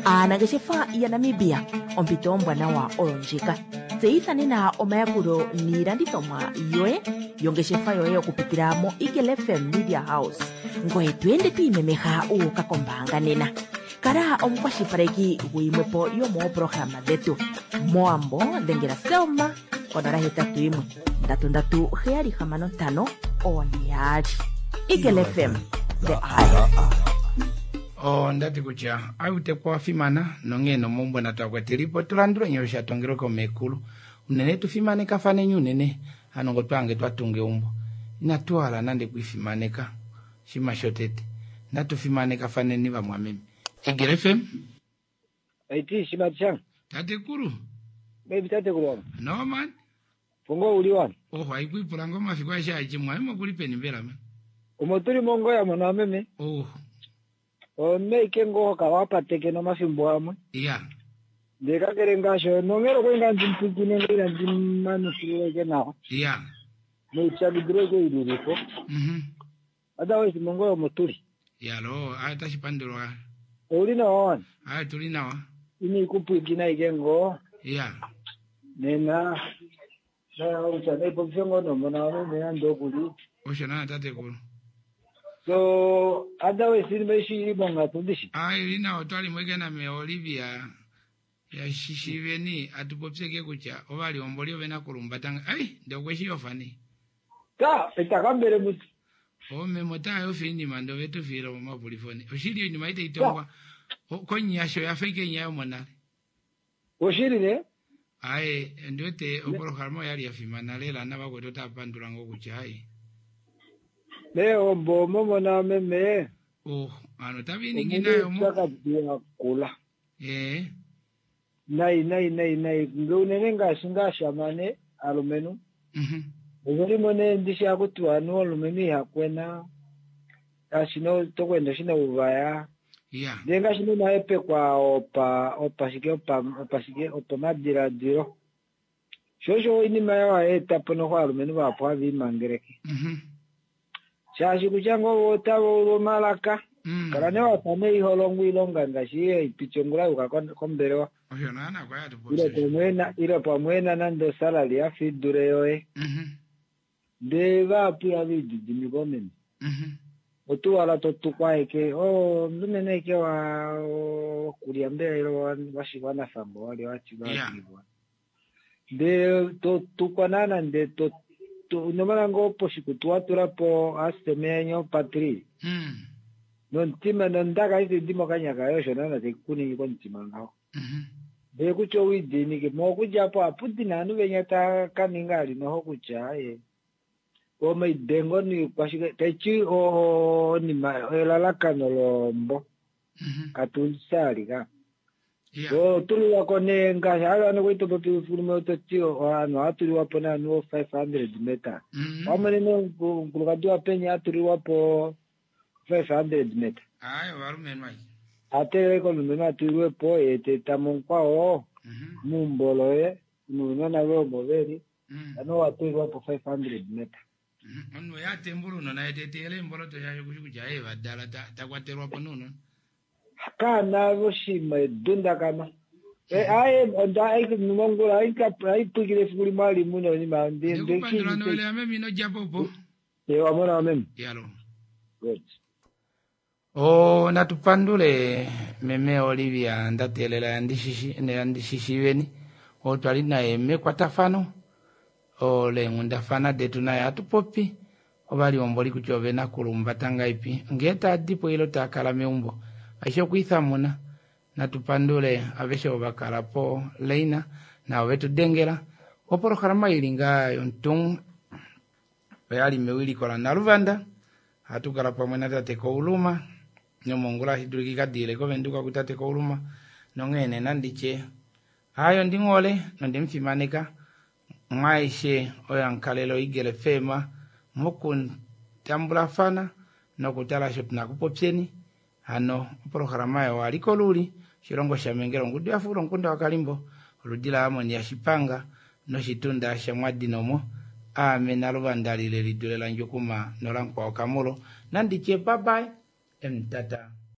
Aanangeshefa yaNamibia, ompito ombwanawa oyo ndjika. Tseyitha nena omayakulo niilandithomwa yoye yongeshefa yoye okupitila mo Eagle F M Media House. Ngoye to ende to imemeha u uka kombaanga nena. Kala omukwashilipaleki guyimwepo yomooprograma dhetu. Moambo dhengela Selma konola hetatu yimwe ndatu ndatu heyali hamano ntano one yaali. Eagle F M, the eye. Ondati kutya autekwa wa fimana nonghee nomaumbo natwakwatelipo tulandule nyo sha tongelwe komekulu unene tufimanekafaneni unene hano ngo twange twatunga eumbo inatuhala nande kuifimaneka shima shotete natufimanekafaneni vamwameme. Eagle F M. Aiti shima chang. Tatekulu. Baby tatekulu wangu. No man. Fongo uli wanu. Oh haikuipula ngoma fikwa sha chimwa imo kulipeni mbela man. Umotuli mongo ya mwana meme. Oh. Omeike ngoho kawapateke nomafimbo amwe. Yeah. Ndikakele ngasho nongero kwenga ndimphikine ngira ndimanufileke nawo. Yeah. Noitsakidileke ililipo. Mhm. Otherwise mongo omotuli. Yeah lo atashipandulwa. Uli nawa wanu. Ayi tuli nawa. Ini kupwikina ike ngo. Yeah. Nena na uchane popsengo nomona meme andokuli. Osho na tatekulu. So otherwise inimeshi ibonga tundishi. Ayi lina otwali mweke na me Olivia ya shishiveni atupopseke kutya ovali omboli ovena kulumbatanga. Ai ndokweshiyofani. Ta itakambele mutu. Ome mota yo fini mando vetu filo mapulifoni. Oshili ni maite itongwa. Konyasho ya fake nyayo monale. Oshili ne? Aye ndote oporoharmo yali yafimana lela nabakweto tapandula ngokutya ai. Leo mbomo mona meme. Oh, ano tabini nginayo mo. Kula. Eh. Nai nai nai nai ngeunene ngashi ngashamane alumenu. Mhm. Ngori mone ndishi akuti anu alumenu ihakwena. Ashino tokwenda shina uvaya. Yeah. Ndenga shino naepe kwa opa opa shike opa opa shike opa madiladilo. Shosho inima yawa eta pono kwa alumenu vapo avimangereke. Mhm. Shashi kuchango wotavo ulomalaka. Mm. Kala ne watane iholongu ilonga ngashi ipichongula uka kombelewa. Osho nana kwa yatu Ilo pamwena ilo pamwena nando salary afidure yoe. Mhm. De vapu yavididimiko mene. Mhm. Otuwala totukwa eke oh ndumene eke wa kulia mbele ilo washikwana fambo wali wachiwa. Yeah. De totukwa nana nde to nomala ngo poshikutu watulapo asemenyo patri. Mm. Nontima nondaka isi ndimo kanyaka yosho nana tekuningi kontima ngaho. Mhm. Ndee kutya owidinike mokudyapo aputi nanu venya takaninga ali noho kutya aye. Omaidengo ni kwashike taichi onima elalakano lombo. Mhm. Katulisali ka. Yeah. So tuliwako ne ngaashi ava nokuitopopi fulume ototi ovanhu atuliwapo nanu five hundred meter. Mhm. Wamonene omukulukadi wapenya atuliwapo five hundred meter. Ayo valumenhu ai. Ateleke omulumenhu atuliwepo ye teta mukwao Mhm. mumbolo ye nuunona ve omo veli Mm. ano watuliwapo five hundred meter. Mhm. Omunhu yatembula unona etetele emboloto shasho kushi kutya aye vadala takwatelwapo nuunona. Kana voshima edundakana. Aye onda mongula aipwikile efiku limwe alimu nonima Ndikupandula nowele ameme inodyapopo. wamona wameme. Yalo. Good. Oh, natupandule meme Olivia ndatelela yandishishi yandishishiveni Oo twali naye mekwatafano leenghundafana detu naye hatu popi ovalihomboli kutya ovena kulumbata ngaipi ngee taadipo ile taakala meumbo aishe okwiithamuna natu pandule aveshe ovo vakala po leina navo vetu dengela opolohalama ili ngaa yontung oyali mewiliko lanaluvanda hatu kala pamwe natate Kouluma nomongula ashi dulika ikadiile kovenduka kutate Kouluma nonghee nee nanditye hayo ndinghole nondemufimaneka mwaishe oyo amukalele oEagle FM mokutambulafana nokutala osho tuna kupopyeni hano opolohalama oyo aliko luli oshilongo shamengela ongudu yafuula omukunda wakalimbo oludi laamoni yashipanga noshitunda shamwadinomo aame naluvanda lile lidule landjukuma nolamukwawo kamulo nanditye babai emutata.